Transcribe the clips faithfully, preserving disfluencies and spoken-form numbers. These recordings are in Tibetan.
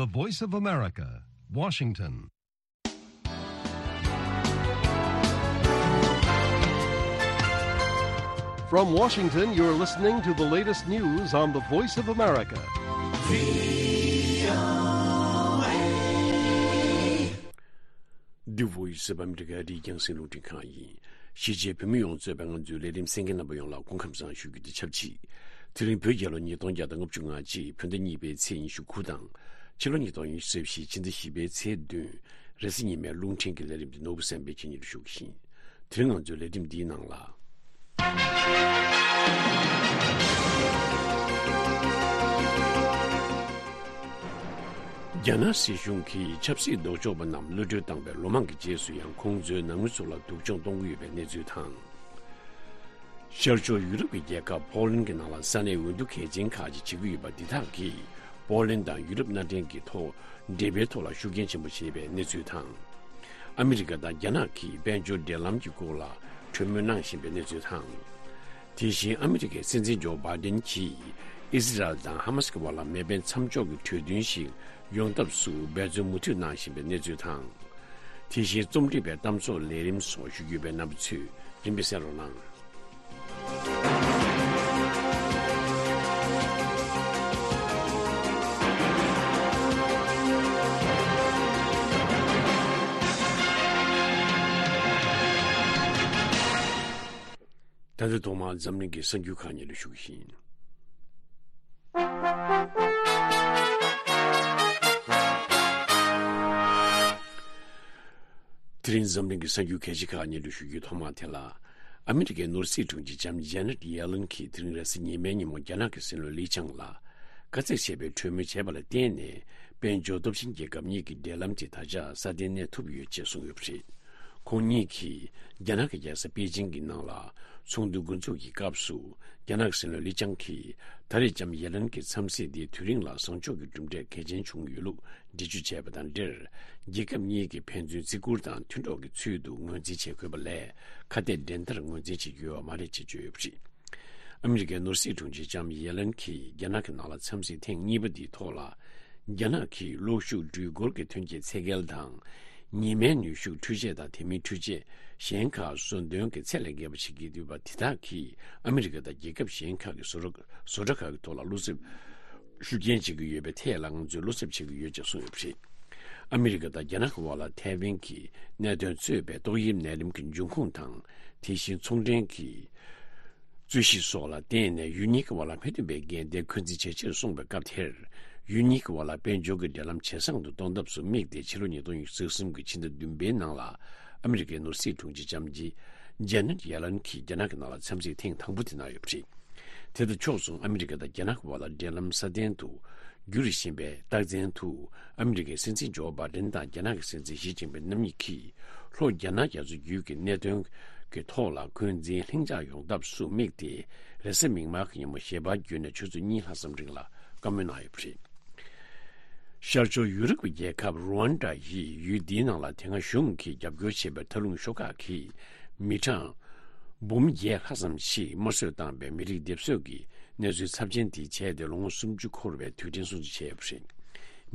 The Voice of America, Washington. From Washington, you're listening to the latest news on the Voice of America. The Voice of America. འདི་རྒྱང་སྲིང་རླུང་འཕྲིན་ཁང་ཡིན། གཞིས་བྱེས་བོད་མི་ཡོངས་གཙོས་པའི་ང་ཚོའི་ལས་རིམ་གསན་མཁན་རྣམ་པ་ཡོངས་ལ་སྐུ་ཁམས་བཟང་ཞུ་རྒྱུ་དེ་ཆབས་ཅིག་དེ་རིང་བོད་རྒྱལ་ལོ་ཉིས་སྟོང་བརྒྱ་དང་ལྔ་བཅུ་ང་གཅིག་བོད་ཟླ་གཉིས་པའི་ཚེས་ཉི་ཤུ་དགུ་དང་། ཕྱི་ལོ་ཉིས་སྟོང་ཉི་ཤུ་རྩ་བཞི་ཕྱི་ཟླ་བཞི་པའི་ཚེས་བདུན། རེས་གཟའ་ཉི་མའི་རླུང་འཕྲིན་གྱི་ལས་རིམ་དེ་ནོར་བུ་སེམས་དཔའི་ཆེད་གཉེར་ཞུ་གི་ཡིན། དེ་རིང་ང་ཚོའི་ལས་རིམ་འདིའི་ནང་ལ། རྒྱ་ནག་སྲིད་གཞུང་གིས་ཆབ་སྲིད་ལྡོག་ཕྱོགས་པ་རྣམས་གློད་གྲོལ་བཏང་བའི་ལོ་མང་གི་རྗེས་སུ་ཡང་ཁོང་ཚོའི་ནང་མི་ཚོ་ལ་སྡུག་སྦྱོང་གཏོང་གི་ཡོད་པའི་གནས་ཚུལ་དང་། ཤར་ཕྱོགས་ཡུ་རོབ་ཀྱི་རྒྱལ་ཁབ་པོ་ལན་གྱི་ནང་ལ་ས་གནས་འོས་བསྡུ་གལ་ཆེན་ཁག་ཅིག་བྱེད་ཀྱི་ཡོད་པ་འདི་དག་གིས་པོ་ལན་དང་ཡུ་རོབ་མནའ་འབྲེལ་གྱི་ཐོག་འབྲེལ་བའི་ཐོག་ལ་ཤུགས་རྐྱེན་ཆེན་པོ་བྱས་པའི་གནས་ཚུལ་དང་། ཨ་མི་རི་ཀ་དང་རྒྱ་ནག་གིས་དཔལ་འབྱོར་འབྲེལ་ལམ་གྱི་སྐོར་ལ་གྲོས་མོལ་གནང་བཞིན་པའི་གནས་ཚུལ་དང་། དེ་བཞིན་ཨ་མི་རི་ཀའི་སྲིད་འཛིན་ཇོ་བྷའི་ཏན་གྱིས་ཨི་སི་རལ་དང་ཧ་མ་སི་ཀྱི་བར་ལ་མེ་འཕེན་མཚམས་འཇོག་གི་གྲོས་མཐུན་ཞིག་ཡོང་ཐབས་སུ་འབད་བརྩོན་མུ་མཐུད་གནང་བཞིན་པའི་གནས་ཚུལ་དང་། དེ་བཞིན་རྩོམ་སྒྲིག་པའི་གཏམ་བཟོ་ལས་རིམ་སོགས་ཞུ་རྒྱུ་ཡོད་པས་རྣམ་པ་ཚོས་རིམ་པས་གསན་རོགས་གནང་། ད་ལྟ་ཐོག་མར་འཛམ་གླིང་གི་གསར་འགྱུར་ཁག་སྙན་སྒྲོན་ཞུ་གི་ཡིན། དེ་རིང་འཛམ་གླིང་གི་གསར་འགྱུར་གལ་ཆེ་ཁག་སྙན་སྒྲོན་ཞུ་རྒྱུའི་ཐོག་མ་དེ་ལ། ཨ་མི་རི་ཀའི་ནོར་སྲིད་དྲུང་ཆེ་ལྕམ་ཇེ་ནེད་ཡེ་ལན་གྱིས་དེ་རིང་རེས་གཟའ་ཉི་མའི་ཉིན་མོ་རྒྱ་ནག་གི་སྲིད་བློན་ལི་ཆང་ལ། དཀའ་ཚེགས་ཆེ་བའི་གྲོས་མོལ་བྱས་པ་ལ་བརྟེན་ནས། དཔལ་འབྱོར་སྟོབས་ཆེན་རྒྱལ་ཁབ་གཉིས་ཀྱི་འབྲེལ་ལམ་དེ་ད་ཆ་སྲ་བརྟན་གནས་ཐུབ་ཡོད་ཅེས་གསུངས་ཡོད་པ་རེད། ཁོང་གཉིས་ཀྱིས་རྒྱ་ནག་གི་རྒྱལ་ས་པེ་ཅིང་གི་ནང་ལ་ཚོགས་འདུ་འགོ་འཛུགས་ཀྱི་སྐབས་སུ། རྒྱ་ནག་སྲིད་བློན་ལི་ཆང་གིས་ད་རེས་ལྕམ་ཡེ་ལན་གྱི་འཚམས་གཟིགས་འདིའི་དུས་རིང་ལ་བཟང་ཕྱོགས་ཀྱི་གྲུབ་འབྲས་གལ་ཆེན་བྱུང་ཡོད་ལུགས་འགྲེལ་བརྗོད་བྱས་པ་དང་འབྲེལ། རྒྱལ་ཁབ་གཉིས་ཀྱི་ཕན་ཚུན་བརྩི་བཀུར་དང་མཐུན་གྲོགས་ཀྱི་ཚུལ་དུ་ངོས་འཛིན་བྱེད་དགོས་པ་ལས། ཁ་གཏད་འགྲན་ཟླར་ངོས་འཛིན་བྱེད་རྒྱུ་ཡོད་པ་མ་རེད་ཅེས་བརྗོད་ཡོད་པ་རེད། ཨ་མི་རི་ཀའི་ནོར་སྲིད་དྲུང་ཆེ་ལྕམ་ཡེ་ལན་གྱིས་རྒྱ་ནག་གི་ནང་ལ་འཚམས་གཟིགས་ཐེངས་གཉིས་པ་འདིའི་ཐོག་ལ། རྒྱ་ནག་གིས་གློག་ཤུགས་འགྲུལ་འཁོར་གྱི་ཐོན་སྐྱེད་ཚད་བརྒལ་དང་། ཉི་མའི་ནུས་ཤུགས་འཕྲུལ་ཆས་དང་དེ་མིན་འཕྲུལ་ཆས་གཞན་ཁག་བཟོ་འདོན་གྱི་ཚད་ལས་བརྒལ་བ་བྱེད་ཀྱི་ཡོད་པ་དེ་དག་གིས་ཨ་མི་རི་ཀ་དང་རྒྱལ་ཁབ་གཞན་ཁག་གི་བཟོ་གྲྭ་བཟོ་གྲྭ་ཁག་གི་ཐོག་ལ་བློ་འཚབ་ཤུགས་རྐྱེན་བྱེད་ཀྱི་ཡོད་པའི་ཐད་ལ་ང་ཚོས་བློ་འཚབ་བྱེད་ཀྱི་ཡོད་ཅེས་གསུངས་ཡོད་པ་རེད། ཨ་མི་རི་ཀ་དང་རྒྱ་ནག་གི་དབར་ལ་ཐའེ་ཝན་གྱི་གནད་དོན་གཙོས་པའི་ཏོག་དབྱིབས་ནད་རིམས་ཀྱི་འབྱུང་ཁུངས་དང་། དེ་བཞིན་ཚོང་འབྲེལ་གྱི་རྩོད་གཞི་སོགས་ལ་བརྟེན་ནས་ཡུལ་གཉིས་ཀྱི་དབར་ལ་མི་མཐུན་པའི་འགལ་ཟླའི་འཁོན་འཛིན་ཇེ་ཆེར་སོང་བའི་སྐབས་དེར། ཡུལ་གཉིས་ཀྱི་དབར་ལ་དཔལ་འབྱོར་གྱི་འབྲེལ་ལམ་ཇེ་བཟང་དུ་གཏོང་ཐབས་སུ་དམིགས་ཏེ་ཕྱི་ལོ་ཉིས་སྟོང་ཉི་ཤུ་རྩ་གསུམ་གྱི་ཕྱི་ཟླ་བདུན་པའི་ནང་ལ་ཨ་མི་རི་ཀའི་ནོར་སྲིད་དྲུང་ཆེ་ལྕམ་ཇི་ཇེ་ནེད་ཡེ་ལན་གྱིས་རྒྱ་ནག་གི་ནང་ལ་འཚམས་གཟིགས་ཐེངས་དང་པོ་དེ་གནང་ཡོད་པ་རེད། དེ་དང་ཕྱོགས་མཚུངས་ཨ་མི་རི་ཀ་དང་རྒྱ་ནག་གི་དབར་ལ་འབྲེལ་ལམ་སྲ་བརྟན་དུ་འགྱུར་བཞིན་པའི་རྟགས་མཚན་དུ། ཨ་མི་རི་ཀའི་སྲིད་འཛིན་ཇོ་བྷའི་ཏན་དང་རྒྱ་ནག་གི་སྲིད་འཛིན་ཞི་ཅིན་ཕིང་རྣམ་གཉིས་ཀྱིས་ལྷོ་རྒྱ་ནག་རྒྱ་མཚོ་རྒྱུད་ཀྱི་གནད་དོན་གྱི་ཐོག་ལ་འཁོན་འཛིན་ལྷིང་འཇགས་ཡོང་ཐབས་སུ་དམིགས་ཏེ། རེས་གཟའ་མིག་དམར་གྱི་ཉིན་མོ་ཞལ་པར་བརྒྱུད་ནས་ཆུ་ཚོད་གཉིས་ལྷག་ཙམ་རིང་ལ་བཀའ་མོལ་གནང་ཡོད་པ་རེད། ཤར་ཕྱོགས་ཡུ་རོབ་ཀྱི་རྒྱལ་ཁབ་རུ་ཝན་ཌ་ཡི་ཡུལ་འདིའི་ནང་ལ་དེ་སྔ་གཞུང་གིས་རྒྱབ་སྐྱོར་བྱས་པའི་མཐའ་ལྷུང་ཤོག་ཁག་གིས་མི་གྲངས་འབུམ་བརྒྱད་ལྷག་ཙམ་ཞིག་དམར་གསོད་བཏང་བའི་མི་རིགས་སྡེབ་གསོད་ཀྱི་གནས་ཚུལ་ཚབས་ཆེན་དེ་བྱས་ཏེ་ལོ་ངོ་སུམ་ཅུ་འཁོར་བའི་དུས་དྲན་སྲུང་བརྩི་བྱས་ཡོད་པ་རེད།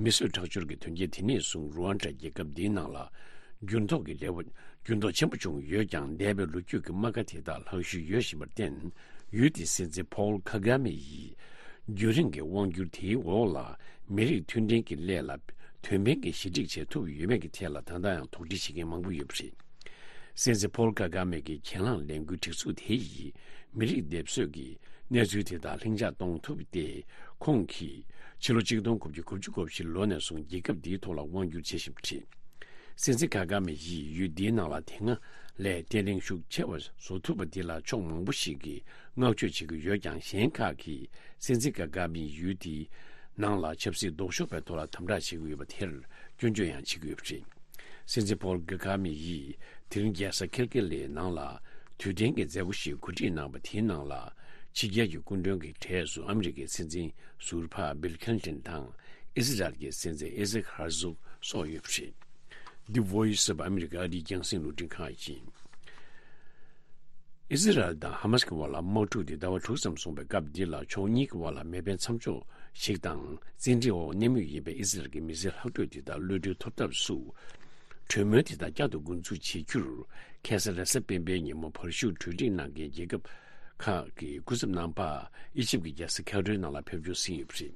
མི་གསོད་ཁྲག་སྦྱོར་གྱི་དོན་རྐྱེན་དེ་ནས་བཟུང་རུ་ཝན་ཌ་རྒྱལ་ཁབ་འདིའི་ནང་ལ་འགྱུར་ལྡོག་གི་ལེའུ་འགྱུར་ལྡོག་ཆེན་པོ་བྱུང་ཡོད་ཀྱང་། འདས་པའི་ལོ་རྒྱུས་ཀྱི་རྨ་ཁ་དེ་དག་ལྷག་ཤུལ་ཡོད་བཞིན་པར་བརྟེན། ཡུལ་དེའི་སྲིད་འཛིན་ཕོལ་ཁ་གྷ་མེ་ཡིས། རྒྱུན་རིང་གི་དབང་སྒྱུར་དེའི་འོག་ལ་མི་རིགས་མཐུན་སྒྲིལ་གྱི་སླད་ལ་དོན་ཕན་གྱི་ཞི་འགྲིག་བྱེད་ཐུབ་ཡོད་མེད་ཀྱི་ཐད་ལ་ད་ལྟ་ཡང་དོགས་འདྲི་བྱེད་མཁན་མང་པོ་ཡོད་པ་རེད། སྲིད་འཛིན་ཕོལ་ཁ་གྷ་མེ་གི་གྱེན་ལངས་ལས་འགུལ་སྒྲིག་འཛུགས་དེ་ཡིས་མི་རིགས་སྡེབ་གསོད་ཀྱི་གནས་ཚུལ་དེ་དག་ལྷིང་འཇགས་གཏོང་ཐུབ་སྟེ། ཁོང་གིས་ཕྱི་ལོ་གཅིག་སྟོང་དགུ་བརྒྱ་དགུ་བཅུ་གོ་བཞི་ལོ་ནས་བཟུང་རྒྱལ་ཁབ་འདིའི་ཐོག་ལ་དབང་སྒྱུར་བྱེད་བཞིན་པ་རེད། སྲིད་འཛིན་ཁ་གྷ་མེ་ཡིས་ཡུལ་འདིའི་ནང་ལ་དེ་སྔ་ལས་བརྟན་ལྷིང་ཤུགས་ཆེ་བ་བཟོ་ཐུབ་པ་འདི་ལ་ཕྱོགས་མང་པོ་ཞིག་གིས་བསྔགས་བརྗོད་བྱེད་ཀྱི་ཡོད་ཀྱང་། གཞན་ཁག་གིས་སྲིད་འཛིན་ཁ་གྷ་མེ་ཡིས་ཡུལ་འདིའི་ནང་ལ་ཆབ་སྲིད་ལྡོག་ཕྱོགས་པའི་ཐོག་ལ་དམ་དྲག་བྱེད་ཀྱི་ཡོད་པ་དེར་སྐྱོན་བརྗོད་ཡང་བྱེད་ཀྱི་ཡོད་པ་རེད། སྲིད་འཛིན་ཕོལ་གྷ་མེ་ཡིས་དེ་རིང་རྒྱལ་ས་ཁེལ་ཀེ་ལེའི་ནང་ལ་དུས་དྲན་གྱི་མཛད་སྒོ་ཞིག་གོ་སྒྲིག་གནང་བ་དེའི་ནང་ལ། ཕྱི་རྒྱལ་གྱི་སྐུ་མགྲོན་གྱི་གྲས་སུ་ཨ་མི་རི་ཀའི་སྲིད་འཛིན་ཟུར་པ་བིལ་ཁིན་ཏིན་དང་། ཨི་སི་རལ་གྱི་སྲིད་འཛིན་ཨི་ཟེག་ཧར་ཛོག་སོགས་ཡོད་པ་རེད། The Voice of America ཨ་རིའི་རྒྱང་སྲིང་རླུང་འཕྲིན་ཁང་ཡིན། ཨི་སི་རལ་དང་ཧ་མ་སི་ཀྱི་དབར་ལ་དམག་འཁྲུག་དེ་ཟླ་བ་དྲུག་ཙམ་སོང་བའི་སྐབས་འདི་ལ་ཕྱོགས་གཉིས་ཀྱི་དབར་ལ་མེ་འཕེན་མཚམས་འཇོག་ ཞིག་དང་། བཙན་ཁྲིད་འོག་གནས་མུས་ཡིན་པའི་ཨི་སི་རལ་གྱི་མི་སེར་ལྷག་འཕྲོས་དེ་དག་གློད་གྲོལ་ཐོབ་ཐབས་སུ། གྲོས་མོལ་དེ་དག་བསྐྱར་དུ་འགོ་འཛུགས་བྱེད་རྒྱུར། ཁ་སང་རེས་གཟའ་སྤེན་པའི་ཉིན་མོ་བར་བཞུགས་གྲོས་འགྲིག་གནང་མཁན་རྒྱལ་ཁབ་ཁག་གི་སྐུ་ཚབ་རྣམ་པ། ཨི་ཇིབ་ཀྱི་རྒྱལ་ས་ཁའི་རོའི་ནང་ལ་ཕེབས་འབྱོར་ཟིན་ཡོད་པ་རེད།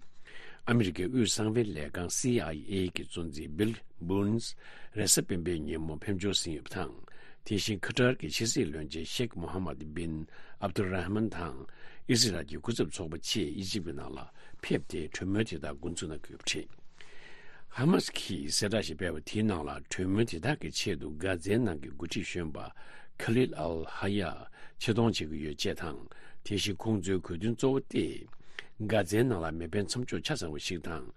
ཨ་མི་རི་ཀའི་དབུས་གསང་བའི་ལས་ཁང་སི་ཨའི་ཨེ་གི་གཙོ་འཛིན་བྷིལ་བྷུན་སི་རེས་གཟའ་སྤེན་པའི་ཉིན་མོ་ཕེབས་འབྱོར་ཟིན་ཡོད་པ་དང་། དེ་བཞིན་ཁ་ཏར་གྱི་ཕྱི་སྲིད་བློན་ཆེན་ཤེག་མོ་ཧ་མད་བྷིན་ཨབ་དུ་ར་ཧ་མན་དང་། ཨི་སི་རལ་གྱི་སྐུ་ཚབ་ཚོགས་པ་བཅས་ཨི་ཇིབ་ཀྱི་ནང་ལ་ཕེབས་ཏེ་གྲོས་མོལ་དེ་དག་འགོ་འཛུགས་གནང་གི་ཡོད་པ་རེད། ཧ་མ་སི་གིས་གསལ་བསྒྲགས་ཤིག་སྤེལ་བ་དེའི་ནང་ལ། གྲོས་མོལ་དེ་དག་གི་ཆེད་དུ་གྷ་ཛའི་ནང་གི་འགོ་ཁྲིད་གཞོན་པ་ཁ་ལིལ་ཨལ་ཧ་ཡ་ཆེད་གཏོང་བྱེད་ཀྱི་ཡོད་ཅེས་དང་། དེ་བཞིན་ཁོང་ཚོའི་དགོས་འདུན་གཙོ་བོ་སྟེ། གྷ་ཛའི་ནང་ལ་མེ་འཕེན་མཚམས་འཇོག་ཆ་ཚང་བ་ཞིག་དང་།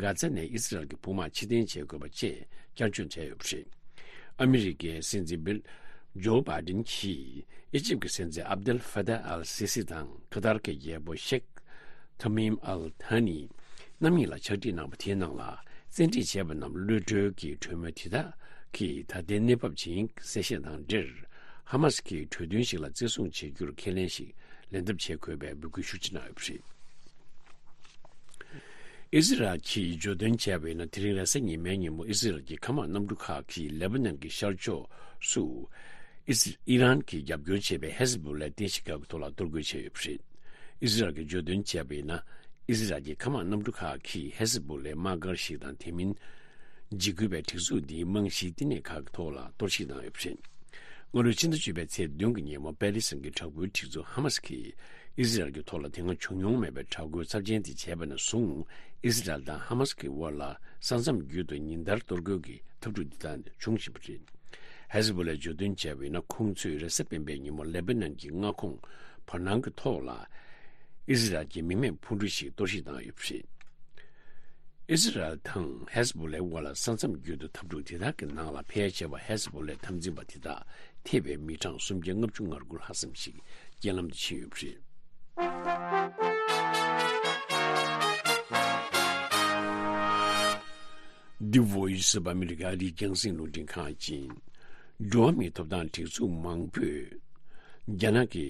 གྷ་ཛ་ནས་ཨི་སི་རལ་གྱི་དཔུང་དམག་ཕྱིར་འཐེན་བྱེད་དགོས་པ་བཅས་བསྐྱར་བརྗོད་བྱས་ཡོད་པ་རེད། ཨ་མི་རི་ཀའི་སྲིད་འཛིན་བྷིལ་ཇོ་བྷའི་ཌེན་གྱིས་ཨི་ཇིབ་ཀྱི་སྲིད་འཛིན་ཨབ་དེལ་ཧྥ་ཏཱ་ཨལ་སི་སི་དང་ཁ་ཏར་གྱི་རྒྱལ་པོ་ཤེག་ཐ་མིམ་ཨལ་ཐ་ནི་རྣམ་གཉིས་ལ་ཕྱག་བྲིས་གནང་བ་དེའི་ནང་ལ། བཙན་ཁྲིད་བྱས་པ་རྣམས་གློད་གྲོལ་གྱི་གྲོས་མོལ་དེ་དག་གི་ད་ལྟའི་གནས་བབ་ཇི་ཡིན་གསལ་བཤད་དང་འབྲེལ། ཧ་མ་སི་ཀྱིས་གྲོས་མཐུན་ཞིག་ལ་བརྩི་སྲུང་བྱེད་རྒྱུར་ཁས་ལེན་ཞིག་ལེན་ཐབས་བྱེད་དགོས་པའི་འབོད་སྐུལ་ཤུགས་ཆེ་གནང་ཡོད་པ་རེད། ཨི་སི་རལ་གྱིས་བརྗོད་དོན་བྱས་པ་ཡིན་ན། དེ་རིང་རེས་གཟའ་ཉི་མའི་ཉིན་མོ་ཨི་སི་རལ་གྱི་མཁའ་དམག་གནམ་གྲུ་ཁག་གིས་ལེ་པ་ནན་གྱི་ཤར་ཕྱོགས་སུ། ཨི་སི་ཨི་རན་གྱིས་རྒྱབ་སྐྱོར་བྱེད་པའི་ཧེ་ཟི་བྷོ་ལའི་རྟེན་གཞི་ཁག་གི་ཐོག་ལ་གཏོར་རྒོལ་བྱས་ཡོད་པ་རེད། ཨི་སི་རལ་གྱིས་བརྗོད་དོན་བྱས་པ་ཡིན་ན། ཨི་སི་རལ་གྱི་མཁའ་དམག་གནམ་གྲུ་ཁག་གིས་ཧེ་ཟི་བྷོ་ལའི་དམག་སྒར་ཞིག་དང་། དེ་མིན་འཇིགས་སྐུལ་བའི་སྒྲིག་འཛུགས་འདིའི་རྨང་གཞིའི་བསྟི་གནས་ཁག་གི་ཐོག་ལ་གཏོར་བཤིག་བཏང་ཡོད་པ་རེད། སྔ་ལོའི་ཕྱི་ཟླ་བཅུ་པའི་ཚེས་བདུན་གྱི་ཉིན་མོ་པེ་ལི་སི་ཐན་གྱི་དྲག་པོའི་སྒྲིག་འཛུགས་ཧ་མ་སི་གིས་ཨི་སི་རལ་གྱི་ཐོག་ལ་དེ་སྔ་བྱུང་མྱོང་མེད་པའི་དྲག་རྒོལ་ཚབས་ཆེན་དེ་བྱས་པ་ནས་བཟུང་། ཨི་སི་རལ་དང་ཧ་མ་སི་གི་དབར་ལ་ས་མཚམས་བརྒྱུད་དུ་ཉིན་ལྟར་གཏོར་རྒོལ་གྱི་འཐབ་འཁྲུག་འདི་དག་བྱུང་བཞིན་པ་རེད། ཧེ་ཟི་བྷོ་ལའི་བརྗོད་དོན་བྱས་པ་ཡིན་ན། ཁོང་ཚོས་རེས་གཟའ་སྤེན་པའི་ཉིན་མོ་ལེ་པ་ནན་གྱི་མངའ་ཁོངས་བར་སྣང་གི་ཐོག་ལ་ཨི་སི་རལ་གྱི་མི་མེད་འཕུར་གྲུ་ཞིག་གཏོར་བཤིག་བཏང་ཡོད་པ་རེད། ཨི་སི་རལ་དང་ཧེ་ཟི་བྷོ་ལའི་དབར་ལ་ས་མཚམས་བརྒྱུད་དུ་འཐབ་འཁྲུག་དེ་དག་གི་ནང་ལ་ཕལ་ཆེ་བ་ཧེ་ཟི་བྷོ་ལའི་འཐབ་འཛིང་པ་དེ་དག་ཐེ་བའི་མི་གྲངས་སུམ་བརྒྱ་ལྔ་བཅུ་ང་དགུ་ལྷག་ཙམ་ཞིག་རྐྱེན་ལམ་དུ་ཕྱིན་ཡོད་པ་རེད། འདི་Voice of America ཨ་རིའི་རྒྱང་སྲིང་རླུང་འཕྲིན་ཁང་ཡིན། འགྲོ་བ་མིའི་ཐོབ་ཐང་སྒྲིག་འཛུགས་མང་པོས། རྒྱ་ནག་གི་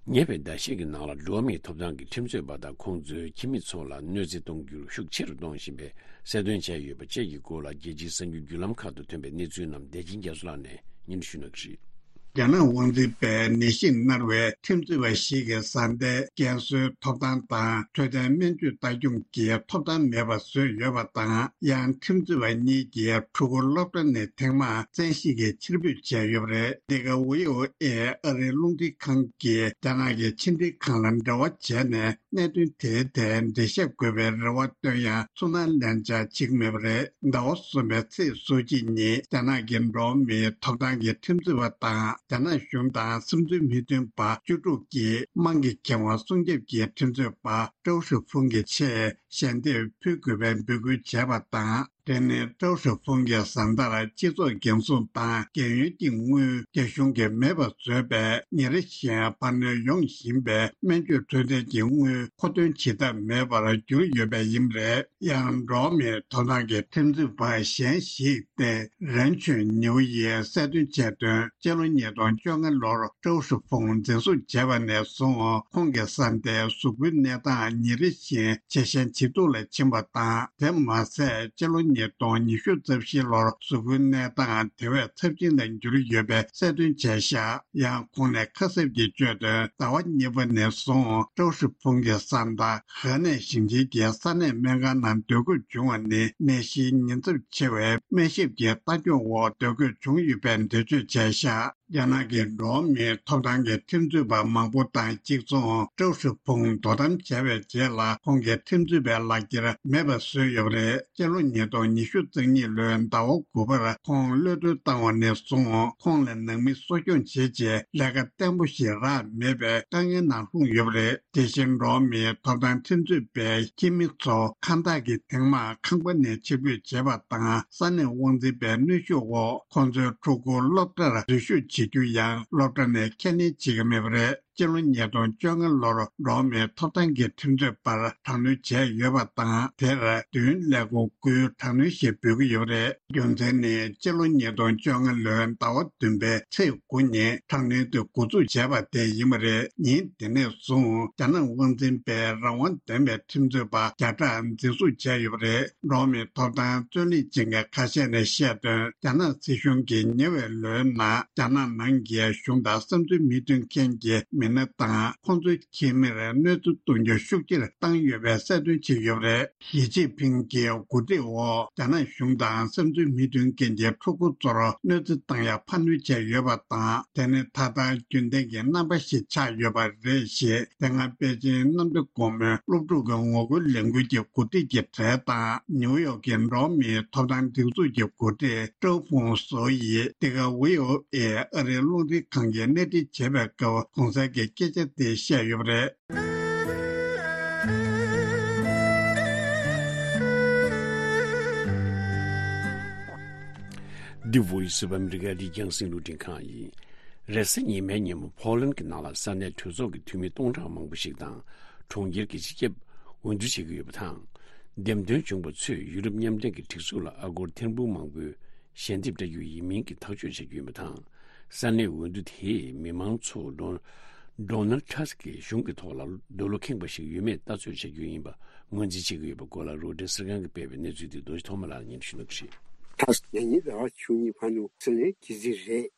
ཉེ་བའི་ཟླ་ཤས་ཀྱི་ནང་ལ་འགྲོ་བ་མིའི་ཐོབ་ཐང་གི་ཁྲིམས་རྩོད་པ་དང་ཁོང་ཚོའི་ཁྱིམ་མི་ཚོ་ལ་གནོད་འཚེ་གཏོང་རྒྱུར་ཤུགས་ཆེ་རུ་གཏོང་བཞིན་པའི་གསལ་སྟོན་བྱས་ཡོད་པ་བཅས་ཀྱི་སྐོར་ལ། རྒྱལ་སྤྱིའི་གསར་འགྱུར་བརྒྱུད་ལམ་ཁག་ཏུ་ཐོན་པའི་གནས་ཚུལ་རྣམས་བདེ་ཆེན་རྒྱ་མཚོ་ལགས་ནས་སྙན་སྒྲོན་ཞུ་གནང་གི་རེད། རྒྱ་ནག་དབང་འཛིན་པས་ནད་གཞི་མནར་བའི་ཁྲིམས་རྩོད་པ་ཞིག་གི་བཟའ་ཟླའི་རྒན་གསོའི་ཐོབ་ཐང་དང་། འཕྲོད་བསྟེན་སྨན་བཅོས་ལྟ་སྐྱོང་གི་ཐོབ་ཐང་མེད་པ་བཟོས་ཡོད་པ་དང་། ཡང་ཁྲིམས་རྩོད་པ་གཉིས་ཀྱིས་ཕྲུ་གུ་སློབ་གྲྭ་ནས་ཐེངས་མང་བཙན་ཤེད་ཀྱིས་ཕྱིར་འབུད་བྱས་ཡོད་པ་རེད། འདི་ག་ཝི་ཨོ་ཨེ་ཨ་རིའི་རླུང་འཕྲིན་ཁང་གིས་རྒྱ་ནག་གི་ཕྱི་འབྲེལ་ཁང་ལ་འབྲེལ་བ་བྱས་ནས། གནད་དོན་དེའི་ཐད་འགྲེལ་བཤད་དགོས་པའི་རེ་བ་བཏོན་ཡང་ཚུར་སྣང་ལེན་འཆར་བྱེད་ཀྱི་མེད་པ་རེད། ཟླ་བ་གསུམ་པའི་ཚེས་སོ་གཅིག་ཉིན་རྒྱ་ནག་གི་འགྲོ་བ་མིའི་ཐོབ་ཐང་གི་ཁྲིམས་རྩོད་པ་དང་། རྒྱ་ནག་གཞུང་དང་སེམས་ཚོར་མི་མཐུན་པ་བཅུ་དྲུག་གིས་དམངས་ཀྱི་ཁེ་དབང་སྲུང་སྐྱོབ་ཀྱི་ཁྲིམས་རྩོད་པ་ཀྲའོ་ཧྲི་ཧྥུང་གི་ཆེད་ཞལ་འདེབས་ཕུལ་དགོས་པའི་འབོད་སྐུལ་བྱས་པ་དང་། དེ་ནི་ཀྲའོ་ཧྲི་ཧྥུང་གི་བཟའ་ཟླར་སྤྱི་ཚོགས་འགན་སྲུང་དང་རྒན་ཡོལ་གྱི་དངུལ་རྒྱ་གཞུང་གིས་མེད་པར་བཟོས་པས། ཉིན་རེ་བཞིན་འཕར་སྣོན་ཡོང་བཞིན་པའི་སྨན་བཅོས་འཕྲོད་བསྟེན་གྱི་དངུལ་མཁོ་འདོན་བྱེད་ཐབས་མེད་པར་གྱུར་ཡོད་པ་ཡིན་པ་རེད། ཡང་འགྲོ་བ་མིའི་ཐོབ་ཐང་གི་ཁྲིམས་རྩོད་པ་གཞན་ཞིག་སྟེ། རན་ཆོན་ཉིའུ་ཡིས་གསལ་སྟོན་བྱས་དོན། སྤྱི་ལོ་ཉིས་སྟོང་བཅོ་ལྔ་ལོར་ཀྲའོ་ཧྲི་ཧྥུང་འཛིན་བཟུང་བྱས་པ་ནས་བཟུང་། ཁོང་གི་བཟའ་ཟླའི་གཟུགས་པོའི་གནས་སྟངས་ཉིན་རེ་བཞིན་ཇེ་ཞན་ཇེ་སྡུག་ལ་ཕྱིན་པ་དང་། དེ་མ་ཟད། སྤྱི་ལོ་ཉིས་སྟོང་ཉི་ཤུ་རྩ་བཞི་ལོར་གཟུགས་པོའི་གནས་སྟངས་དེ་བས་ཚབས་ཆེན་དུ་གྱུར་ཡོད་པའི་གསལ་སྟོན་བྱས་བཞག་ཡང་ཁོང་ནས་ཁ་གསབ་ཀྱིས་བརྗོད་དོན། ཟླ་བ་གཉིས་པ་ནས་བཟུང་ཀྲའོ་ཧྲི་ཧྥུང་གི་བཟའ་ཟླ་ཧེ་ནན་ཞིང་ཆེན་གྱི་ས་གནས་སྨན་ཁང་ནང་སྡོད་དགོས་བྱུང་བ་ནི། ནད་གཞིའི་ཉེན་ཚབས་ཆེ་བའི་སྨན་ཞབས་ཀྱི་ལྟ་སྐྱོང་འོག་སྡོད་དགོས་བྱུང་ཡོད་པའི་འགྲེལ་བརྗོད་བྱས་བཞག་རྒྱ་ནག་གི་འགྲོ་བ་མིའི་ཐོབ་ཐང་གི་ཁྲིམས་རྩོད་པ་མང་པོ་དང་གཅིག་མཚུངས། ཀྲའོ་ཧྲི་ཕུང་དོ་དམ་བྱས་པའི་རྗེས་ལ། ཁོང་གི་ཁྲིམས་རྩོད་པའི་ལག་འཁྱེར་མེད་པར་བཟོས་ཡོད་པ་རེད། སྤྱི་ལོ་ཉིས་སྟོང་ཉི་ཤུ་རྩ་གཉིས་ལོའི་ཟླ་བ་དགུ་པར་ཁོང་གློད་གྲོལ་བཏང་བ་ནས་བཟུང་། ཁོང་ལ་ནང་མི་གསོ་སྐྱོང་བྱེད་ཆེད་ལས་ཀ་བརྟན་པོ་ཞིག་རག་མེད་པའི་དཀའ་ངལ་ནང་ལྷུང་ཡོད་པ་རེད། དེ་བཞིན་འགྲོ་བ་མིའི་ཐོབ་ཐང་ཁྲིམས་རྩོད་པའི་ཁྱིམ་མི་ཚོ་ཁང་བདག་གིས་ཐེངས་མང་ཁང་པ་ནས་ཕྱིར་འབུད་བྱས་པ་དང་། ས་གནས་དབང་འཛིན་པའི་གནོན་ཤུགས་འོག་ཁོང་ཚོའི་ཕྲུ་གུ་སློབ་གྲྭར་འཛུལ་ཞུགས་བྱེད་རྒྱུ་ཡང་སློབ་གྲྭ་ནས་ཁས་ལེན་བྱེད་ཀྱི་མེད་པ་རེད། སྤྱི་ལོ་ཉིས་སྟོང་བཅོ་ལྔ་ལོར་འགྲོ་བ་མིའི་ཐོབ་ཐང་གི་ཁྲིམས་རྩོད་པར་དྲག་གནོན་བྱས་ཡོད་པ་དང་། དེར་བདུན་ཀླད་ཀོར་དགུའི་དྲག་གནོན་ཞེས་འབོད་ཀྱི་ཡོད་པ་རེད། རྒྱུ་མཚན་ནི། སྤྱི་ལོ་ཉིས་སྟོང་བཅོ་ལྔ་ལོའི་ཟླ་བ་བདུན་པའི་ཚེས་དགུ་ཉིན་དྲག་གནོན་དེ་འགོ་འཛུགས་བྱས་པ་དེ་ཡིན་པ་རེད། ཉིན་དེ་ནས་བཟུང་རྒྱ་ནག་དབང་འཛིན་པས་རང་དབང་ལྡན་པའི་ཁྲིམས་རྩོད་པ་བརྒྱ་ཕྲག་འཛིན་བཟུང་བྱས་ཡོད་པ་རེད། འགྲོ་བ་མིའི་ཐོབ་ཐང་རྩོད་ལེན་བྱེད་མཁན་ཁ་ཤས་ནས་བཤད་དོན། རྒྱ་ནག་སྲིད་གཞུང་གིས་ཉེ་བའི་ལོའི་ནང་རྒྱ་ནག་ནང་གི་གཞུང་དང་བསམ་ཚུལ་མི་མཐུན་མཁན་གྱི་མི་སྣ་དང་ཁོང་ཚོའི་ཁྱིམ་མིར་གནོད་འཚེ་གཏོང་རྒྱུ་ཤུགས་ཆེར་བཏང་ཡོད་པའི་གསལ་སྟོན་བྱས་ཡོད་པ་རེད། ཞི་ཅིན་ཕིང་གི་འགོ་ཁྲིད་འོག་རྒྱ་ནག་གཞུང་དང་བསམ་ཚུལ་མི་མཐུན་མཁན་གྱི་ཕྲུ་གུ་ཚོར་གནོད་འཚེ་བཏང་ཡག་ཕར་འགྲོ་བྱས་ཡོད་པ་དང་། དེ་ནི་ད་ལྟ་རྒྱུན་ལྡན་གྱི་རྣམ་པ་ཞིག་ཆགས་ཡོད་པ་རེད་ཞེས། དེ་སྔ་པེ་ཅིན་གནམ་བདེ་སྒོ་མོའི་སློབ་ཕྲུག་གི་ངོ་རྒོལ་ལས་འགུལ་གྱི་འགོ་ཁྲིད་ཀྱི་གྲས་དང་། ནིའུ་ཡོག་གི་འགྲོ་བ་མིའི་ཐོབ་ཐང་སྒྲིག་འཛུགས་ཀྱི་འགོ་ཁྲིད་ཀྲོའུ་ཧྥུང་སུའུ་ཡིས་འདི་ག་བྷི་ཨོ་ཨེ་ཨ་རིའི་རླུང་འཕྲིན་ཁང་གིས་གནས་འདྲི་བྱས་པའི་སྐབས། གོང་གསལ་གྱི་སྐད་ཆ་དེ་བཤད་ཡོད་པ་རེད། འདི་Voice of America རྒྱང་སྲིང་རླུང་འཕྲིན་ཁང་ཡིན། རེས་གཟའ་ཉི་མའི་ཉིན་མོ་ཕོ་ལན་གྱི་ནང་ལ་ས་གནས་གྲོས་ཚོགས་ཀྱི་འཐུས་མི་སྟོང་ཕྲག་མང་པོ་ཞིག་དང་གྲོང་ཁྱེར་གྱི་སྤྱི་ཁྱབ་འོས་བསྡུ་བྱེད་ཀྱི་ཡོད་པ་དང་། འདེམས་ཐོན་བྱུང་བ་ཚོས་ཡུ་རོབ་མཉམ་འབྲེལ་གྱི་སྒྲིག་འཛུགས་ལ་ཨ་སྒོར་ཐེར་འབུམ་མང་པོའི་ཞལ་འདེབས་སྤྲད་རྒྱུ་ཡིན་མིན་གྱི་ཐག་གཅོད་བྱ་རྒྱུ་ཡིན་པ་དང་། ས་གནས་འོས་བསྡུ་དེས་མི་མང་ཚོ་ཌོ་ཌོ་ནལ་ཊྲམ་གྱི་གཞུང་གི་ཐོག་ལ་འདོད་བློ་ཁེངས་པ་ཞིག་ཡོད་མེད་ལྟ་ཚོད་བྱ་རྒྱུ་ཡིན་པ་ངོས་འཛིན་བྱེད་ཀྱི་ཡོད་པའི་སྐོར་ལ་རོའི་ཊར་གསར་ཁང་གིས་སྤེལ་བའི་གནས་ཚུལ་དེ་རྡོ་རྗེ་ཐོགས་མེད་ལགས་ཉན་ཞུ་གནང་གི་རེད། ཊྲམ་ཉེ་ཉིན་ཟླ་བ་བཅུ་གཉིས་བར་དུ་སྲིད་བློན་གྱི་རྩིས་རེད།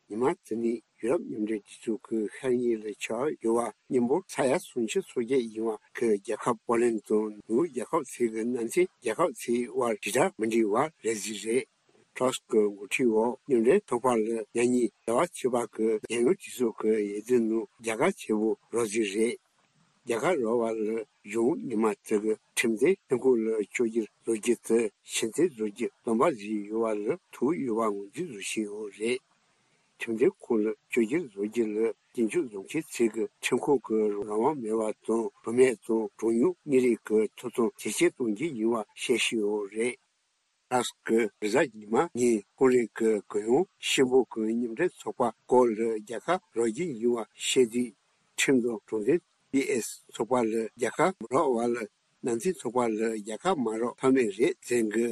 ཉི་མ་དེ་ནི་ཡུ་རོབ་མཉམ་འབྲེལ་སྒྲིག་འཛུགས་ཀྱི་ཤར་ཉིན་ལ་ཆགས་ཡོད་པ་མཉམ་པོ་ས་ཡ་སུམ་ཅུ་སོ་བརྒྱད་ཡིན་པ་གི་རྒྱལ་ཁབ་པོ་ལན་དང་ནུབ་རྒྱལ་ཁབ་ཚོའི་གི་ནང་ཚན་རྒྱལ་ཁབ་ཚོའི་དབར་དྲིལ་བསྒྲགས་མི་འགྲིག་པ་རེད་རྩིས་རེད། ཊྲམ་གྱི་འགོ་ཁྲིད་འོག་མཉམ་འབྲེལ་ཚོགས་པ་ལ་ཉེ་ཉིན་ཟླ་བ་བཅུ་པ་གི་རྒྱལ་ཡོངས་སྒྲིག་འཛུགས་ཀྱི་འོས་བསྡུ་ནང་རྒྱལ་ཁ་ཆེ་པོ་རག་རྩིས་རེད། རྒྱལ་ཁ་རག་པ་ལ་གཞུང་ཉི་མ་དེ་གི་ཁྲིམས་དོན་ཐོན་ཁུངས་ལ་བཅོས་བསྒྱུར་བཟོ་རྒྱུ་དེ་ཕྱི་ཚུལ་བཟོ་རྒྱུ་སྡོམ་པ་བཟོས་ཡོད་པ་ལ་ཐུག་ཡོད་པ་ངོས་འཛིན་བཟོ་བཞིན་ཡོད་རེད། ཁྲིམས་དོན་ཁུངས་ལ་བཅོས་བསྒྱུར་བཟོ་རྒྱུ་ལ་སྐྱིན་འགྱུར་བཟོ་མཁན་ཚོས་ཀྱི་ཁྲིམས་ཁང་གི་རང་དབང་མེད་པ་དང་བུད་མེད་དང་གྲངས་ཉུང་མི་རིགས་ཀྱི་ཐོབ་ཐང་ཇེ་ཆེ་གཏོང་རྒྱུ་ཡིན་པ་བཤད་བཞིན་ཡོད་རེད། ཊྲམ་གྱིས་རེས་གཟའ་ཉི་མ་ཉིན་ཀོ་རི་ཡའི་གུ་ཡངས་ཆེན་པོ་གི་མཉམ་འབྲེལ་ཚོགས་པ་སྐོར་ལ་རྒྱལ་ཁ་རག་རྒྱུ་ཡིན་པ་བཤད་དུས། ཁྲིམས་དང་གྲོང་སྡེ་པི་ཨེ་སི་ཚོགས་པ་ལ་རྒྱལ་ཁ་མ་རག་པ་ལ་ནང་བསྟན་ཚོགས་པ་ལ་རྒྱལ་ཁ་མ་རག་ཐབས་མེད་རེད་ཟེར་གི།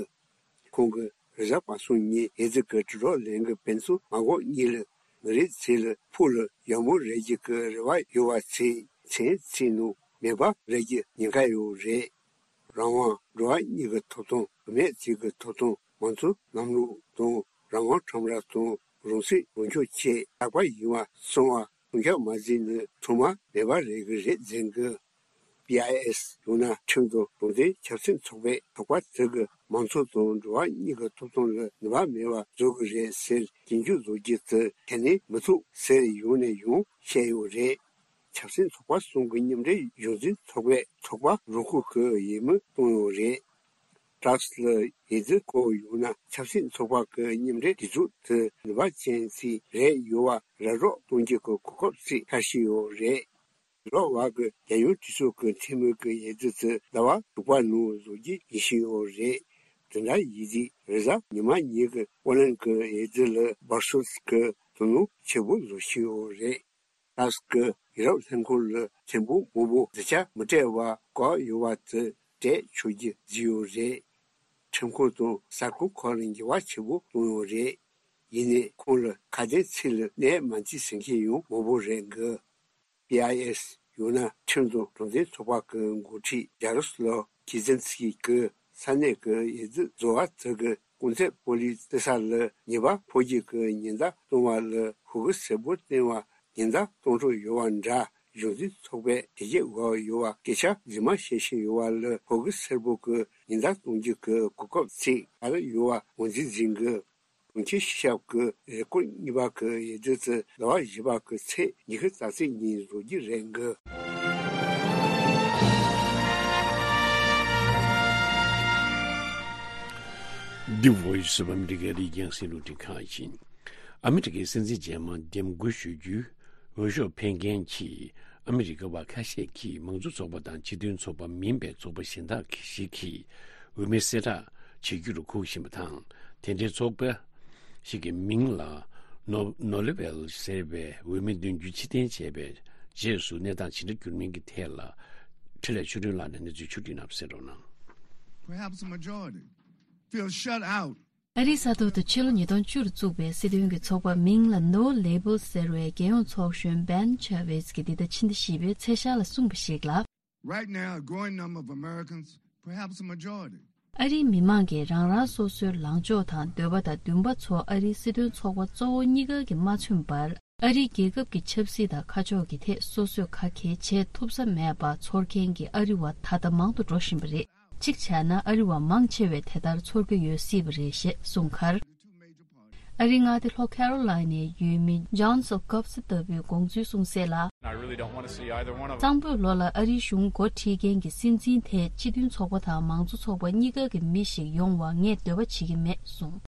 ཁོང་གིས་རེས་གཟའ་པ་སངས་ཉིན་འོས་བསྡུ་གི་དྲིལ་སྒྲོག་ལེན་གི་དཔེ་མཚོན་མ་འགོག་གཉིས་ལ་མི་རིགས་ཚོ་ལ་ཕུགས་ལ་ཡག་མོ་རག་རྒྱུ་གི་རེ་བ་ཡོད་པ་ཚོས་མཚན་ཚིག་ནང་མེད་པ་རག་རྒྱུ་ཉེན་ཁ་ཡོད་རེད། རང་དབང་། འགྲོ་བ་མིའི་ཐོབ་ཐང་། བུད་མེད་ཚོའི་ཐོབ་ཐང་། མང་གཙོ་ལམ་ལུགས་དང་རང་དབང་ཁྲོམ་ར་དང་རང་སྲིད་རང་སྐྱོང་བཅས་ལྷག་པ་ཡིན་པ་གསུངས་པ་སྲུང་སྐྱོབ་མ་བྱས་ན་ཐོག་མ་མེད་པ་རག་གི་རེད་ཟེར་གི། པི་ཨའི་ཨེ་སི་ཡང་ན་ཁྲིམས་དང་གྲོང་སྡེ་ཆབ་སྲིད་ཚོགས་པས་ཚོགས་པ་དེ་གིས་མང་གཙོ་དང་འགྲོ་བ་མིའི་ཐོབ་ཐང་ལ་ནུས་པ་མེད་པ་བཟོ་གི་རེད་ཟེར་སྐྱིན་འགྱུར་བཟོ་རྒྱུ་དེ་གལ་གནད་མི་འདུག་ཟེར་ཡང་ནས་ཡང་བཤད་ཡོད་རེད། ཆབ་སྲིད་ཚོགས་པ་གསུམ་གྱི་མཉམ་འབྲེལ་གཞུང་འཛིན་ཚོགས་པས་ཚོགས་པ་རང་ཤུགས་ཀྱིས་འོས་མི་བཏང་ཡོད་རེད། ཊྲམ་ལ་འོས་བསྡུ་སྐོར་ཡང་ན་ཆབ་སྲིད་ཚོགས་པ་གི་མཉམ་འབྲེལ་སྒྲིག་འཛུགས་དེ་ནུས་པ་ཅན་ཞིག་རག་ཡོད་པ་ར་སྤྲོད་གཏོང་རྒྱུ་གི་གོ་སྐབས་ཤིག་འཆར་བཞིན་ཡོད་རེད། ལོ་བར་གྱི་རྒྱལ་ཡོངས་སྒྲིག་འཛུགས་ཀྱི་འཐུས་མི་གི་འོས་བསྡུ་དེ་ཟླ་བ་དྲུག་པ་ནང་བཟོ་རྒྱུ་ཡིན་བཞིན་ཡོད་རེད། དེ་འདྲ་ཡིན་དུས་རེས་གཟའ་ཉི་མ་ཉིན་གྱི་པོ་ལན་གྱི་འོས་བསྡུ་ལ་སྦར་སུལ་གྱིས་དོ་སྣང་ཆེན་པོ་བཟོ་བཞིན་ཡོད་རེད། ཊྲམ་གྱིས་ཡུ་རོབ་ལྷན་ཁང་ལ་ཐེར་འབུམ་མང་པོ་བསྡུ་ཆ་མི་སྤྲད་པར་བཀག་ཡོད་པ་དེ་སྤྲད་ཆོག་རྒྱུ་བཟོས་ཡོད་རེད། ཁྲིམས་ཁང་དང་གསར་ཁང་ཁག་ལ་འགྱུར་བ་ཆེན་པོ་བཏང་ཡོད་རེད། ཡིན་ནའི་ཁོང་ལ་ཁ་དན་ཚིག་ལ་གནས་མ་འཛིན་ཟེར་མཁན་ཡང་མང་པོ་རེད་འདུག་པི་ཨའི་ཨེ་སི་ཡང་ན་ཁྲིམས་དང་གྲོང་སྡེ་ཚོགས་པ་གི་འགོ་ཁྲིད་ཡ་རོ་སི་ལོབ་ཀི་ཛིན་སི་ཀི་གིས་ས་གནས་ཀྱི་འོས་བསྡུ་རྫོང་བ་དེ་གི་སྐུ་ཚབ་པོ་ལིས་སྡོད་ས་ལ་ཉེས་པ་ཕོག་རྒྱུ་གི་ཉེན་བརྡ་བཏང་བ་ལ་ཧོ་གི་སེར་པོ་བསྟན་པ་ཉེན་བརྡ་གཏོང་འཕྲོ་ཡོད་པ་འདྲ། གཞུང་འཛིན་ཚོགས་པས་དེ་རྗེས་འགོ་ཡོད་པ་སྐད་ཆ་རྫུན་མ་བཤད་བཞིན་ཡོད་པ་ལ་ཧོ་གི་སེར་པོ་གི་ཉེན་བརྡ་གཏོང་རྒྱུ་གི་གོ་སྐབས་ཚིག་ག་རེ་ཡོད་པ་ངོས་འཛིན་འཛིན་གི། གྲོང་ཁྱེར་སྤྱི་ཁྱབ་ཀྱི་རེས་སྐོར་གཉིས་པ་གི་འོས་བསྡུ་དེ་ཟླ་བ་བཞི་པ་གི་ཚེས་ཉི་ཤུ་རྩ་གཅིག་ཉིན་བཟོ་རྒྱུ་རེད་འདུག་འདི་Voice of America རྒྱང་སྲིང་རླུང་འཕྲིན་ཁང་ཡིན། ཨ་མི་རི་ཀའི་སྲིད་འཛིན་རྗེས་མ་འདེམས་བསྐོ་ཞུ་རྒྱུའི་འོས་ཤོག་འཕེན་མཁན་གྱི་ཨ་མི་རི་ཀ་བ་ཁ་ཤས་ཀྱིས་མང་གཙོ་ཚོགས་པ་དང་སྤྱི་མཐུན་ཚོགས་པ་མིན་པའི་ཚོགས་པ་གཞན་དག་ཞིག་གི་འོས་མི་གསལ་བསྒྲགས་བྱེད་རྒྱུར་སྒུག་བཞིན་པ་དང་། དེ་འདྲའི་ཚོགས་པ་ཞིག་གི་མིང་ལ་ནོ་ནོ་ལེ་ཝེལ་ཟེར་བའི་འོས་མི་བདུན་ཅུ་ཕྱིར་འཐེན་བྱས་པའི་ རྗེས་སུ་གནས་སྟངས་ཇི་འདྲ་འགྱུར་མིན་གྱི་ཐད་ལ། འཕྲིན་ལས་ཆོས་སྒྲོན་ལགས་ནས་གནས་ཚུལ་ཕྱོགས་སྒྲིག་གནང་བ་གསན་རོགས་གནང་། Perhaps a majority feel shut out. ཨ་རིའི་ས་ཐོག་ཏུ་ཕྱི་ལོ་ཉིས་སྟོང་བཅུ་རུ་བཙུགས་པའི་སྲིད་དོན་གྱི་ཚོགས་པ་མིང་ལ་No Labels ཟེར་བའི་རྒྱལ་ཡོངས་ཚོགས་གཞོན་Ben Chavis གྱིས་འདི་ཟླ་ཕྱི་ཟླ་བཞི་པའི་ཚེས་ཤར་ལ་གསུངས་པ་ཞིག་ལ། Right now, a growing number of Americans, perhaps a majority, ཨ་རིའི་མི་མང་གིས་རང་རང་སོ་སོའི་ལངས་ཕྱོགས་དང་འདོད་པ་དང་འདུན་པ་ཚོ་ཨ་རིའི་སྲིད་དོན་ཚོགས་པ་གཙོ་བོ་གཉིས་ཀ་གིས་མ་མཚོན་པར། ཨ་རིའི་རྒྱལ་ཁབ་ཀྱི་ཆབ་སྲིད་དང་ཁ་ཕྱོགས་ཀྱི་ཐད་སོ་སོས་ག་གེ་བྱེད་ཐུབ་ས་མེད་པ་ཚོར་མཁན་གྱི་ཨ་རི་བ་ད་ལྟ་མང་དུ་འགྲོ་བཞིན་པ་རེད། གཅིག་བྱས་ན་ཨ་རི་བ་མང་ཆེ་བས་དེ་ལྟར་ཚོར་གྱི་ཡོད་སྲིད་པ་རེད་ཞེས་གསུངས་ཁར། ཨ་རིའི་མངའ་སྡེ་ལྷོ་ཁེ་རོ་ལའི་ནའི་ཡུལ་མི་John Sulkowski ལྟ་བུའི་དགོངས་ཚུལ་གསུངས་གསལ་ལ། I really don't want to see either one of them. གཙང་པོས་ལོ་ལ་ཨ་རིའི་གཞུང་འགོ་ཁྲིད་མཁན་གྱི་སྲིད་འཛིན་དེས་སྤྱི་མཐུན་ཚོགས་པ་དང་མང་གཙོ་ཚོགས་པ་གཉིས་ཀ་གི་མི་ཞིག་ཡོང་བ་ངས་འདོད་པ་བྱེད་ཀྱི་མེད་གསུངས།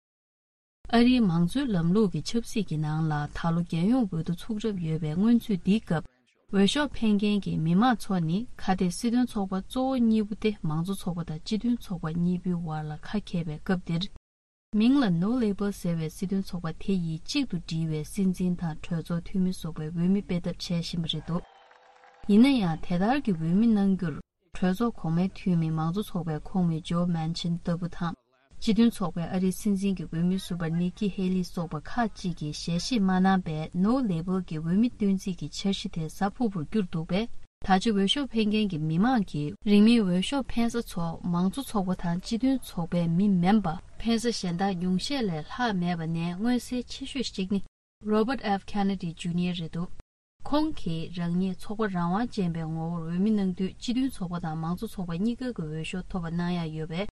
ཨ་རིའི་མང་གཙོའི་ལམ་ལུགས་ཀྱི་ཆབ་སྲིད་ཀྱི་ནང་ལ་ད་ལོ་རྒྱལ་ཡོངས་འོས་བསྡུ་ཚུགས་གྲབས་ཡོད་པའི་སྔོན་ཚུད་འདིའི་སྐབས། འོས་ཤོག་འཕེན་མཁན་གྱི་མི་མང་ཚོ་ནི་ཁ་གཏད་སྲིད་དོན་ཚོགས་པ་གཙོ་བོ་གཉིས་པོ་སྟེ་མང་གཙོ་ཚོགས་པ་དང་སྤྱི་མཐུན་ཚོགས་པ་གཉིས་པོའི་དབར་ལ་ཁ་གྱེས་པའི་སྐབས་འདིར། མིང་ལ་No Label ཟེར་བའི་སྲིད་དོན་ཚོགས་པ་དེ་ཡིས་གཅིག་ཏུ་སྒྲིལ་བའི་སྲིད་འཛིན་དང་གྲོས་ཚོགས་འཐུས་མི་སོགས་པའི་འོས་མི་སྤེལ་ཐབས་བྱས་བཞིན་པ་རེད་འདུག་ཡིན་ན་ཡང་དེ་ལྟར་གྱི་འོས་མི་གནང་རྒྱུར། གྲོས་ཚོགས་གོང་མའི་འཐུས་མི་མང་གཙོ་ཚོགས་པའི་ཁོངས་མི་ཇོ་མན་ཆིན་ལྟ་བུ་དང་། སྤྱི་མཐུན་ཚོགས་པའི་ཨ་རིའི་སྲིད་འཛིན་གྱི་འོས་མི་ཟུར་པ་ནིག་ཀི་ཧེ་ལི་སོགས་པ་ཁག་ཅིག་གིས་ཞལ་བཞེས་མ་གནང་པས། No Label གྱི་འོས་མི་བཏོན་རྩིས་ཀྱི་འཆར་གཞི་དེ་གཟའ་ཕུར་བུར་བསྐྱུར་འདུག་པས། ད་ཆ་འོས་ཤོག་འཕེན་མཁན་གྱི་མི་མང་གིས་རིང་མིན་འོས་ཤོག་འཕེན་ས་ཚོ་མང་གཙོ་ཚོགས་པ་དང་སྤྱི་མཐུན་ཚོགས་པའི་མི་མིན་པ། འཕེན་ས་གཞན་དག་ཉུང་ཤས་ལས་ལྷག་མེད་པ་ནས་མངོན་གསལ་ཆེ་ཤོས་ཤིག་ནི། Robert F Kennedy Junior རེད་འདུག་ཁོང་གིས་རང་ཉིད་ཚོགས་པ་རང་དབང་ཅན་པའི་ངོ་བོར་འོས་མི་གནང་དུས་སྤྱི་མཐུན་ཚོགས་པ་དང་མང་གཙོ་ཚོགས་པ་གཉིས་ཀ་གི་འོས་ཤོག་ཐོབ་པ་གནང་ཡག་ཡོད་པས།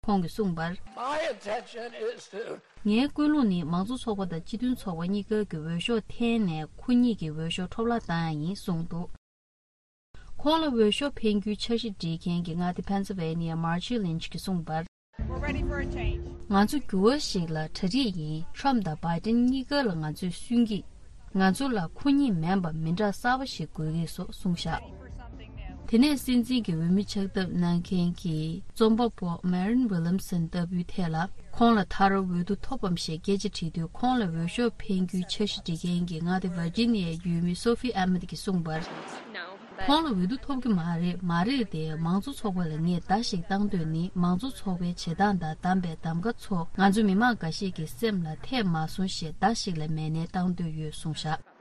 ཁོང་གིས་གསུངས་པར། My intention is to ངའི་ཀུན་སློང་ནི་མང་གཙོ་ཚོགས་པ་དང་སྤྱི་མཐུན་ཚོགས་པ་གཉིས་ཀ་གི་འོས་ཤོག་འཐེན་ནས་ཁོ་གཉིས་ཀྱི་འོས་ཤོག་འཕྲོ་བརླག་བཏང་ཡག་ཡིན་གསུངས་འདུག་ཁོང་ལ་འོས་ཤོག་འཕེན་རྒྱུའི་འཆར་གཞི་སྒྲིག་མཁན་གྱི་མངའ་སྡེ་Pennsylvania Marjorie Lynch གིས་གསུངས་པར། We're ready for a change. ང་ཚོ་འགྱུར་བ་ཞིག་ལ་གྲ་སྒྲིག་ཡིན། Trump དང་Biden གཉིས་ཀ་ལ་ང་ཚོས་སུན་གྱིས། ང་ཚོ་ལ་ཁོ་གཉིས་མིན་པ་མི་འདྲ་གསར་པ་ཞིག་དགོས་ཀྱི་སོགས་གསུངས་བཞག་དེ་ནས་སྲིད་འཛིན་གྱི་འོས་མི་ཆགས་ཐབས་གནང་མཁན་གྱི་རྩོམ་པ་པོ་Marianne Williamson ལྟ་བུའི་ཐད་ལ། ཁོང་ལ་ད་རུང་འོས་བསྡུ་ཐོབ་བམ་ཞེས་སྐད་ཆ་དྲིས་དུས། ཁོང་ལ་འོས་ཤོག་འཕེན་རྒྱུའི་འཆར་གཞི་སྒྲིག་མཁན་གྱི་མངའ་སྡེ་Virginia ཡུལ་མི་Sophie Emmett གྱིས་གསུངས་པར། ཁོང་ལ་འོས་བསྡུ་ཐོབ་ཀྱི་མ་རེད། མ་རེད་དེ། མང་གཙོ་ཚོགས་པ་ལ་ངས་བརྡ་ཞིག་བཏང་འདོད་ནི། མང་གཙོ་ཚོགས་པའི་བྱེད་སྟངས་དང་བདམས་པའི་གདམ་ག་ཚོ་ང་ཚོ་མི་མང་འགའ་ཤས་ཀྱི་སེམས་ལ་འཐད་མ་སོང་ཞེས་བརྡ་ཞིག་ལས་མེད་ནའི་བཏང་འདོད་ཡོད་གསུངས་བཞག་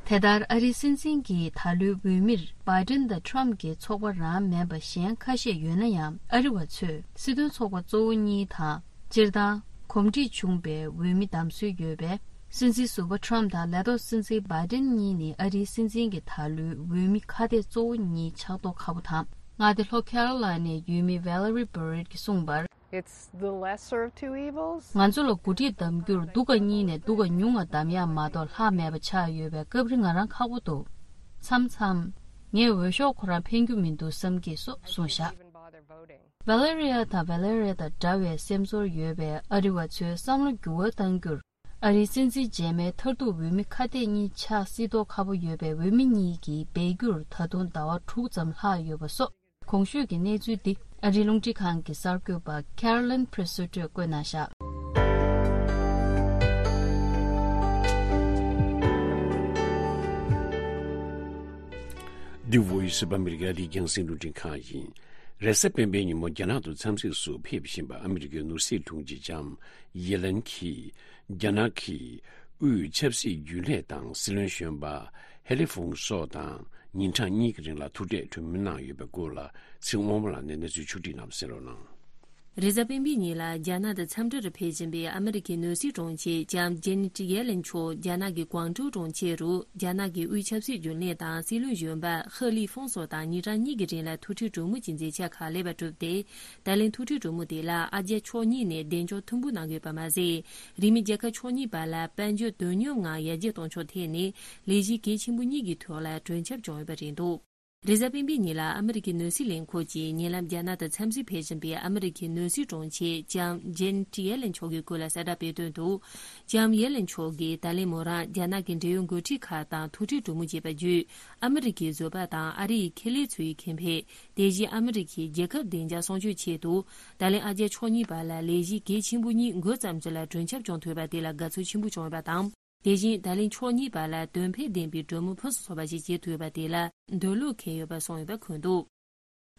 དེ་ལྟར་ཨ་རིའི་སྲིད་འཛིན་གྱི་ད་ལོའི་འོས་མིར་Biden དང་Trump གྱི་ཚོགས་པ་རང་མིན་པ་གཞན་ཁ་ཤས་ཡོད་ན་ཡང་། ཨ་རི་བ་ཚོས་སྲིད་དོན་ཚོགས་པ་གཙོ་བོ་གཉིས་དང་། སྤྱིར་བཏང་གོམས་འདྲིས་བྱུང་བའི་འོས་མི་བདམས་སྲོལ་ཡོད་པས། སྲིད་འཛིན་ཟུར་པ་Trump དང་ལས་ཐོག་སྲིད་འཛིན་Biden གཉིས་ནི་ཨ་རིའི་སྲིད་འཛིན་གྱི་ད་ལོའི་འོས་མི་ཁ་གཏད་གཙོ་བོ་གཉིས་ཆགས་མདོག་ཁ་པོ་དང་། མངའ་སྡེ་ལྷོ་ཁེ་རོ་ལའི་ནའི་ཡུལ་མི་Valerie Barrett གྱིས་གསུངས་པར། It's the lesser of two evils. ང་ཚོ་ལ་འགོ་ཁྲིད་གདམ་རྒྱུར་སྡུག་ག་གཉིས་ནས་སྡུག་ག་ཉུང་ང་གདམ་ཡག་མ་གཏོགས་ལྷག་མེད་པ་ཆགས་ཡོད་པས། སྐབས་རེ་ང་རང་ཁག་པོ་འདུག་མཚམས་མཚམས། ངས་འོས་ཤོག་ཁོ་རང་འཕེན་རྒྱུ་མི་འདུག་བསམ་གྱི་སོགས་གསུངས་བཞག Valeria དང་Valeria དང་འདྲ་བའི་སེམས་ཚོར་ཡོད་པའི་ཨ་རི་བ་ཚོའི་བསམ་བློ་འགྱུར་བ་གཏང་རྒྱུར། ཨ་རིའི་སྲིད་འཛིན་རྗེས་མའི་མཐར་ཐུག་འོས་མི་ཁ་གཏད་གཉིས་ཆགས་སྲིད་མདོག་ཁ་པོ་ཡོད་པའི་འོས་མི་གཉིས་ཀྱིས་འབད་རྒྱུར་ད་དུང་ཟླ་བ་དྲུག་ཙམ་ལྷག་ཡོད་པ་སོགས། གོང་ཞུས་ཀྱི་གནས་ཚུལ་འདི་ཨ་རིའི་རླུང་འཕྲིན་ཁང་གི་གསར་འགོད་པ་Caroline Presutti བཀོད་གནང་བཞག་འདི་Voice of America ཨ་རིའི་རྒྱང་སྲིང་རླུང་འཕྲིན་ཁང་ཡིན། རེས་གཟའ་སྤེན་པའི་ཉིན་མོ་རྒྱ་ནག་ཏུ་འཚམས་གཟིགས་སུ་ཕེབས་བཞིན་པ་ཨ་མི་རི་ཀའི་ནོར་སྲིད་དྲུང་ཆེ་ལྕམ་ཡེ་ལན་གྱིས། རྒྱ་ནག་གི་དབུས་ཆབ་སྲིད་རྒྱུན་ལས་དང་སྲིད་བློན་གཞོན་པ་ཧེ་ལི་ཧྥུང་སོགས་དང་ཉིན་གྲངས་གཉིས་ཀྱི་རིང་ལ་ཐུག་འཕྲད་གྲོས་མོལ་གནང་ཡོད་པའི་སྐོར་ལ་ཚེ་དབང་མོ་ལགས་ནས་གནས་ཚུལ་ཕྱོགས་བསྒྲིགས་གནང་བ་གསན་རོགས་གནང་། རེས་གཟའ་སྤེན་པའི་ཉིན་ལ་རྒྱ་ནག་ཏུ་འཚམས་འདྲིར་ཕེབས་བཞིན་པའི་ཨ་མི་རི་ཀའི་ནོར་སྲིད་དྲུང་ཆེ་ལྕམ་ཇེ་ནེ་ཊི་ཡེ་ལེན་མཆོག་རྒྱ་ནག་གི་ཀུང་ཀྲོའུ་གྲོང་ཁྱེར་རུ་རྒྱ་ནག་གི་དབུས་ཆབ་སྲིད་རྒྱུན་ལས་དང་སྲིད་བློན་གཞོན་པ་ཧེ་ལི་ཧྥུང་སོགས་དང་ཉིན་གྲངས་གཉིས་ཀྱི་རིང་ལ་ཐུག་འཕྲད་གྲོས་མོལ་གྱི་མཛད་འཆར་ཁག་ལེགས་པར་གྲུབ་སྟེ། ད་ལན་ཐུག་འཕྲད་གྲོས་མོལ་དེ་ལ་ཨ་རྒྱ་ཕྱོགས་གཉིས་ནས་གདེང་འཇོག་མཐོན་པོ་གནང་ཡོད་པ་མ་ཟད། རིང་མིན་རྒྱལ་ཁབ་ཕྱོགས་གཉིས་བར་ལ་དཔལ་འབྱོར་དོན་སྙིང་ངང་ཡར་རྒྱས་གཏོང་ཕྱོགས་ཐད་ནས་ལས་གཞི་གལ་ཆེན་པོ་གཉིས་ཀྱི་ཐོག་ལ་གྲོས་འཆར་བྱུང་ཡོད་པ་རེད་འདུག་རེས་གཟའ་སྤེན་པའི་ཉིན་ལ་ཨ་མི་རི་ཀའི་ནོར་སྲིད་ལས་ཁུངས་ཀྱིས་ཉེ་ལམ་རྒྱ་ནག་ཏུ་འཚམས་གཟིགས་ཕེབས་བཞིན་པའི་ཨ་མི་རི་ཀའི་ནོར་སྲིད་དྲུང་ཆེ་ལྕམ་ཇེ་ནེ་ཊི་ཡེ་ལེན་མཆོག་གི་སྐོར་ལ་གསལ་བསྒྲགས་སྤེལ་དོན་དུ། ལྕམ་ཡེ་ལེན་མཆོག་གིས་ད་ལན་མོ་རང་རྒྱ་ནག་གི་འབྲེལ་ཡོད་འགོ་ཁྲིད་ཁག་དང་ཐུག་འཕྲད་གྲོས་མོལ་བྱས་པ་བརྒྱུད། ཨ་མི་རི་ཀའི་བཟོད་པ་དང་ཨ་རི་ཡི་ཁེ་ལས་ཚོའི་ཁེ་ཕན། དེ་བཞིན་ཨ་མི་རི་ཀའི་རྒྱལ་ཁབ་བདེ་འཇགས་སྲུང་སྐྱོབ་ཆེད་དུ། ད་ལན་ཨ་རྒྱ་ཕྱོགས་གཉིས་བར་ལ་ལས་གཞི་གལ་ཆེན་པོ་གཉིས་འགོ་བརྩམས་ཚུལ་ལ་གྲོས་འཆར་བྱུང་ཐུབ་པ་དེ་ལ་དགའ་ཚོར་ཆེན་པོ་བྱུང་ཡོད་པ་དང་། དེ་བཞིན་ད་ལན་ཕྱོགས་གཉིས་བར་ལ་དོན་ཕན་ལྡན་པའི་གྲོས་མོལ་ཕུན་སུམ་ཚོགས་པ་ཞིག་བྱེད་ཐུབ་པ་དེ་ལ་འདོད་བློ་འཁེལ་ཡོད་པ་གསུངས་ཡོད་པ་འཁོད་འདུག་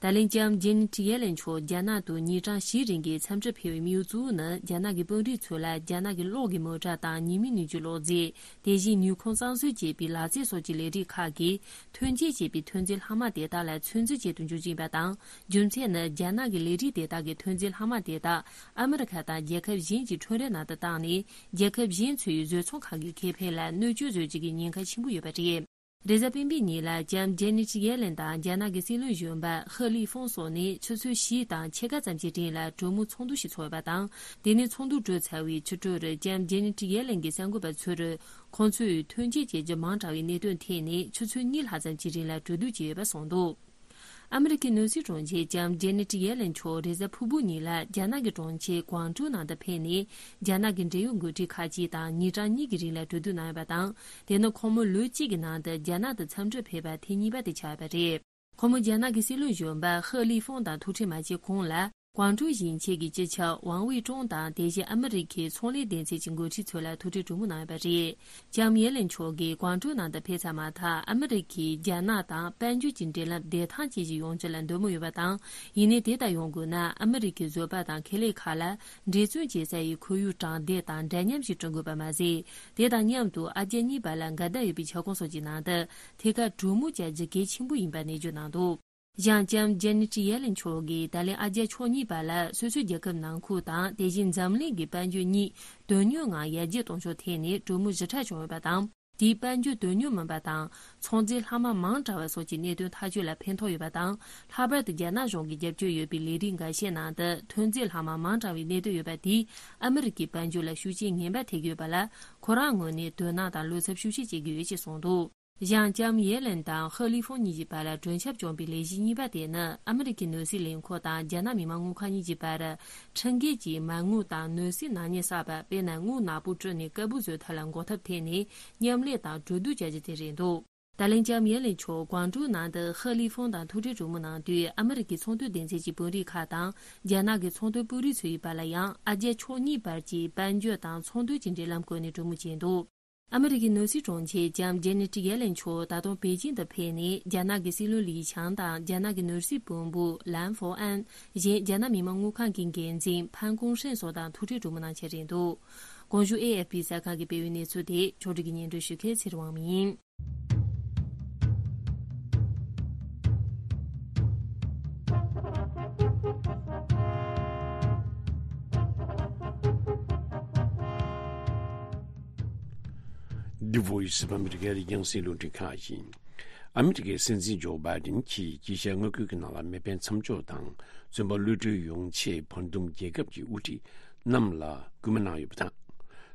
ད་ལན་ལྕམ་ཇེ་ནེ་ཊི་ཡེ་ལན་མཆོག་རྒྱ་ནག་ཏུ་ཉིན་གྲངས་བཞིའི་རིང་གི་འཚམས་འདྲིར་ཕེབས་པའི་དམིགས་ཡུལ་གཙོ་བོ་ནི། རྒྱ་ནག་གི་དཔོན་རིགས་ཚོ་ལ་རྒྱ་ནག་གི་གློག་གི་མོ་ཊ་དང་ཉི་མའི་ནུས་རྒྱུའི་གློག་རྫས། དེ་བཞིན་ནུས་ཁུངས་གཙང་བཟོ་བྱེད་པའི་ལག་རྩལ་སོགས་ཀྱི་ལས་རིགས་ཁག་གི་ཐོན་སྐྱེད་བྱེད་པའི་ཐོན་རྫས་ལྷག་མ་དེ་དག་ལ་ཚོད་འཛིན་བྱེད་དུ་འཇུག་བཞིན་པ་དང་། རྒྱུ་མཚན་ནི། རྒྱ་ནག་གི་ལས་རིགས་དེ་དག་གི་ཐོན་རྫས་ལྷག་མ་དེ་དག་ཨ་མི་རི་ཁ་དང་རྒྱལ་ཁབ་གཞན་གྱི་ཁྲོམ་རའི་ནང་དུ་བཏང་ནས། རྒྱལ་ཁབ་གཞན་ཚོའི་བཟོ་ཚོང་ཁང་གི་ཁེ་ཕན་ལ་གནོད་སྐྱོན་བཟོ་རྒྱུ་གི་ཉེན་ཁ་ཆེན་པོ་ཡོད་པ་རེད། རེས་གཟའ་སྤེན་པའི་ཉིན་ལ་ལྕམ་ཇེ་ནེ་ཊི་ཡེ་ལན་དང་རྒྱ་ནག་གི་སྲིད་བློན་གཞོན་པ་ཧེ་ལི་ཧྥུང་སོགས་ནས་ཆུ་ཚོད་བཞི་དང་ཕྱེད་ཀ་ཙམ་གྱི་རིང་ལ་གྲོས་མོལ་ཚོགས་འདུ་ཞིག་ཚོགས་ཡོད་པ་དང་། དེ་ནས་ཚོགས་འདུ་གྲོལ་ཚར་བའི་ཕྱི་དྲོར་ལྕམ་ཇེ་ནེ་ཊི་ཡེ་ལན་གྱི་གསར་འགོད་པ་ཚོར། ཁོང་ཚོས་ཐོན་སྐྱེད་བྱེད་རྒྱུ་མང་དྲགས་པའི་གནད་དོན་ཐད་ནས་ཆུ་ཚོད་གཉིས་ལྷག་ཙམ་གྱི་རིང་ལ་གྲོས་བསྡུར་བྱས་ཡོད་པ་གསུངས་འདུག་ཨ་མི་རི་ཀའི་ནོར་སྲིད་དྲུང་ཆེ་ལྕམ་ཇེ་ནེ་ཊི་ཡེ་ལན་མཆོག་རེས་གཟའ་ཕུར་བུ་ཉིན་ལ་རྒྱ་ནག་གི་གྲོང་ཁྱེར་ཀུང་ཀྲོའུ་ནང་དུ་ཕེབས་ནས། རྒྱ་ནག་གི་འབྲེལ་ཡོད་འགོ་ཁྲིད་ཁག་ཅིག་དང་ཉིན་གྲངས་གཉིས་ཀྱི་རིང་ལ་གྲོས་བསྡུར་གནང་ཡོད་པ་དང་། དེ་ནི་ཁོང་མོ་ལོ་གཅིག་གི་ནང་དུ་རྒྱ་ནག་ཏུ་འཚམས་འདྲིར་ཕེབས་པ་ཐེངས་གཉིས་པ་དེ་ཆགས་ཡོད་པ་རེད། ཁོང་མོ་རྒྱ་ནག་གི་སྲིད་བློན་གཞོན་པ་ཧེ་ལི་ཧྥུང་དང་ཐུག་འཕྲད་མ་བྱས་གོང་ལ། ཀུང་ཀྲོའུ་ཞིང་ཆེན་གྱི་སྤྱི་ཁྱབ་ཝང་ཝེ་ཀྲུང་དང་། དེ་བཞིན་ཨ་མི་རི་ཁའི་ཚོང་ལས་སྡེ་ཚན་གྱི་འགོ་ཁྲིད་ཚོ་ལ་ཐུག་འཕྲད་གྲོས་མོལ་གནང་ཡོད་པ་རེད། ལྕམ་ཡེ་ལན་མཆོག་གིས་ཀུང་ཀྲོའུ་ནང་དུ་ཕེབས་ཚར་མ་ཐག་ཨ་མི་རི་ཁས་རྒྱ་ནག་དང་དཔལ་འབྱོར་གྱི་འབྲེལ་ལམ་བདེ་ཐང་ཅན་ཞིག་ཡོང་རྒྱུ་ལ་འདོད་མོས་ཡོད་པ་དང་། ཡིན་ནའི་དེ་ལྟར་ཡོང་དགོས་ན། ཨ་མི་རི་ཁའི་བཟོ་པ་དང་ཁེ་ལས་ཁག་ལ་འབྲེལ་མཐུད་བྱེད་ས་ཡི་ཁོར་ཡུག་དྲང་བདེན་དང་འདྲ་མཉམ་ཞིག་བསྐྲུན་དགོས་པ་མ་ཟད། དེ་དང་མཉམ་དུ་ཨ་རྒྱ་གཉིས་བར་ལ་འགལ་ཟླ་ཡོད་པའི་ཁྱབ་ཁོངས་སོགས་ཀྱི་ནང་དུ་ཐད་ཀར་གྲོས་མོལ་བྱ་རྒྱུ་གལ་ཆེན་པོ་ཡིན་པ་ནན་བརྗོད་གནང་འདུག་གཞན། ལྕམ་ཇེ་ནེ་ཊི་ཡེ་ལན་མཆོག་གིས་ད་ལན་ཨ་རྒྱ་ཕྱོགས་གཉིས་བར་ལ་སོ་སོའི་རྒྱལ་ཁབ་ནང་ཁུལ་དང་། དེ་བཞིན་འཛམ་གླིང་གི་དཔལ་འབྱོར་གཉིས་དོན་སྙིང་ངང་ཡར་རྒྱས་གཏོང་ཕྱོགས་ཐད་ནས་གྲོས་མོལ་ཞིབ་ཕྲ་བྱུང་ཡོད་པ་དང་། དེས་དཔལ་འབྱོར་དོན་སྙིང་མིན་པ་དང་ཚོང་རྫས་ལྷག་མ་མང་དྲགས་པ་སོགས་ཀྱི་གནད་དོན་ཐག་གཅོད་ལ་ཕན་ཐོགས་ཡོད་པ་དང་། ལྷག་པར་དུ་རྒྱ་ནག་གཞུང་གི་རྒྱབ་སྐྱོར་ཡོད་པའི་ལས་རིགས་འགའ་ཤས་ནང་དུ་ཐོན་རྫས་ལྷག་མ་མང་དྲགས་པའི་གནད་དོན་ཡོད་པ་དེས་ཨ་མི་རི་ཀའི་དཔལ་འབྱོར་ལ་ཤུགས་རྐྱེན་ངན་པ་ཐེབས་ཀྱི་ཡོད་པ་ལ། ཁོ་རང་ངོས་ནས་དོ་སྣང་དང་བློ་འཚབ་ཤུགས་ཆེ་བྱེད་ཀྱི་ཡོད་ཅེས་གསུངས་འདུག་གཞན། ལྕམ་ཡེ་ལན་དང་ཧེ་ལི་ཧྥུང་གཉིས་ཀྱི་བར་ལ་མགྲོན་ཁྱབ་བྱུང་བའི་ལས་གཞི་གཉིས་པ་དེ་ནི། ཨ་མི་རི་ཀའི་ནོར་སྲིད་ལས་ཁུངས་དང་རྒྱ་ནག་མི་དམངས་དངུལ་ཁང་གཉིས་ཀྱི་བར། ཁྲིམས་འགལ་གྱིས་མ་དངུལ་དང་ནོར་སྲིད་ནག་ཉེས་བསགས་པ། དཔེར་ན། དངུལ་ནག་པོ་བཀྲུས་ནས་དཀར་པོ་བཟོ་ཐབས་ལ་འགོག་ཐབས་ཐད་ནས་མཉམ་ལས་དང་གྲོས་བསྡུར་བྱ་རྒྱུ་དེ་རེད་འདུག་ད་ལན་ལྕམ་ཡེ་ལན་མཆོག་ཀུང་ཀྲོའུ་ནང་དུ་ཧེ་ལི་ཧྥུང་དང་ཐུག་འཕྲད་གྲོས་མོལ་གནང་དུས། ཨ་མི་རི་ཀའི་ཚོང་དོན་སྡེ་ཚན་གྱི་དཔོན་རིགས་ཁག་དང་། རྒྱ་ནག་གི་ཚོང་དོན་དཔོན་རིགས་ཚོ་ཡི་བར་ལ་ཡང་། ཨ་རྒྱ་ཕྱོགས་གཉིས་བར་གྱི་དཔལ་འབྱོར་དང་ཚོང་དོན་གྱི་འབྲེལ་ལམ་སྐོར་ནས་གྲོས་མོལ་བྱས་འདུག་ཨ་མི་རི་ཀའི་ནོར་སྲིད་དྲུང་ཆེ་ལྕམ་ཇེ་ནེ་ཊི་ཡེ་ལན་མཆོག་ད་དུང་པེ་ཅིང་དུ་ཕེབས་ནས། རྒྱ་ནག་གི་སྲིད་བློན་ལི་ཆང་དང་། རྒྱ་ནག་གི་ནོར་སྲིད་བློན་པོ་ལན་ཧྥོ་ཨན། གཞན། རྒྱ་ནག་མི་དམངས་དངུལ་ཁང་གི་འགན་འཛིན་ཕན་ཀུང་ཧྲེང་སོགས་དང་ཐུག་འཕྲད་གྲོས་མོལ་གནང་འཆར་རེད་འདུག་གོང་ཞུས་ཨེ་ཨེཕ་པི་གསར་ཁང་གིས་སྤེལ་བའི་གནས་ཚུལ་དེ་ཕྱོགས་སྒྲིག་གིས་སྙན་སྒྲོན་ཞུ་མཁན་ཚེ་རིང་དབང་མོ་ཡིན། The Voice of America རྒྱང་སྲིང་རླུང་འཕྲིན་ཁང་ཡིན། ཨ་མི་རི་ཀའི་སྲིད་འཛིན་ཇོ་བྷའི་ཌེན་གྱིས་དཀྱིལ་ཤར་མངའ་ཁུལ་གྱི་ནང་ལ་མེ་འཕེན་མཚམས་འཇོག་དང་། བཙོན་པ་གློད་གྲོལ་ཡོང་ཆེད་བར་འདུམ་རྒྱལ་ཁབ་ཀྱི་དབུ་ཁྲིད་རྣམས་ལ་སྐུལ་མ་གནང་ཡོད་པ་དང་།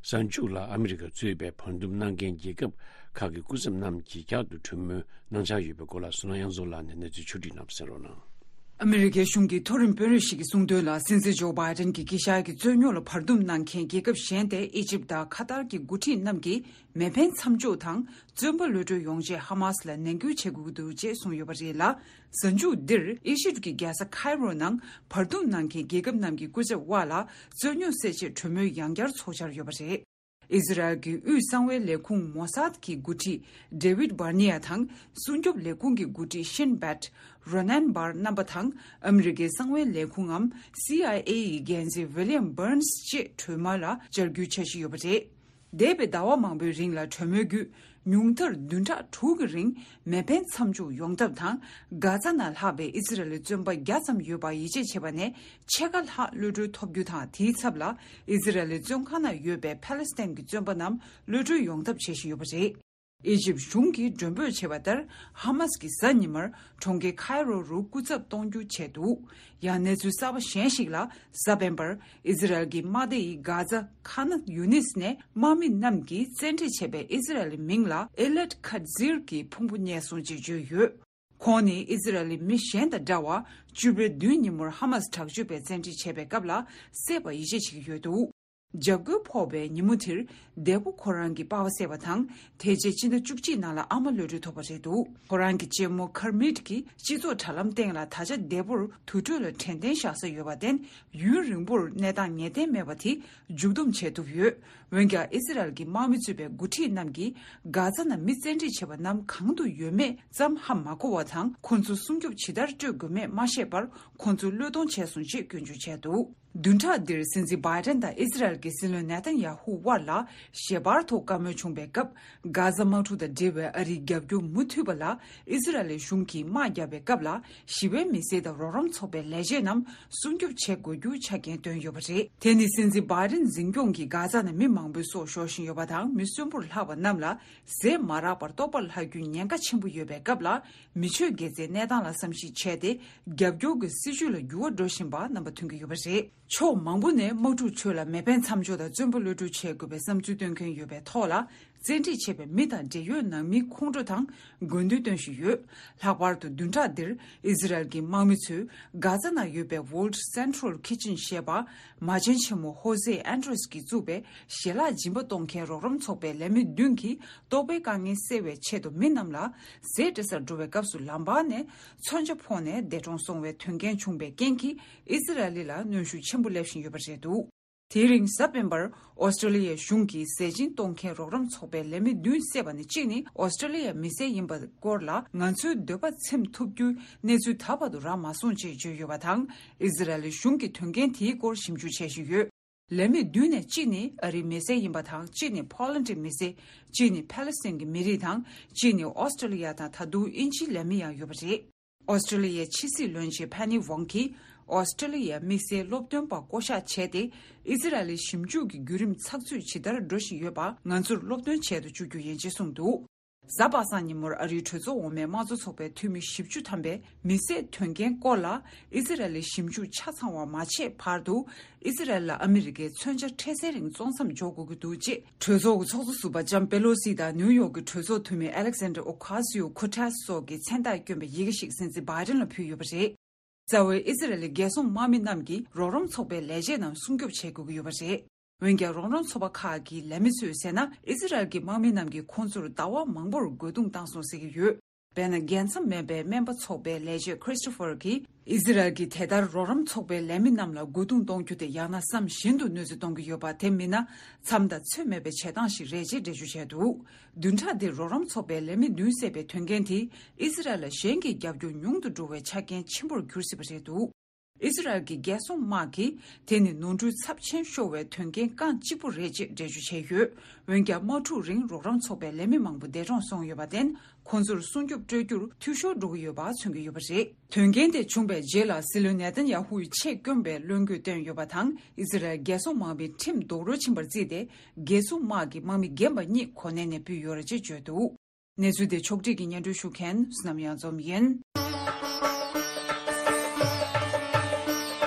གཟའ་མཇུག་ལ་ཨ་མི་རི་ཀ་གཙོས་པའི་བར་འདུམ་གནང་མཁན་རྒྱལ་ཁབ་ཁག་གི་སྐུ་ཚབ་རྣམས་ཀྱིས་བསྐྱར་དུ་གྲོས་མོལ་གནང་འཆར་ཡོད་པའི་སྐོར་ལ། བསོད་ནམས་དབྱངས་འཛོམས་ལགས་ནས་གནས་ཚུལ་ཕྱོགས་བསྒྲིགས་གནང་བ་གསན་རོགས་གནང་། ཨ་མི་རི་ཀའི་གཞུང་གི་མཐོ་རིམ་དཔོན་རིགས་ཤིག་གིས་གསུངས་དོན་ལ། སྲིད་འཛིན་ཇོ་བྷའི་ཌེན་གྱིས་དཀྱིལ་ཤར་གྱི་རྩོད་རྙོག་ལ་བར་འདུམ་གནང་མཁན་རྒྱལ་ཁབ་གཞན་ཏེ། ཨི་ཇིབ་དང་ཁ་ཏར་གྱི་འགོ་ཁྲིད་རྣམས་ཀྱིས་མེ་འཕེན་མཚམས་འཇོག་དང་། བཙོན་པ་གློད་གྲོལ་ཡོང་ཆེད་ཧ་མ་སི་ལ་ནན་སྐུལ་བྱེད་དགོས་ཀྱི་འདུག་ཅེས་གསུངས་ཡོད་པ་རེད་ལ། གཟའ་མཇུག་འདིར་ཨི་ཇིབ་ཀྱི་རྒྱལ་ས་ཁའི་རོ་ནང་བར་འདུམ་གནང་མཁན་རྒྱལ་ཁབ་རྣམས་ཀྱི་སྐུ་ཚབ་དབར་ལ་རྩོད་རྙོག་སེལ་ཆེད་གྲོས་མོལ་ཡང་བསྐྱར་ཚོགས་འཆར་ཡོད་པ་རེད། ཨི་ཟི་རལ་གྱི་དབུས་གསང་བའི་ལས་ཁུངས་མོ་སཱད་ཀྱི་འགོ་ཁྲིད་ཌེ་ཝིད་བྷར་ནི་ཡ་དང་། སྲུང་སྐྱོབ་ལས་ཁུངས་ཀྱི་འགོ་ཁྲིད་ཤིན་བེད་རོ་ནན་བྷར་རྣམ་པ་དང་། ཨ་མི་རི་ཀའི་གསང་བའི་ལས་ཁུངས་ངམ་སི་ཨའི་ཨེ་ཡི་འགན་འཛིན་ཝི་ལི་ཡམ་བྷར་ནས་བཅས་གྲོས་མོལ་ལ་བཅར་རྒྱུའི་འཆར་གཞི་ཡོད་པ་རེད། འདས་པའི་ཟླ་བ་མང་པོའི་རིང་ལ་གྲོས་མོལ་བརྒྱུད། ཉུང་མཐར་བདུན་ཕྲག་དྲུག་གི་རིང་མེ་འཕེན་མཚམས་འཇོག་ཡོང་ཐབས་དང་། གྷ་ཛ་ནང་ལྷག་པའི་ཨི་ཟི་རལ་བཙོན་པ་བརྒྱ་ཙམ་ཡོད་པ་ཡིད་ཆེས་བྱས་པ་ནས་ཕྱེད་ཀ་ལྷག་གློད་གྲོལ་ཐོབ་རྒྱུ་དང་། དེའི་ཚབ་ལ་ཨི་ཟི་རལ་བཙོན་ཁང་ནང་ཡོད་པའི་ཕ་ལེ་སི་ཐན་གྱི་བཙོན་པ་རྣམས་གློད་གྲོལ་ཡོང་ཐབས་བྱེད་བཞིན་ཡོད་པ་རེད། ཨི་ཇིབ་གཞུང་གིས་མགྲོན་འབོད་བྱས་པ་ལྟར། ཧ་མ་སི་ཀྱིས་གཟའ་ཉི་མར་གྲོང་ཁྱེར་ཁའི་རོ་རུ་སྐུ་ཚབ་གཏོང་རྒྱུ་བྱས་འདུག་ཡང་གནས་ཚུལ་གསར་པ་གཞན་ཞིག་ལ། གཟའ་སྤེན་པར་ཨི་ཟི་རལ་གྱི་དམག་སྡེ་ཡིས་གྷ་ཛ་ཁཱན་ཡུ་ནིས་ནས་དམག་མི་རྣམས་ཀྱིས་བཙན་ཁྲིད་བྱས་པའི་ཨི་ཟི་རལ་མིང་ལ་ཨེ་ལད་ཁ་ཛིར་གྱི་ཕུང་པོ་རྙེད་སོང་ཅེས་བརྗོད་ཡོད། ཁོང་ནི་ཨི་ཟི་རལ་མི་གཞན་དང་འདྲ་བར། བཅུ་པའི་བདུན་ཉིན་མོར་ཧ་མ་སི་དྲག་སྤྱོད་པས་བཙན་ཁྲིད་བྱས་པའི་སྐབས་ལ་བསད་པ་ཡིད་ཆེས་བྱེད་ཀྱི་ཡོད་འདུག་འཇབ་རྒོལ་ཕོག་པའི་ཉིན་མོ་དེར། འདས་པོ་ཁོ་རང་གི་པ་ཕ་བསད་པ་དང་། དེ་རྗེས་ཕྱི་ཟླ་བཅུ་གཅིག་ནང་ལ་ཨ་མ་གློད་གྲོལ་ཐོབ་པ་རེད་འདུག་ཁོ་རང་གི་གཅེན་མོ་ཁར་མིད་ཀྱིས་སྤྱི་ཚོགས་དྲ་ལམ་སྟེང་ལ། ད་ཆ་འདས་པོར་དུར་ཁྲོད་ལ་དྲན་རྟེན་བཞག་ས་ཡོད་པར་བརྟེན། ཡུན་རིང་པོར་གནས་སྟངས་ངེས་གཏན་མེད་པ་དེ་མཇུག་སྡོམ་བྱེད་ཐུབ་ཡོད། འོན་ཀྱང་། ཨི་སི་རལ་གྱི་དམག་མི་གཙོས་པའི་འགོ་ཁྲིད་རྣམས་ཀྱིས་གྷ་ཛ་ནང་མི་བཙན་ཁྲིད་བྱས་པ་རྣམས་གང་དུ་ཡོད་མེད་ཙམ་ཧ་མ་གོ་བ་དང་། ཁོ་ཚོ་སྲུང་སྐྱོབ་ཇི་ལྟར་སྤྲོད་དགོས་མེད་མ་ཤེས་པར། ཁོ་ཚོ་བློས་གཏོང་བྱས་སོང་ཞེས་སྐྱོན་བརྗོད་བྱས་འདུག་བདུན་ཕྲག་འདིར་སྲིད་འཛིན་བྷའི་ཏན་དང་ཨི་སི་རལ་གྱི་སྲིད་བློན་ནེ་ཐན་ཡ་ཧུ་དབར་ལ་ཞལ་པར་ཐོག་བཀའ་མོལ་བྱུང་བའི་སྐབས། གྷ་ཛ་དམག་འཁྲུག་དང་འབྲེལ་བའི་ཨ་རིའི་རྒྱབ་སྐྱོར་མུ་མཐུད་པ་ལ་ཨི་སི་རལ་གཞུང་གིས་དམག་བརྒྱབ་པའི་སྐབས་ལ། ཞི་བའི་མི་སེར་དང་རོགས་རམ་ཚོགས་པའི་ལས་བྱེད་རྣམས་སྲུང་སྐྱོབ་བྱེད་དགོས་རྒྱུ་ཆ་རྐྱེན་བཏོན་ཡོད་པ་རེད། དེ་ནི་སྲིད་འཛིན་བྷའི་ཏན་འཛིན་སྐྱོང་གིས་གྷ་ཛ་ནང་མི་མང་པོའི་སྲོག་ཤོར་བཞིན་ཡོད་པ་དང་། མི་གསོན་པོར་ལྷག་པ་རྣམས་ལ་ཟས་མ་རག་པར་ལྟོགས་པ་ལྷག་རྒྱུའི་ཉེན་ཁ་ཆེན་པོ་ཡོད་པའི་སྐབས་ལ། མི་ཆོས་དགེ་རྩའི་གནས་སྟངས་ལ་བསམ་གཞིག་བྱས་ཏེ། རྒྱབ་སྐྱོར་གྱི་སྲིད་བྱུས་ལ་འགྱུར་བ་འགྲོ་བཞིན་པ་རྣམ་པ་མཐོང་གི་ཡོད་པ་རེད། ཕྱོགས་མང་པོ་ནས་དམག་འཁྲུག་ཁྲོད་ལ་མེ་འཕེན་མཚམས་འཇོག་དང་བཙོན་པ་གློད་གྲོལ་བྱེད་དགོས་པའི་བསམ་ཚུལ་བཏོན་མཁན་ཡོད་པའི་ཐོག་ལ། བཙན་ཁྲིད་བྱས་པའི་མི་དང་འབྲེལ་ཡོད་ནང་མིའི་ཁོང་ཁྲོ་དང་དགོས་འདུན་བཏོན་བཞིན་ཡོད། ལྷག་པར་དུ་བདུན་ཕྲག་འདིར་ཨི་ཟི་རལ་གྱི་དམག་མི་ཚོས་གྷ་ཛ་ནང་ཡོད་པའི་World Central Kitchen ཞེས་པ། མ་བྱན་ཆེན་མོ་ཧོ་ཟེ་ཨན་ཏྲེས་ཀྱིས་བཙུགས་པའི་ཞལ་ལག་སྦྱིན་པ་གཏོང་མཁན་རོགས་རམ་ཚོགས་པའི་ལས་མི་བདུན་གྱིས་ལྟོ་ཕོགས་དཀའ་ངལ་སེལ་བའི་ཆེད་དུ་མི་རྣམས་ལ་ཟས་སྤྲད་སར་འགྲོ་བའི་སྐབས་སུ་ལམ་བར་ནས་མཚོན་ཆ་ཕོག་ནས་འདས་གྲོངས་སོང་བའི་དོན་རྐྱེན་བྱུང་བའི་རྐྱེན་གྱིས་ཨི་ཟི་རལ་ལ་གནོན་ཤུགས་ཆེན་པོ་སླེབས་བཞིན་ཡོད་པ་རེད་འདུག་དེའི་རིང་གཟའ་སྤེན་པར་ཨོ་སི་ཀྲོ་ལི་ཡའི་གཞུང་གིས་ཟས་སྦྱིན་གཏོང་མཁན་རོགས་རམ་ཚོགས་པའི་ལས་མི་བདུན་བསད་པ་ནི་གཅིག་ནི་ཨོ་སི་ཀྲོ་ལི་ཡའི་མི་སེར་ཡིན་པའི་སྐོར་ལ་ང་ཚོའི་འདོད་པ་ཚིམ་ཐུབ་རྒྱུའི་གནས་ཚུལ་ད་བར་དུ་རག་མ་སོང་ཅེས་བརྗོད་ཡོད་པ་དང་། ཨི་ཟི་རལ་གཞུང་གིས་དོན་རྐྱེན་དེའི་སྐོར་ཞིབ་འཇུག་བྱེད་བཞིན་ཡོད། ལས་མི་བདུན་ནས་གཅིག་ནི་ཨ་རིའི་མི་སེར་ཡིན་པ་དང་། གཅིག་ནི་ཕོ་ལན་ཌིའི་མི་སེར། གཅིག་ནི་ཕཱ་ལེ་སི་ཐན་གྱི་མི་རིགས་དང་། གཅིག་ནི་ཨོ་སི་ཀྲོ་ལི་ཡ་དང་། ད་དུང་དབྱིན་ཇིའི་ལས་མི་ཡང་ཡོད་པ་རེད། ཨོ་སི་ཀྲོ་ལི་ཡའི་ཕྱི་སྲིད་བློན་ཆེན་ཕེ་ནི་ཝོང་གིས་ཨོ་སི་ཀྲོ་ལི་ཡའི་དམིགས་བསལ་སློབ་སྟོན་པ་བསྐོ་གཞག་བྱས་ཏེ། ཨི་ཟི་རལ་ལི་ཞིབ་འཇུག་གི་བརྒྱུད་རིམ་ཚགས་ཚུད་ཇི་ལྟར་འགྲོ་བཞིན་ཡོད་པ་ང་ཚོར་སློབ་སྟོན་བྱེད་དུ་བཅུག་རྒྱུ་ཡིན་ཅེས་གསུངས་འདུག་གཟའ་པ་སངས་ཉིན་མོར་ཨ་རིའི་གྲོས་ཚོགས་འོག་མའི་དམངས་གཙོ་ཚོགས་པའི་འཐུས་མི་བཞི་བཅུ་ཐམ་པས་མི་བསད་དོན་རྐྱེན་སྐོར་ལ་ཨི་ཟི་རལ་ལི་ཞིབ་འཇུག་ཆ་ཚང་བ་མ་བྱས་བར་དུ། ཨི་ཟི་རལ་ལ་ཨ་མི་རི་ཀས་མཚོན་ཆ་འཕྲལ་སེལ་རིང་བཙོང་མཚམས་འཇོག་དགོས་ཀྱི་འདུག་ཅེས་གྲོས་ཚོགས་ཀྱི་ཚོགས་གཙོ་ཟུར་པ་ལྕམ་པེ་ལོ་སི་དང་ནིའུ་ཡོག་གི་གྲོས་ཚོགས་འཐུས་མི་ཨ་ལེག་སན་ཌར་ཨོ་ཁ་སི་ཡོ་ཁུ་ཏྲེ་སི་སོགས་ཀྱིས་མཚན་རྟགས་བསྐྱོན་པའི་ཡི་གེ་ཞིག་སྲིད་འཛིན་བྷའི་ཏན་ལ་ཕུལ་ཡོད་པ་རེད། རྩ་བའི་ཨི་ཟི་རལ་ལི་རྒྱལ་སྲུང་དམག་མི་རྣམས་ཀྱིས་རོགས་རམ་ཚོགས་པའི་ལས་བྱེད་རྣམས་སྲུང་སྐྱོབ་བྱེད་དགོས་ཀྱི་ཡོད་པ་རེད། འོན་ཀྱང་། རོགས་རམ་ཚོགས་པ་ཁག་གི་ལས་མི་ཚོས་ཟེར་ན། ཨི་ཟི་རལ་གྱི་དམག་མི་རྣམས་ཀྱིས་ཁོང་ཚོར་ཟླ་བ་མང་པོར་རྒོལ་རྡུང་བཏང་སོང་ཟེར་གྱི་ཡོད། དཔེར་ན། རྒྱལ་མཚམས་མེད་པའི་སྨན་པ་ཚོགས་པའི་ལས་བྱེད་ཁྲིས་ཏོ་ཕར་གྱིས། ཨི་ཟི་རལ་གྱིས་དེ་ལྟར་རོགས་རམ་ཚོགས་པའི་ལས་མི་རྣམས་ལ་རྒོལ་རྡུང་གཏོང་རྒྱུ་དེ་ཡང་ན་བསམ་བཞིན་དུ་གནོད་འཚེ་གཏོང་གི་ཡོད་པ། དེ་མིན་ན་མཚམས་དང་ཚོད་མེད་པའི་བྱེད་སྟངས་ཤིག་རེད་ཅེས་འགྲེལ་བརྗོད་བྱས་འདུག་བདུན་ཕྲག་འདིར་རོགས་རམ་ཚོགས་པའི་ལས་མི་བདུན་བསད་པའི་དོན་རྐྱེན་དེས་ཨི་ཟི་རལ་ལ་གཞན་གྱི་རྒྱབ་སྐྱོར་ཉུང་དུ་འགྲོ་བའི་ཆ་རྐྱེན་ཆེན་པོར་གྱུར་སྲིད་པ་རེད་འདུག་ཨི་ཟི་རལ་གྱི་རྒྱལ་སྲུང་དམག་གིས་དེ་ནི་ནོར་འཁྲུལ་ཚབས་ཆེན་ཤོར་བའི་དོན་རྐྱེན་རྐང་གཅིག་པུ་རེད་ཅེས་འགྲེལ་བརྗོད་བྱས་ཡོད། འོན་ཀྱང་། དམག་འཁྲུག་རིང་རོགས་རམ་ཚོགས་པའི་ལས་མི་མང་པོ་འདས་གྲོངས་སོང་ཡོད་པར་བརྟེན། ཁོང་ཚོར་སྲུང་སྐྱོབ་སྤྲོད་རྒྱུར་འཐུས་ཤོར་འགྲོ་གི་ཡོད་པ་མཚོན་གྱི་ཡོད་པ་རེད། དོན་རྐྱེན་དེ་བྱུང་བའི་རྗེས་ལ་སྲིད་བློན་ནེ་ཐན་ཡ་ཧུ་ཡིས་ཆེད་བསྐོན་པའི་བློན་འགོས་བཏོན་ཡོད་པ་དང་། ཨི་ཟི་རལ་རྒྱལ་སྲུང་དམག་མིའི་ཁྲིམས་རྡོག་རོལ་ཕྱིན་པར་བརྩིས་ཏེ། རྒྱལ་སྲུང་དམག་གི་དམག་མི་རྒན་པ་གཉིས་གོ་གནས་ནས་ཕུད་ཡོད་རེད་ཅེས་བརྗོད་འདུག་གནས་ཚུལ་དེ་ཕྱོགས་བསྒྲིགས་ཀྱིས་སྙན་སྒྲོན་ཞུ་མཁན་བསོད་ནམས་གཡང་འཛོམས་ཡིན།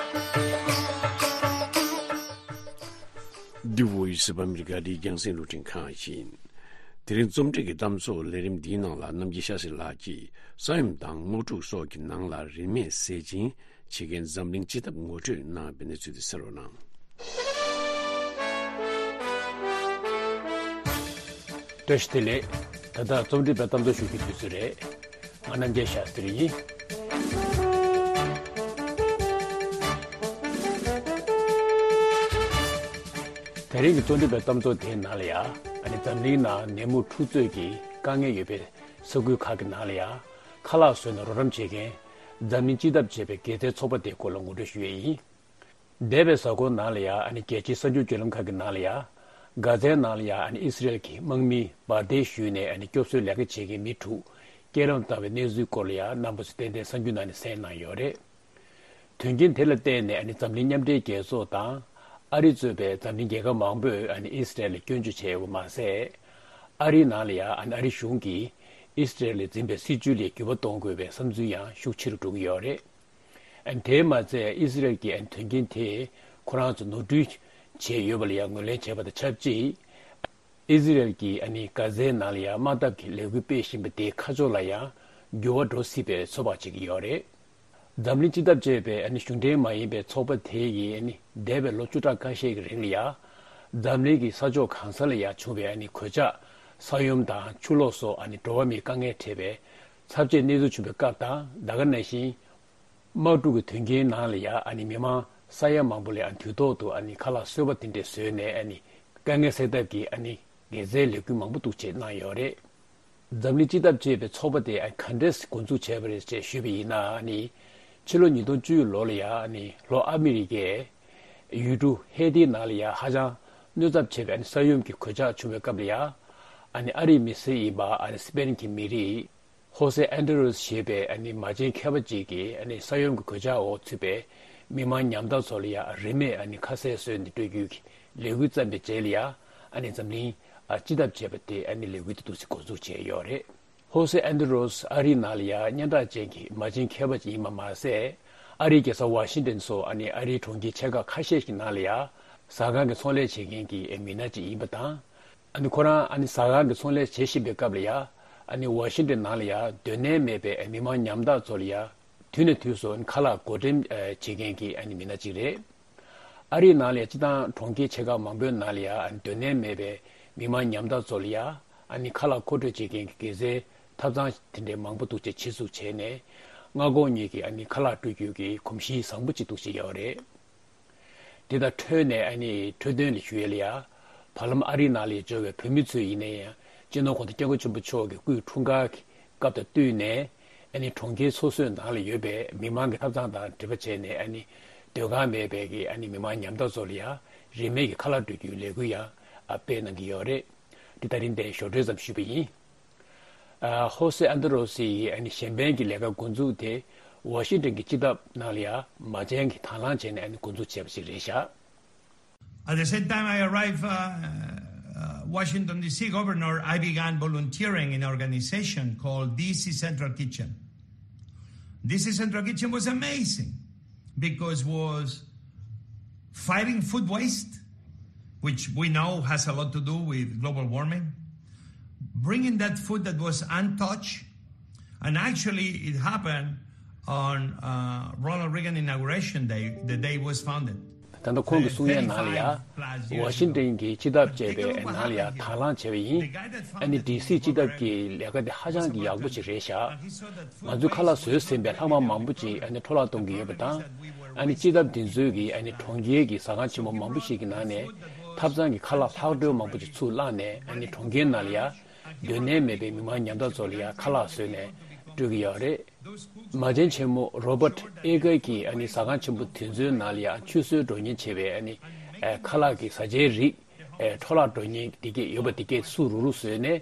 འདི་བོ་ཡི་སི་བ་ཨ་མི་རི་ཀ་འདིའི་རྒྱང་སྲིང་རླུང་འཕྲིན་ཁང་ཡིན། དེ་རིང་རྩོམ་སྒྲིག་གི་གཏམ་ཚོགས་ལས་རིམ་འདིའི་ནང་ལ་རྣམ་རྒྱལ་ཤཱ་སྲི་ལགས་ཀྱིས་ས་ཡོམ་དང་དམག་འཁྲུག་སོགས་ཀྱི་ནང་ལ་རིན་མེད་ཟས་སྦྱིན་བྱེད་མཁན་འཛམ་གླིང་སྤྱི་ཐབ་ངོ་སྤྲོད་གནང་བའི་གནས་ཚུལ་དེ་གསན་རོགས་གནང་། བཀྲ་ཤིས་བདེ་ལེགས། ད་ལྟ་རྩོམ་སྒྲིག་པའི་གཏམ་ཚོགས་ཞུ་རྒྱུའི་དུས་ཚོད་རེད། ང་རྣམ་རྒྱལ་ཤཱ་སྟྲི་ཡིན། དེ་རིང་གི་རྩོམ་སྒྲིག་པའི་གཏམ་ཚོགས་དེའི་ནང་ལ་ཡ། ཨ་ནི་འཛམ་གླིང་ནང་ནད་མུག་འཁྲུག་རྩོད་ཀྱི་དཀའ་ངལ་ཡོད་པའི་ས་ཁུལ་ཁག་གི་ནང་ལ་ཡ། ཁ་ལག་བཟོས་ནས་རོགས་རམ་བྱེད་མཁན་འཛམ་གླིང་སྤྱི་ཐབ་ཅེས་པའི་དགེ་རྩའི་ཚོགས་པ་དེའི་སྐོར་ལ་ངོ་སྤྲོད་ཞུ་ཡས་ཡིན། འདས་པའི་གཟའ་འཁོར་ནང་ལ་ཡ། ཨ་ནི་རྒྱལ་སྤྱིའི་གསར་འགྱུར་བརྒྱུད་ལམ་ཁག་གི་ནང་ལ་ཡ། གྷ་ཛའི་ནང་ལ་ཡ། ཨ་ནི་ཨི་སི་རེལ་གྱི་དམག་མིས་འབར་མདེལ་གཞུས་ནས། ཨ་ནི་སྐྱོབ་གསོའི་ལས་ཀ་བྱེད་མཁན་མི་དྲུག་རྐྱེན་རམ་བཏང་བའི་གནས་ཚུལ་སྐོར་ལ་ཡ། རྣམ་པ་ཚོས་ཏན་ཏན་གསར་འགྱུར་ནང་ནས་གསན་གནང་ཡོད་རེད། དོན་རྐྱེན་དེ་ལ་བརྟེན་ནས། ཨ་ནི་འཛམ་གླིང་མཉམ་འབྲེལ་རྒྱལ་ཚོགས་དང་། ཨ་རི་གཙོས་པའི་འཛམ་གླིང་རྒྱལ་ཁབ་མང་པོས། ཨ་ནི་ཨི་སི་རེལ་ལ་སྐྱོན་བརྗོད་བྱས་ཡོད་པ་མ་ཟད། ཨ་རིའི་ནང་ལ་ཡ། ཨ་ནི་ཨ་རི་གཞུང་གིས་ཨི་སི་རེལ་ལ་འཛིན་པའི་སྲིད་བྱུས་ལ་འགྱུར་བ་གཏོང་དགོས་པའི་བསམ་ཚུལ་ཡང་ཤུགས་ཆེ་རུ་འགྲོ་གི་ཡོད་རེད། ཨ་ནི་དེས་མ་ཚད། ཨི་སི་རེལ་གྱིས། ཨ་ནི་དོན་རྐྱེན་དེས་ཁོ་རང་ཚོ་ནོར་འཁྲུལ་བྱས་ཡོད་པ་ལ་ཡང་ངོས་ལེན་བྱས་པ་དང་ཆབས་ཅིག་ཨི་སི་རེལ་གྱིས། ཨ་ནི་གྷ་ཛའི་ནང་ལ་ཡང་དམག་འཐབ་ཀྱི་ལས་འགུལ་སྤེལ་བཞིན་པ་དེའི་ཁ་ཕྱོགས་ལ་ཡང་འགྱུར་བ་འགྲོ་སྲིད་པའི་ཚོད་དཔག་བྱེད་ཀྱི་ཡོད་རེད། འཛམ་གླིང་སྤྱི་ཐབ་ཅེས་པའི། ཨ་ནི་གཞུང་འབྲེལ་མ་ཡིན་པའི་ཚོགས་པ་དེ་ཡིས། ཨ་ནི་འདས་པའི་ལོ་བཅུ་ཕྲག་ཁ་ཤས་ཀྱི་རིང་ལ་ཡང་ འཛམ་གླིང་གི་ས་ཕྱོགས་གང་ས་ལ་ཡང་བྱུང་བའི་ཨ་ནི་གོད་ཆག་ས་ཡོམ་དང་ཆུ་ལོག་སོགས་ཨ་ནི་འགྲོ་བ་མིའི་དཀའ་ངལ་འཕྲད་པའི་ཚབས་ཆེའི་གནས་ཚུལ་བྱུང་བའི་སྐབས་དང་ད་ག་ནང་བཞིན། དམག་འཁྲུག་གི་དོན་རྐྱེན་ནང་ལ་ཡང་ཨ་ནི་མི་མང་ས་ཡ་མང་པོ་ལ་ཨ་ནི་དུས་ཐོག་ཏུ་ཨ་ནི་ཁ་ལག་གསོལ་བ་དེ་འདྲས་བཟོས་ནས་ཨ་ནི་དཀའ་ངལ་སེལ་ཐབས་ཀྱི་ཨ་ནི་དགེ་མཚན་ལས་འགུལ་མང་པོ་འདུག་སེ་གནང་ཡོད་རེད། འཛམ་གླིང་སྤྱི་ཐབས་ཅེས་པའི་ཚོགས་པ་དེ་ཨ་ནི་ག་འདྲས་འགོ་འཛུགས་བྱས་པ་རེད་ཅེས་ཞུས་པ་ཡིན་ན་ཨ་ནི་ཕྱི་ལོ་ཉིས་སྟོང་བཅུ་ལོ་ལ་ཡང་ཨ་ནི་ལྷོ་ཨ་མི་རི་ཀའི་ཡུལ་གྲུ་ཧེ་ཏི་ནང་ལ་ཡང་ཧ་ཅང་གནོད་ཚབས་ཆེ་བའི་ཨ་ནི་ས་ཡོམ་གྱི་གོད་ཆག་བྱུང་བའི་སྐབས་ལ་ཡང་ཨ་ནི་ཨ་རིའི་མི་སེར་ཡིན་པ་ཨ་ནི་སི་པེན་གྱི་མི་རིགས། ཧོ་སེ་ཨན་ཏྲེ་རོས་ཞེས་པའི་ཨ་ནི་མ་བྱན་མཁས་པ་ཅིག་གིས་ཨ་ནི་ས་ཡོམ་གྱི་གོད་ཆག་འོག་ཚུད་པའི་མི་མང་ཉམ་ཐག་ཚོ་ལ་ཡང་རིན་མེད་ཨ་ནི་ཁ་ཟས་བཟོས་ནས་སྤྲོད་རྒྱུའི་ལས་འགུལ་བརྩམས་པའི་རྗེས་ལ་ཡང་ཨ་ནི་འཛམ་གླིང་ཨ་སྤྱི་ཐབས་བྱས་པ་དེ་ཨ་ནི་ལས་འགུལ་དེ་འདུག་སེ་འགོ་འཛུགས་བྱས་ཡོད་རེད། ཧོ་སེ་ཨན་ཏྲེ་རོས་ཨ་རིའི་ནང་ལ་ཡང་སྙན་གྲགས་ཅན་གྱི་མ་བྱན་མཁས་པ་ཅིག་ཡིན་པ་མ་ཟད། ཨ་རིའི་རྒྱལ་ས་ཝ་ཤིང་ཏན་སོགས་ཨ་ནི་ཨ་རིའི་གྲོང་ཁྱེར་ཆེ་ཁག་ཁ་ཤས་ཤིག་ནང་ལ་ཡང་ཟ་ཁང་གི་ཚོང་ལས་བྱེད་མཁན་གྱི་མི་སྣ་ཅིག་ཡིན་པ་དང་། ཨ་ནི་ཁོ་རང་ཨ་ནི་ཟ་ཁང་གི་ཚོང་ལས་བྱེད་བཞིན་པའི་སྐབས་ལ་ཡ། ཨ་ནི་ཝ་ཤིང་ཏན་ནང་ལ་ཡ་སྡོད་གནས་མེད་པའི་མི་མང་ཉམ་ཐག་ཚོ་ལ་ཡ། དུས་ནས་དུས་སུ་ཁ་ལག་བགོ་འགྲེམས་བྱེད་མཁན་གྱི་ཨ་ནི་མི་སྣ་གཅིག་རེད། ཨ་རིའི་ནང་ལ་ཡ་སྤྱི་བཏང་གྲོང་ཁྱེར་ཆེ་ཁག་མང་པོའི་ནང་ལ་ཡ་ཨ་ནི་སྡོད་གནས་མེད་པའི་མི་མང་ཉམ་ཐག་ཚོ་ལ་ཡ། ཨ་ནི་ཁ་ལག་མཁོ་སྤྲོད་བྱེད་མཁན་གྱི་དགེ་རྩའི་ཐབ་ཚང་དེ་འདྲའི་མང་པོ་འདུག་ཅེས་ཆེད་འཛུགས་བྱས་ནས། མངའ་ཁོངས་གཉིས་ཀྱི་ཨ་ནི་ཁ་ལག་སྤྲོད་རྒྱུ་གི་གོམས་གཤིས་བཟང་པོ་ཅིག་འདུག་ཅེས་ཡོད་རེད། དེ་དང་འཕྲོས་ནས་ཨ་ནི་འཕྲོས་དོན་ལ་ཞུ་ཡས་ལ་ཡ། བར་ལམ་ཨ་རིའི་ནང་ལ་འབྱོར་བའི་བོད་མི་ཚོས་ཡིན་ན་ཡང་སྤྱི་ནོར་གོང་ས་སྐྱབས་མགོན་ཆེན་པོ་མཆོག་གི་སྐུའི་འཁྲུངས་སྐར་གྱི་སྐབས་དང་བསྟུན་ནས་ཨ་ནི་གྲོང་ཁྱེར་སོ་སོའི་ནང་ལ་ཡོད་པའི་མི་མང་གི་ཐབ་ཚང་དང་འབྲེལ་བ་བྱས་ནས་ཨ་ནི་སྡོད་ཁང་མེད་པའི་གི་ཨ་ནི་མི་མང་ཉམ་ཐག་ཚོ་ལ་ཡ་རིན་མེད་ཀྱི་ཁ་ལག་སྤྲོད་རྒྱུའི་ལས་འགུལ་ཡང་ཨ་སྤེལ་གནང་གི་ཡོད་རེད། འདི་ད་རིང་འདིར་ཞོར་འཕྲོས་ཙམ་ཞུས་པ་ཡིན། ཨ། ཧོ་སེ་ཨན་ཏྲེ་རོ་སི་ཡི་ཨ་ནི་གཞན་ཕན་གྱི་ལས་ཀ་འགོ་འཛུགས་དེ་ཝ་ཤིང་ཏན་གྱི་སྤྱི་ཐབ་ནང་ལ་ཡང་མ་བྱན་གྱིས་དང་བླངས་བྱས་ནས་ཨ་ནི་འགོ་འཛུགས་བྱས་པ་ཞིག་རེད་ཤག At the same time I arrived, uh, uh, Washington, D C governor, I began volunteering in an organization called D C Central Kitchen. D C Central Kitchen was amazing because was fighting food waste, which we know has a lot to do with global warming, bringing that food that was untouched, and actually it happened on uh, Ronald Reagan inauguration day, the day it was founded. ད་ལྟ་ཁོང་གིས་གསུང་ཡས་ནང་ལ་ཡ། ཝ་ཤིང་ཏན་གྱི་སྤྱི་ཐབ་ཅེས་པའི་ནང་ལ་ཡ་དང་བླངས་བྱས་པ་ཡིན། ཨ་ནི་ཌི་སི་སྤྱི་ཐབ་ཀྱི་ལས་ཀ་དེ་ཧ་ཅང་གི་ཡག་པོ་ཅིག་རེད་ཤག་ང་ཚོས་ཁ་ལག་བཟོས་ཟིན་པའི་ལྷག་མ་མང་པོ་ཅིག་ཨ་ནི་འཕྲོ་བརླག་གཏོང་གི་ཡོད་པ་དང་། ཨ་ནི་སྤྱི་ཐབ་དེ་ཚོས་ཀྱིས་ཨ་ནི་གྲོང་ཁྱེར་གྱི་ཟ་ཁང་ཆེན་པོ་མང་པོ་ཞིག་གི་ནང་ནས་ཐབ་ཚང་གི་ཁ་ལག་ལྷག་འཕྲོ་མང་པོ་ཅིག་ཚུར་བླངས་ནས་ཨ་ནི་གྲོང་ཁྱེར་ནང་ལ་ཡ་སྡོད་གནས་མེད་པའི་མི་མང་ཉམ་ཐག་ཚོ་ལ་ཡ་ཁ་ལག་བཟོས་ནས་སྤྲོད་ཀྱི་ཡོད་རེད། མ་བྱན་ཆེན་མོ་རོ་བར་ཨེ་ཀར་གྱིས་ཨ་ནི་ཟ་ཁང་ཆེན་པོ་དེ་ཚོའི་ནང་ལ་ཡ་ཆུད་ཟོས་འགྲོ་ཉེན་ཆེ་བའི་ཨ་ནི་ཨ་ཁ་ལག་གི་བཟའ་བཅའི་རིགས་ཨ་འཕྲོ་བརླག་འགྲོ་ཉེན་དེ་གས་ཡོད་པ་དེ་གས་སུ་རུ་རུ་བཟོས་ནས་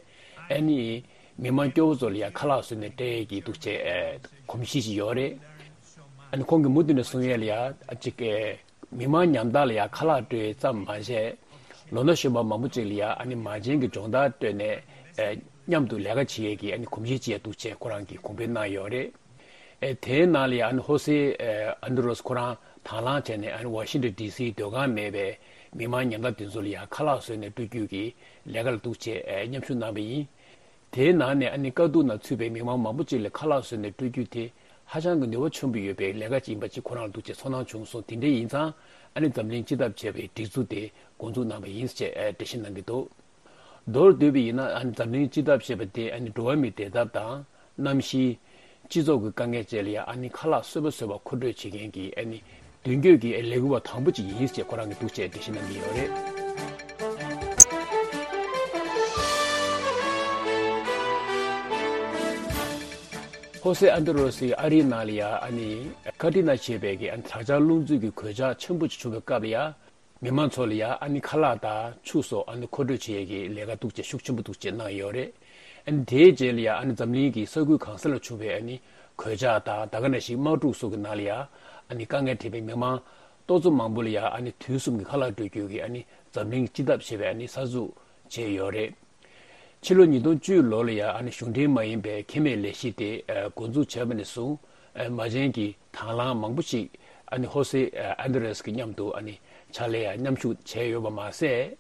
ཨ་ནི། མི་མང་སྐྱོ་བོ་ཚོ་ལ་ཡང་ཁ་ལག་བཟོས་ནས་སྤྲད་ཀྱི་འདུག་ཅེས་ཨེ་གོམས་གཤིས་ཤིག་ཡོད་རེད། ཨ་ནི་ཁོང་གིས་མུ་མཐུད་ནས་གསུང་ཡས་ལ་ཡང་ཨ་ཅིག་ཨེ་མི་མང་ཉམ་ཐག་ལ་ཡང་ཁ་ལག་སྤྲོད་ཙམ་མ་བྱས། ལོ་ན་གཞོན་པ་མང་པོ་ཅིག་ལ་ཡང་ཨ་ནི་མ་བྱན་གྱི་སྦྱོང་བརྡར་སྤྲོད་ནས་ཨེ་མཉམ་དུ་ལས་ཀ་བྱེད་ཡས་ཀྱི་ཨ་ནི་གོམས་གཤིས་ཅིག་ཡང་འདུག་ཅེས་ཁོ་རང་གིས་གོང་འཕེལ་གནང་ཡོད་རེད། ཨེ་དེའི་ནང་ལ་ཡང་ཨ་ནི་ཧོ་སེ་ཨེ་ཨན་ཏྲེ་རོས་ཁོ་རང་དང་བླངས་བྱས་ནས་ཨ་ནི་ཝ་ཤིང་ཏོན་ཌི་སིའི་སྡོད་ཁང་མེད་པའི་མི་མང་ཉམ་ཐག་དེ་ཚོ་ལ་ཡང་ཁ་ལག་བཟོས་ནས་སྤྲོད་རྒྱུ་གི་ལས་ཀ་ལ་འདུག་ཅེས་ཨེ་མཉམ་ཞུགས་གནང་བ་ཡིན། དེའི་ནང་ནས་ཨ་ནི་དཀའ་སྡུག་ནང་ཚུད་པའི་མི་མང་མང་པོ་ཅིག་ལ་ཁ་ལག་བཟོས་ནས་སྤྲོད་རྒྱུ་དེ་ཧ་ཅང་གི་ནུས་པ་ཆེན་པོ་ཡོད་པའི་ལས་ཀ་ཅིག་ཡིན་པ་ཅིག་ཁོ་རང་ལ་འདུག་ཅེས་ཚོར་སྣང་བྱུང་སོང་། དེ་འདྲ་ཡིན་ཙང་ཨ་ནི་འཛམ་གླིང་སྤྱི་ཐབ་ཅེས་པའི་སྒྲིག་འཛུགས་དེ་འགོ་འཛུགས་གནང་བ་ཡིན་ཅེས་ཨེ་འགྲེལ་བཤད་གནང་གི་འདུག་མདོར་བསྡུས་པ་ཡིན་ན་ཨ་ནི་འཛམ་གླིང་སྤྱི་ཐབ་ཅེས་པ་དེ་ཨ་ནི་འགྲོ་བ་མིའི་བདེ་ཐབས་དང་། གནམ་གཤིས། སྤྱི་ཚོགས་ཀྱི་དཀའ་ངལ་བཅས་ལ་ཡང་ཨ་ནི་ཁ་ལག་གསོལ་བ་བཟོས་པ་མཁོ་སྤྲོད་བྱེད་མཁན་གྱི་ཨ་ནི་མདུན་སྐྱོད་ཀྱི་ལས་འགུལ་བ་དང་པོ་ཅིག་ཡིན་ཞེས་ཁོ་རང་གིས་འདུག་ཅེས་འགྲེལ་བཤད་གནང་གི་ཡོད་རེད། ཧོ་སེ་ཨན་ཏྲེ་རོ་སི་ཨ་རིའི་ནང་ལ་ཡང་ཨ་ནི་ཁ་ཏྲི་ན་ཞེས་པའི་གི་ཨ་ནི་དྲག་ཆར་རླུང་འཚུབ་ཀྱི་གོད་ཆག་ཆེན་པོ་ཅིག་བྱུང་བའི་སྐབས་ལ་ཡང་། མི་མང་ཚོ་ལ་ཡང་ཨ་ནི་ཁ་ལག་དང་ཆུ་སོགས་ཨ་ནི་མཁོ་སྤྲོད་བྱེད་ཡས་ཀྱི་ལས་ཀ་འདུག་ཅེས་ཤུགས་ཆེན་པོ་འདུག་ཅེས་གནང་ཡོད་རེད། ཨ་ནི་དེའི་རྗེས་ལ་ཡང་ཨ་ནི་འཛམ་གླིང་གི་ས་ཁུལ་གང་ས་ལ་བྱུང་བའི་ཨ་ནི་གོད་ཆག་དང་ད་ག་ནང་བཞིན་དམག་འཁྲུག་སོགས་ཀྱི་ནང་ལ་ཡང་ཨ་ནི་དཀའ་ངལ་འཕྲད་པའི་མི་མང་ཏོག་ཙམ་མང་པོ་ལ་ཡང་ཨ་ནི་དུས་གསུམ་གྱི་ཁ་ལག་སྤྲོད་རྒྱུ་གི་ཨ་ནི་འཛམ་གླིང་སྤྱི་ཐབ་ཞེས་པའི་ཨ་ནི་གསར་འཛུགས་བྱས་ཡོད་རེད། ཕྱི་ལོ་ཉིས་སྟོང་བཅུ་ལོ་ལ་ཡང་ཨ་ནི་གཞུང་འབྲེལ་མ་ཡིན་པའི་ཁེ་མེད་ལས་གཞི་དེ་འགོ་འཛུགས་བྱས་པ་ནས་བཟུང་མ་བྱན་གྱི་དང་བླངས་མང་པོ་ཞིག་ཨ་ནི་ཧོ་སེ་ཨན་ཏྲེ་རེས་ཀྱི་མཉམ་དུ་ཨ་ནི་ཕྱག་ལས་ཡང་མཉམ་ཞུགས་བྱས་ཡོད་པ་མ་ཟད།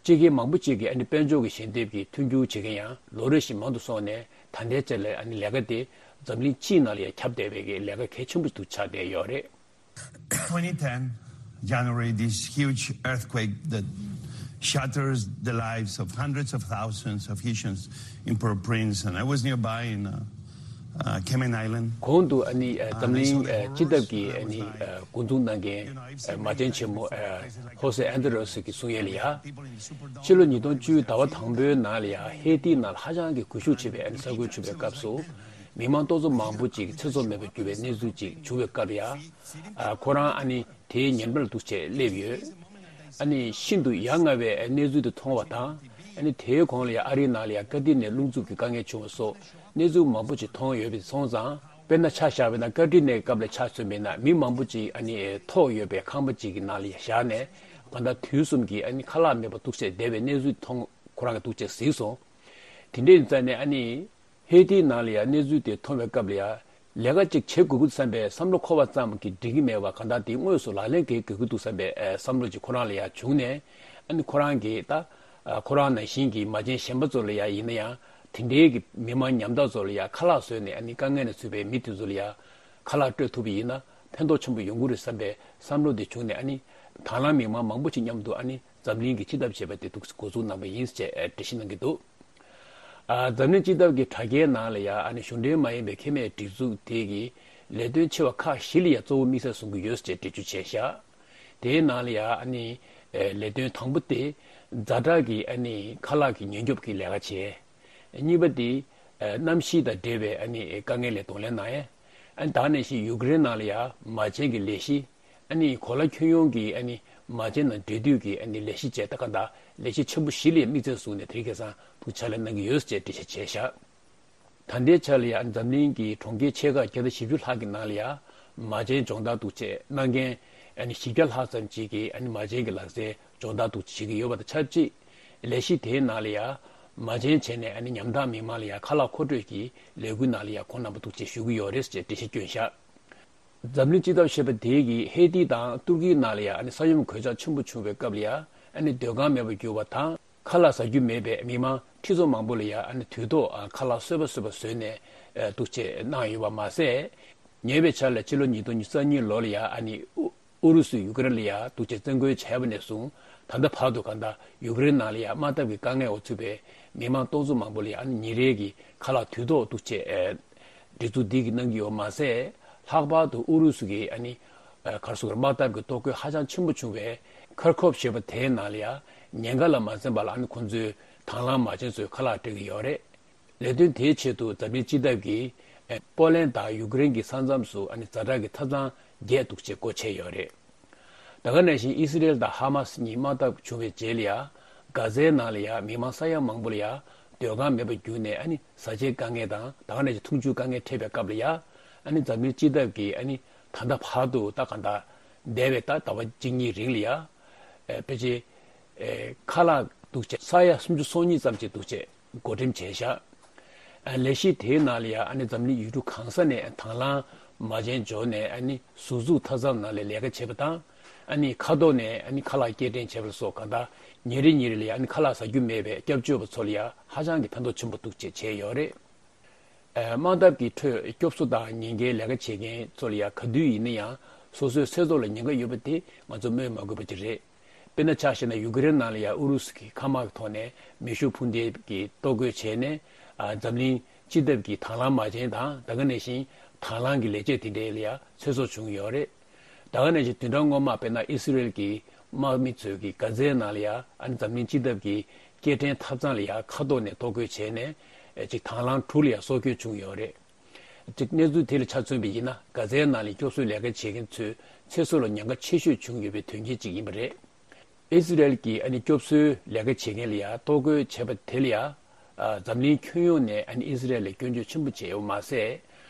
སྤྱི་སྒེར་མང་པོ་ཅིག་གིས་ཨ་ནི་དཔལ་འབྱོར་གྱི་ཞལ་འདེབས་ཀྱི་མཐུན་འགྱུར་བྱེད་མཁན་ཡང་ལོ་རེ་བཞིན་མང་དུ་སོང་ནས་ད་ལྟའི་ཆར་ལ་ཨ་ནི་ལས་ཀ་དེ་འཛམ་གླིང་སྤྱིའི་ནང་ལ་ཡང་ཁྱབ་བསྡད་པའི་གི་ལས་ཀ་གལ་ཆེན་པོ་ཞིག་ཏུ་ཆགས་བསྡད་ཡོད་རེད། twenty ten, January, this huge earthquake that shatters the lives of hundreds of thousands of Haitians in Port-au-Prince, and I was nearby in uh, uh, Cayman Island. གོང་དུ་ཨ་ནི་ཨ་འཛམ་གླིང་ཨ་སྤྱི་ཟླ་གི་ཨ་ནི་ཨ་འགོ་འཛུགས་གནང་མཁན་ཨ་མ་བྱན་ཆེན་མོ་ཨ་ཧོ་སེ་ཨན་ཏོ་རེ་སི་གིས་གསུང་ཡས་ལ་ཡ། ཕྱི་ལོ་ཉིས་སྟོང་བཅུ་ཟླ་བ་དང་པོའི་ནང་ལ་ཡ་ཧེ་ཏི་ནང་ལ་ཧ་ཅང་གི་སྒུལ་ཤུགས་ཆེ་བའི་ཨ་ནི་ས་ཁུལ་བྱུང་བའི་སྐབས་སུ། མི་མང་སྟོང་ཚོ་མང་པོ་ཅིག་ཚེ་སྲོག་མེད་པར་གྱུར་བའི་གནས་ཚུལ་ཅིག་བྱུང་བའི་སྐབས་ལ་ཡ། ཨ་ཁོ་རང་ཨ་ནི་དེའི་ཉེ་འབྲེལ་འདུག་བྱས་སླེབས་ཡོད། ཨ་ནི་ཤིན་ཏུ་ཡ་ང་བའི་གནས་ཚུལ་དེ་མཐོང་བ་དང་། ཨ་ནི་དེའི་གོང་ལ་ཡང་ཨ་རིའི་ནང་ལ་ཡང་བཀའ་དྲིན་ནས་རླུང་འཚུབ་ཀྱི་དཀའ་ངལ་བྱུང་བ་སོགས་གནས་ཚུལ་མང་པོ་ཞིག་མཐོང་ཡོད་པ་སོང་ཙང་། དཔེར་ན་ཆ་བཞག་པ་ན་བཀའ་དྲིན་ནས་སྐབས་ལ་ཆ་མཚོན་པ་ཡིན་ན་མི་མང་པོ་ཅིག་ཨ་ནི་ཐོག་ཡོད་པའི་ཁང་པ་ཅིག་གི་ནང་ལ་ཡང་བཞག་ནས་གང་ལྟར་དུས་གསུམ་གྱི་ཨ་ནི་ཁ་ལག་མེད་པར་འདུག་བྱས་བསྡད་པའི་གནས་ཚུལ་མཐོང་ཁོ་རང་གིས་འདུག་བྱས་གཟིགས་སོང་། དེ་འདྲའི་ཡིན་ཙང་ནས་ཨ་ནི། ཧེ་ཏིའི་ནང་ལ་ཡང་གནས་ཚུལ་དེ་མཐོང་བའི་སྐབས་ལ་ཡང་ལས་ཀ་ཅིག་བྱེད་དགོས་ཀྱི་འདུག་བསམ་པའི་བསམ་བློ་འཁོར་བ་ཙམ་གྱིས་འགྲིག་གི་མེད་པར་གང་ལྟར་དེ་དངོས་སུ་ལག་ལེན་འཁེལ་དགོས་ཀྱི་འདུག་བསམ་པའི་ཨ་བསམ་བློ་ཅིག་ཁོ་རང་ལ་ཡང་བྱུང་ནས། ཨ་ནི་ཁོ་རང་གིས་ད་ཨ་ཁོ་རང་ནང་བཞིན་གྱི་མ་བྱན་གཞན་པ་ཚོ་ལ་ཡང་ཡིན་ན་ཡང་དེ་འདྲའི་གི་མི་མང་ཉམ་ཐག་ཚོ་ལ་ཡང་ཁ་ལག་བཟོས་ནས་ཨ་ནི་དཀའ་ངལ་ནང་ཚུད་པའི་མི་དེ་ཚོ་ལ་ཡང་ཁ་ལག་སྤྲོད་ཐུབ་པ་ཡིན་ན་ཕན་ཐོགས་ཆེན་པོ་ཡོང་གི་རེད་བསམ་པའི་བསམ་བློ་དེ་བྱུང་ནས། ཨ་ནི་དང་བླངས་མི་མང་མང་པོ་ཞིག་མཉམ་དུ་ཨ་ནི་འཛམ་གླིང་གི་སྤྱི་ཟླ་ཞེས་པ་དེ་འདུག་འགོ་འཛུགས་གནང་པ་ཡིན་ཅེས་འགྲེལ་བཤད་གནང་གི་འདུག་ཨ་འཛམ་གླིང་སྤྱི་ཟླ་གི་དྲ་རྒྱའི་ནང་ལ་ཡང་ཨ་ནི་གཞུང་འབྲེལ་མ་ཡིན་པའི་ཁེ་མེད་སྒྲིག་འཛུགས་དེ་གི་ལས་དོན་ཆེ་བ་ཁག་བཞི་ལ་ཡང་གཙོ་བོ་དམིགས་བསལ་བཟུང་གི་ཡོད་ཅེས་འགྲེལ་བརྗོད་བྱས་བཞག་དེའི་ནང་ལ་ཡང་ཨ་ནི་ལས་དོན་དང་པོ་དེ་ཛ་དྲག་གི་ཨ་ནི་ཁ་ལག་གི་ཉེན་སྐྱོབ་ཀྱི་ལས་ཀ་བྱས། གཉིས་པ་དེ་གནམ་གཤིས་དང་འབྲེལ་བའི་ཨ་ནི་དཀའ་ངལ་ལ་གདོང་ལེན་གནང་ཡས། ཨ་ནི་ད་ག་ནང་བཞིན་ཡུཀ་རེན་ནང་ལ་ཡང་མ་བྱན་གྱི་ལས་གཞི། ཨ་ནི་གོ་ལ་ཁྱོན་ཡོངས་ཀྱི་ཨ་ནི་མ་བྱན་དང་འབྲེལ་མཐུད་ཀྱི་ཨ་ནི་ལས་གཞི་བཅས་ད་ག་འདྲ་ལས་གཞི་ཆེན་པོ་བཞི་ལ་དམིགས་བསལ་བཟུང་ནས་དེ་རིང་ཁ་སང་ཐུགས་ཕྱག་ལས་གནང་གི་ཡོད་ཅེས་འགྲེལ་བཤད་བྱས་བཞག་ད་ལྟའི་ཆ་ལ་ཡང་འཛམ་གླིང་གི་གྲོང་ཁྱེར་ཆེ་ཁག་བརྒྱ་དང་བཞི་བཅུ་ལྷག་གི་ནང་ལ་ཡང་མ་བྱན་སྦྱོང་བརྡར་འདུག་བྱས་གནང་མཁན་ཨ་ནི་བཞི་བརྒྱ་ལྷག་ཙམ་ཅིག་གིས་ཨ་ནི་མ་བྱན་གྱི་ལག་རྩལ་སྦྱོང་བརྡར་འདུག་བྱེད་ཀྱི་ཡོད་པ་དང་ཆབས་ཅིག་ལས་གཞི་དེའི་ནང་ལ་ཡང་མ་བྱན་བྱས་ནས་ཨ་ནི་ཉམ་ཐག་མི་མང་ལ་ཡང་ཁ་ལག་མཁོ་སྤྲོད་ཀྱི་ལས་འགུལ་ནང་ལ་ཡང་ཁོང་རྣམ་པ་འདུག་བྱས་ཞུགས་ཀྱི་ཡོད་རེད་ཅེས་འགྲེལ་བཤད་བསྐྱོན་བཞག་འཛམ་གླིང་སྤྱི་ཟླ་ཞེས་པ་དེ་གིས་ཧེ་ཏི་དང་ཏུར་ཀིའི་ནང་ལ་ཡང་ཨ་ནི་ས་ཡོམ་གོད་ཆག་ཆེན་པོ་བྱུང་བའི་སྐབས་ལ་ཡང་ཨ་ནི་སྡོད་ཁང་མེད་པར་གྱུར་བ་དང་། ཁ་ལག་ཟ་རྒྱུ་མེད་པའི་མི་མང་ཁྲི་ཚོ་མང་པོ་ལ་ཡང་ཨ་ནི་དུས་ཐོག་ཨ་ཁ་ལག་གསོལ་བ་གསོལ་བ་བཟོས་ནས་ཨ་འདུག་བྱས་གནང་ཡོད་པ་མ་ཟད། ཉེ་བའི་ཆར་ལ་ཕྱི་ལོ་ཉིས་སྟོང་ཉི་ཤུ་རྩ་གཉིས་ལོ་ལ་ཡང་ཨ་ནི་ཨུ་ཨུ་རུ་སུས་ཡུ་ཀེ་རེན་ལ་ཡང་འདུག་བྱས་བཙན་རྒོལ་བྱས་པ་ནས་བཟུང་ད་ལྟ་བར་དུ་གང་ལྟར་ཡུ་ཀེ་རེན་ནང་ལ་ཡང་དམག་འཐབ་ཀྱི་དཀའ་ངལ་འོག་ཚུད་པའི་མི་མང་སྟོང་ཚོ་མང་པོ་ལ་ཡང་ཨ་ནི་ཉིན་རེ་གི་ཁ་ལག་དུས་ཐོག་འདུག་བྱས་ཨ་སྒྲིག་འཛུགས་འདི་གིས་གནང་གི་ཡོད་མ་ཟད། ལྷག་པར་དུ་ཨུ་རུ་སུ་གིས་ཨ་ནི་ཨ་ག་རེ་ཟེར་དགོས་རེད། དམག་འཐབ་ཀྱི་གཏོར་རྒོལ་ཧ་ཅང་ཆེན་པོ་བྱུང་བའི་ཁར་ཁོབ་ཞེས་པ་དེའི་ནང་ལ་ཡང་ཉེན་ཁ་ལ་མ་འཛེམས་པ་ལ་ཨ་ནི་ཁོང་ཚོས་དང་བླངས་མ་བྱན་ཚོས་ཁ་ལག་སྤྲད་ཀྱི་ཡོད་རེད། ལས་དོན་དེའི་ཆེད་དུ་འཛམ་གླིང་སྤྱི་ཟླ་གིས་ཨ་པོ་ལན་དང་ཡུ་ཀེ་རེན་གྱི་ས་མཚམས་སུ་ཨ་ནི་ཛ་དྲག་གི་ཐབ་ཚང་བརྒྱད་འདུག་བྱས་སྒོ་ཕྱེ་ཡོད་རེད། ད་ག་ནང་བཞིན་ཨི་སི་རེལ་དང་ཧ་མ་སི་གཉིས་དམག་འཐབ་བྱུང་བའི་རྗེས་ལ་ཡང་གྷ་ཛའི་ནང་ལ་ཡང་མི་མང་ས་ཡ་མང་པོ་ལ་ཡང་སྡོད་ཁང་མེད་པར་གྱུར་ནས་ཨ་ནི་བཟའ་བཅའི་དཀའ་ངལ་དང་ད་ག་ནང་བཞིན་འཐུང་ཆུའི་དཀའ་ངལ་འཕྲད་པའི་སྐབས་ལ་ཡང་ཨ་ནི་འཛམ་གླིང་སྤྱི་ཟླ་གིས་ཨ་ནི་ད་ལྟ་བར་དུ་ད་གང་ལྟར་འདས་པའི་ད་ཟླ་བ་གཅིག་གཉིས་རིང་ལ་ཡང་ཨེ་ཕལ་ཆེར་ཨེ་ཁ་ལག་འདུག་བྱས་ས་ཡ་སུམ་ཅུ་སོ་གཉིས་ཙམ་ཅིག་འདུག་བྱས། བགོ་འགྲེམས་བྱས་བཞག་ཨ་ལས་གཞི་དེའི་ནང་ལ་ཡང་ཨ་ནི་འཛམ་གླིང་ཡུལ་གྲུ་གང་ས་ནས་དང་བླངས་མ་བྱན་འབྱོར་ནས་ཨ་ནི་ཟུར་འཛུགས་མཐའ་མཚམས་ནང་ལ་ལས་ཀ་བྱེད་པ་དང་། ཨ་ནི་མཁའ་ཐོག་ནས་ཨ་ནི་ཁ་ལག་སྐྱེལ་འདྲེན་བྱེད་པ་སོགས་གང་ལྟར་ཉིན་རེ་ཉིན་རེ་ལ་ཡང་ཨ་ནི་ཁ་ལག་ཟ་རྒྱུ་མེད་པའི་སྐྱབས་བཅོལ་བ་ཚོ་ལ་ཡང་ཧ་ཅང་གི་ཕན་ཐོགས་ཆེན་པོ་འདུག་ཅེས་བྱས་ཡོད་རེད། ཨ་དམག་འཐབ་ཀྱི་ཁྲོད་སྐྱོབ་གསོ་དང་ཉེན་ཁའི་ལས་ཀ་བྱེད་མཁན་ཚོ་ལ་ཡང་ག་དུས་ཡིན་ན་ཡང་སོ་སོའི་ཚེ་སྲོག་ལ་ཉེན་ཁ་ཡོད་པ་དེ་ང་ཚོ་སྨོས་མ་དགོས་པ་ཅིག་རེད། དཔེར་ན་ཆ་བཞག་ན་ཡུ་ཀེ་རེན་ནང་ལ་ཡང་ཨུ་རུ་སུ་གི་མཁའ་དམག་གི་ཐོག་ནས་མེ་ཤུགས་འཕུར་མདེལ་གྱི་གཏོར་རྒོལ་བྱས་ནས་ཨ་འཛམ་གླིང་སྤྱི་ཟླ་གི་དང་བླངས་མ་བྱན་དང་ད་ག་ནང་བཞིན་དང་བླངས་ཀྱི་ལས་བྱེད་དེ་འདྲའི་ལ་ཡང་ཚེ་སྲོག་བྱུང་ཡོད་རེད། ད་ག་ནང་བཞིན་བདུན་ཕྲག་སྔོན་མ་དཔེར་ན་ཨི་སི་རེལ་གྱི་དམག་མི་ཚོས་ཀྱི་གྷ་ཛའི་ནང་ལ་ཡང་ཨ་ནི་འཛམ་གླིང་སྤྱི་ཟླ་གི་སྐྱེལ་འདྲེན་ཐབ་ཚང་ལ་ཡང་མཁའ་ཐོག་ནས་གཏོར་རྒོལ་བྱས་ནས་ཨ་ཅིག་དང་བླངས་དྲུག་ལ་ཡང་སྲོག་སྐྱོན་བྱུང་ཡོད་རེད། གཅིག་གནས་ཚུལ་དེ་ལ་ཆ་མཚོན་པ་ཡིན་ན་གྷ་ཛའི་ནང་ལ་སྐྱོབ་གསོའི་ལས་ཀ་བྱེད་མཁན་ཚོའི་ཚེ་སྲོག་ལ་ཉེན་ཁ་ཆེ་ཤོས་བྱུང་ཡོད་པའི་དོན་རྐྱེན་གཅིག་ཡིན་པ་རེད། ཨི་སི་རེལ་གྱིས་ཨ་ནི་སྐྱོབ་གསོའི་ལས་ཀ་བྱེད་མཁན་ལ་ཡང་གཏོར་རྒོལ་བྱས་པ་དེ་ལ་ཡང་ཨ་འཛམ་གླིང་ཁྱོན་ཡོངས་ནས་ཨ་ནི་ཨི་སི་རེལ་ལ་སྐྱོན་བརྗོད་ཆེན་པོ་བྱས་ཡོད་པ་མ་ཟད།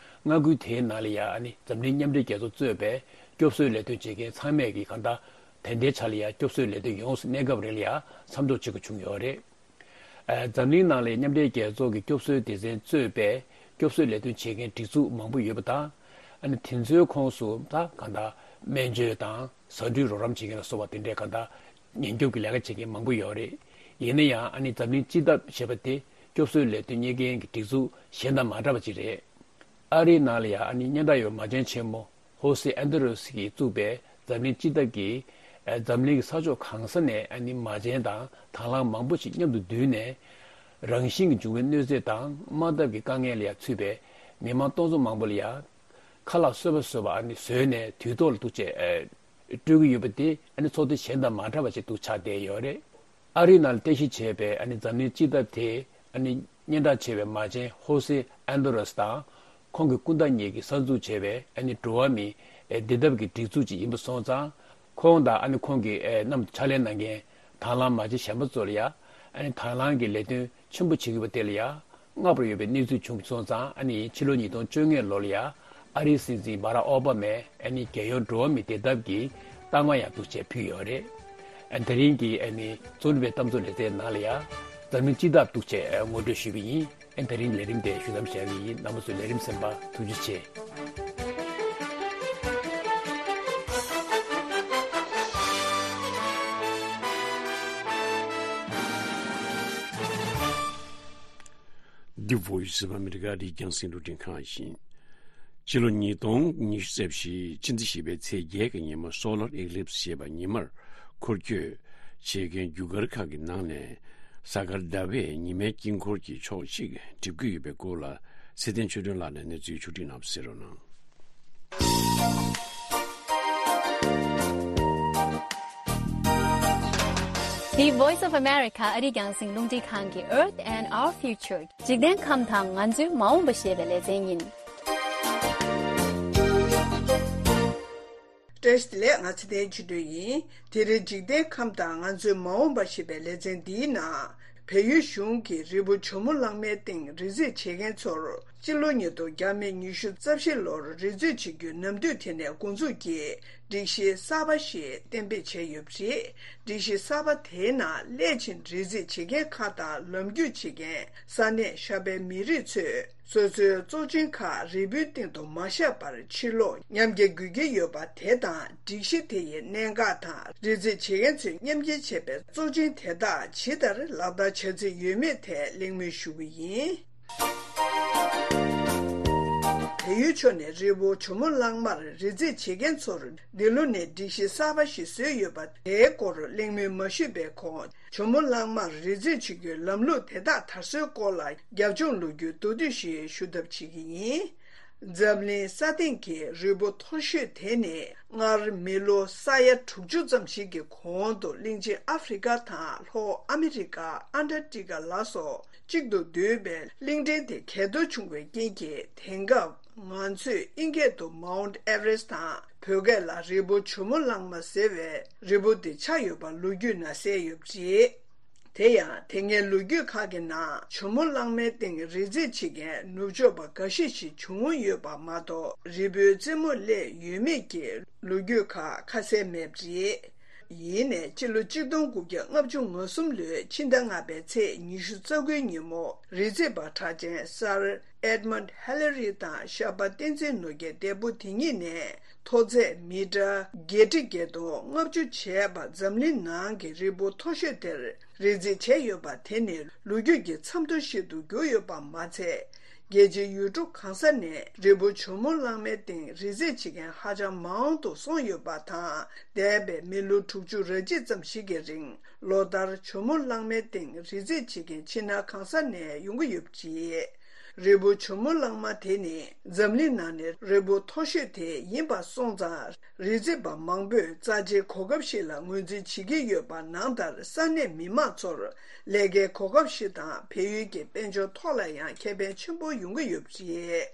མངའ་ཁུལ་དེའི་ནང་ལ་ཡང་ཨ་ནི་འཛམ་གླིང་མཉམ་འབྲེལ་རྒྱལ་ཚོགས་གཙོས་པའི་སྐྱོབ་གསོའི་ལས་དོན་བྱེད་མཁན་ཚང་མས་ཀྱིས་གང་ལྟར་དེ་འདྲའི་ཆ་ལ་ཡང་སྐྱོབ་གསོའི་ལས་དོན་ཡོངས་སུ་གནས་སྐབས་རིང་ལ་ཡང་མཚམས་འཇོག་བྱེད་དགོས་བྱུང་ཡོད་རེད། ཨ་འཛམ་གླིང་ནང་ལ་མཉམ་འབྲེལ་རྒྱལ་ཚོགས་ཀྱི་སྐྱོབ་གསོའི་སྡེ་ཚན་གཙོས་པའི་སྐྱོབ་གསོའི་ལས་དོན་བྱེད་མཁན་སྒྲིག་འཛུགས་མང་པོ་ཡོད་པ་དང་། ཨ་ནི་དེ་ཚོའི་ཁོངས་སུ་ད་གང་ལྟར་སྨན་བཅོས་དང་ཟ་འབྲུའི་རོགས་རམ་བྱེད་མཁན་ལ་སོགས་པ་དེ་འདྲའི་གང་ལྟར་ཉེན་སྐྱོབ་ཀྱི་ལས་ཀ་བྱེད་མཁན་མང་པོ་ཡོད་རེད། ཡིན་ན་ཡང་ཨ་ནི་འཛམ་གླིང་སྤྱི་ཟླ་ཞེས་པ་དེ་སྐྱོབ་གསོའི་ལས་དོན་གཉེར་མཁན་གྱི་སྒྲིག་འཛུགས་གཞན་དང་མ་འདྲ་བ་ཅིག་རེད། ཨ་རིའི་ནང་ལ་ཡང་ཨ་ནི་སྙན་གྲགས་ཡོད་པའི་མ་བྱན་ཆེན་མོ་ཧོ་སེ་ཨན་ཏོ་རེ་སི་གིས་བཙུགས་པའི་འཛམ་གླིང་སྤྱི་ཟླ་གི་ ཨ་འཛམ་གླིང་གི་ས་ཕྱོགས་གང་ས་ནས་ཨ་ནི་མ་བྱན་དང་དང་བླངས་མང་པོ་ཞིག་མཉམ་དུ་བསྡུས་ནས། རང་བཞིན་གྱིས་འབྱུང་བའི་གནོད་འཚེ་དང་དམག་འཐབ་ཀྱི་དཀའ་ངལ་ལ་ཡང་ཚུད་པའི་མི་མང་སྟོང་ཚོ་མང་པོ་ལ་ཡང་ཁ་ལག་བཟོས་པ་བཟོས་པ་ཨ་ནི་བཟོས་ནས་དུས་ཐོག་ལ་འདུག་བྱས་ཨ་སྤྲོད་ཀྱི་ཡོད་པ་དེ་ཨ་ནི་ཚོགས་སྡེ་གཞན་དང་མ་འདྲ་བ་ཞིག་འདུག་ཆགས་བསྡད་ཡོད་རེད། ཨ་རིའི་ནང་ལ་རྟེན་གཞི་བྱས་པའི་ཨ་ནི་འཛམ་གླིང་སྤྱི་ཟླ་དེ་ཨ་ནི་སྙན་གྲགས་ཆེ་བའི་མ་བྱན་ཧོ་སེ་ཨན་དོ་རེས་དང་། ཁོང་གི་སྐུ་ཟླ་གཉིས་ཀྱིས་གསར་འཛུགས་བྱས་པའི་ཨ་ནི་འགྲོ་བ་མིའི་བདེ་ཐབས་ཀྱི་སྒྲིག་འཛུགས་ཅིག་ཡིན་པ་སོང་ཙང་། ཁོང་དང་ཨ་ནི་ཁོང་གི་མཉམ་དུ་ཕྱག་ལས་གནང་མཁན་དང་བླངས་མ་བྱན་གཞན་པ་ཚོ་ལ་ཡ་ཨ་ནི་དང་བླངས་ཀྱི་ལས་དོན་ཆེན་པོ་བྱེད་ཀྱི་ཡོད་པ་དེ་ལ་ཡ་བསྔགས་པར་ཡོད་པའི་གནས་ཚུལ་བྱུང་སོང་ཙང་། ཨ་ནི་ཕྱི་ལོ་ཉིས་སྟོང་བཅོ་ལྔ་ལོ་ལ་ཡ་ཨ་རིའི་སྲིད་འཛིན་བྷ་རག་ཨོ་བྷ་མས་ཨ་ནི་རྒྱལ་ཡོངས་འགྲོ་བ་མིའི་བདེ་ཐབས་ཀྱི་རྟགས་མ་ཡང་འདུག་བྱས་ཕུལ་ཡོད་རེད། ཨ་ནི་དེ་རིང་གི་ཨ་ནི་རྩོམ་སྒྲིག་པའི་གཏམ་བཟོ་ལེ་ཚན་ནང་ལ་ཡ་འཛམ་གླིང་སྤྱི་ཟླ་འདུག་བྱས་ངོ་སྤྲོད་ཞུས་པ་ཡིན། ཨ་ནི་དེ་རིང་ལས་རིམ་དེ་ཞུ་མཚམས་བཞག་གི་ཡིན། རྣམ་པ་ཚོས་ལས་རིམ་གསན་པར་ཐུགས་རྗེ་ཆེ། The Voice of America ཨ་རིའི་རྒྱང་སྲིང་རླུང་འཕྲིན་ཁང་ཡིན། སྤྱི་ལོ་ཉིས་སྟོང་ཉི་ཤུ་རྩ་བཞི་ཕྱི་ཟླ་བཞི་པའི་ཚེས་བརྒྱད་ཀྱི་ཉིན་མོ་སོ་ལར་ཨེ་ཀི་ལིབ་སི་ཞེས་པ་ཉི་མར་འཁོར་སྐྱོད་བྱེད་མཁན་རྒྱུ་སྐར་ཁག་གི་ནང་ནས་གཟའ་སྐར་ཟླ་བས་ཉི་མའི་དཀྱིལ་འཁོར་གྱི་ཕྱོགས་གཅིག་འགྲིབ་ཀྱི་ཡོད་པའི་སྐོར་ལ་ཚེ་བརྟན་ཆོས་སྒྲོན་ལགས་ནས་གནས་ཚུལ་ཕྱོགས་བསྒྲིགས་གནང་བ་གསན་རོགས་གནང་། The Voice of America ཨ་རིའི་རྒྱང་སྲིང་རླུང་འཕྲིན་ཁང་གི Earth and Our Future འཇིག་རྟེན་ཁམས་དང་ང་ཚོའི་མ་འོངས་པ་ཞེས་པའི་ལེ་ཚན་ཡིན། བཀྲ་ཤིས་བདེ་ལེགས། ང་ཚེ་བརྟན་ཆོས་སྒྲོན་ཡིན། དེ་རིང་འཇིག་རྟེན་ཁམས་དང་ང་ཚོའི་མ་འོངས་པ་ཞེས་པའི་ལེ་ཚན་འདིའི་ནང་། བལ་ཡུལ་གཞུང་གིས་རི་བོ་ཇོ་མོ་གླང་མའི་སྟེང་རི་འཛེག་བྱེད་མཁན་ཚོར་སྤྱི་ལོ་ཉིས་སྟོང་བརྒྱ་མེད་ཉི་ཤུ་རྩ་བཞི་ལོར་རི་འཛེག་བྱེད་རྒྱུའི་ནམ་དུས་དེ་ནས་འགོ་འཛུགས་ཀྱིས་སྒྲིག་གཞི་གསར་པ་ཞིག་གཏན་འབེབས་བྱས་ཡོད་པ་རེད། སྒྲིག་གཞི་གསར་པ་དེའི་ནང་སླད་ཕྱིན་རི་འཛེག་བྱེད་མཁན་ཁག་དང་ལམ་རྒྱུས་བྱེད་མཁན་ས་གནས་ཤ་པའི་མི་རིགས་ཚོས། སོ་སོའི་བཙོག་ཆུ་ཁག་རི་བོའི་སྟེང་དུ་མ་བཞག་པར་ཕྱིར་སློག་མཉམ་འཁྱེར་དགོས་ཀྱི་ཡོད་པ་དེ་དང་། སྒྲིག་གཞི་དེ་ཡི་གནད་འགག་དང་། རི་འཛེག་བྱེད་མཁན་ཚོས་མཉམ་འཁྱེར་བྱས་པའི་བཙོག་ཆུ་དེ་དག་ཇི་ལྟར་ལག་བསྟར་བྱ་རྩིས་ཡོད་མེད་ཐད་གླེང་མོལ་ཞུ་གི་ཡིན། བལ་ཡུལ་ཕྱོགས་ནས་རི་བོ་ཇོ་མོ་གླང་མར་རི་འཛེག་བྱེད་མཁན་ཚོར་འདི་ལོ་ནས་སྒྲིག་གཞི་གསར་པ་ཞིག་བཟོས་ཡོད་པ་དེའི་སྐོར་གླེང་མོལ་མ་ཞུས་པའི་གོང་། ཇོ་མོ་གླང་མར་རི་འཛེག་བྱེད་རྒྱུའི་ལམ་ལུགས་དེ་དག་དར་སྲོལ་སྐོར་ལ་རྒྱབ་ལྗོངས་ལོ་རྒྱུས་མདོར་བསྡུས་ཤིག་ཞུ་ཐབས་བྱེད་ཀྱི་ཡིན། འཛམ་གླིང་ས་སྟེང་གི་རི་བོ་མཐོ་ཤོས་དེ་ནི་སྔར་མི་ལོ་ས་ཡ་དྲུག་ཅུ་ཙམ་ཞིག་གི་གོང་དུ་གླིང་ཆེན་ཨ་ཧྥེ་རི་ཀ་དང་ལྷོ་ཨ་མེ་རི་ཀ། ཨན་ཊར་ཀ་ཊི་ཀ་ལ་སོགས་གཅིག་ཏུ་འདུས་པའི་གླིང་ཕྲན་དེ་གས་གཏོར་བྱུང་བའི་རྐྱེན་གྱིས། དེང་སྐབས་ང་ཚོས་ཨིན་སྐད་དུ་མའུན་ཊི་ཨེ་ཝ་རེ་སི་ཊི་དང་། བོད་སྐད་ལ་རི་བོ་ཇོ་མོ་གླང་མ་ཟེར་བའི་རི་བོ་དེ་ཆགས་ཡོད་པ་ལོ་རྒྱུས་ནང་གསལ་ཡོད་པ་རེད། དེ་ཡང་། དེ་སྔའི་ལོ་རྒྱུས་ཁག་གི་ནང་ཇོ་མོ་གླང་མའི་སྟེང་རི་འཛེག་བྱེད་མཁན་ནུབ་ཕྱོགས་པ་འགའ་ཤས་ཤིག་བྱུང་ཡོད་པ་མ་གཏོགས། རི་བོའི་རྩེ་མོར་སླེབས་ཡོད་མེད་ཀྱི་ལོ་རྒྱུས་ཁག་ཁ་གསལ་མེད་པ་རེད། ཡིན་ནའི། སྤྱི་ལོ་གཅིག་སྟོང་དགུ་བརྒྱ་ལྔ་བཅུ་ང་གསུམ་ལོའི་ཕྱི་ཟླ་ལྔ་པའི་ཚེས་ཉི་ཤུ་རྩ་དགུའི་ཉིན་མོ། རི་འཛེག་པ་གྲགས་ཅན་སར་ཨེཌ་མོན་ཌི་ཧི་ལ་རི་དང་ཤ་པ་བསྟན་འཛིན་ནོར་རྒྱས་འདས་པོ་དེ་གཉིས་ནས། མཐོ་ཚད་མི་ཊར་བརྒྱད་ཁྲི་བརྒྱད་སྟོང་ལྔ་བཅུ་བྱས་པ་འཛམ་གླིང་ནང་གི་རི་བོ་མཐོ་ཤོས་དེར་རི་འཛེག་བྱས་ཡོད་པ་དེ་ནི་ལོ་རྒྱུས་ཀྱི་མཚམས་ཐོ་ཞིག་ཏུ་གྱུར་ཡོད་པ་མ་ཚད། རྒྱལ་སྤྱིའི་ཡུལ་གྲུ་གང་ས་ནས་རི་བོ་ཇོ་མོ་གླང་མའི་སྟེང་རི་འཛེག་བྱེད་མཁན་ཧ་ཅང་མང་དུ་སོང་ཡོད་པ་དང་། འདས་པའི་མི་ལོ་དྲུག་ཅུ་རེ་གཅིག་ཙམ་ཞིག་གི་རིང་ལོ་ལྟར་ཇོ་མོ་གླང་མའི་སྟེང་རི་འཛེག་བྱེད་མཁན་ཕྱི་ནང་གང་ས་ནས་ཡོང་གི་ཡོད་པ་རེད། རི་བོ་ཇོ་མོ་གླང་མ་དེ་ནི་འཛམ་གླིང་ནང་ནས་རི་བོ་མཐོ་ཤོས་དེ་ཡིན་པ་སོང་ཙང་། རི་འཛེག་པ་མང་པོས་རྩ་ཆེའི་གོ་སྐབས་ཤིག་ལ་ངོས་འཛིན་བྱེད་ཀྱི་ཡོད་པ་ནང་ལྟར། ས་གནས་མི་མང་ཚོར་ལས་ཀའི་གོ་སྐབས་ཤིག་དང་། བལ་ཡུལ་གྱི་དཔལ་འབྱོར་ཐོག་ལ་ཡང་ཁེ་ཕན་ཆེན་པོ་ཡོང་གི་ཡོད་པ་རེད།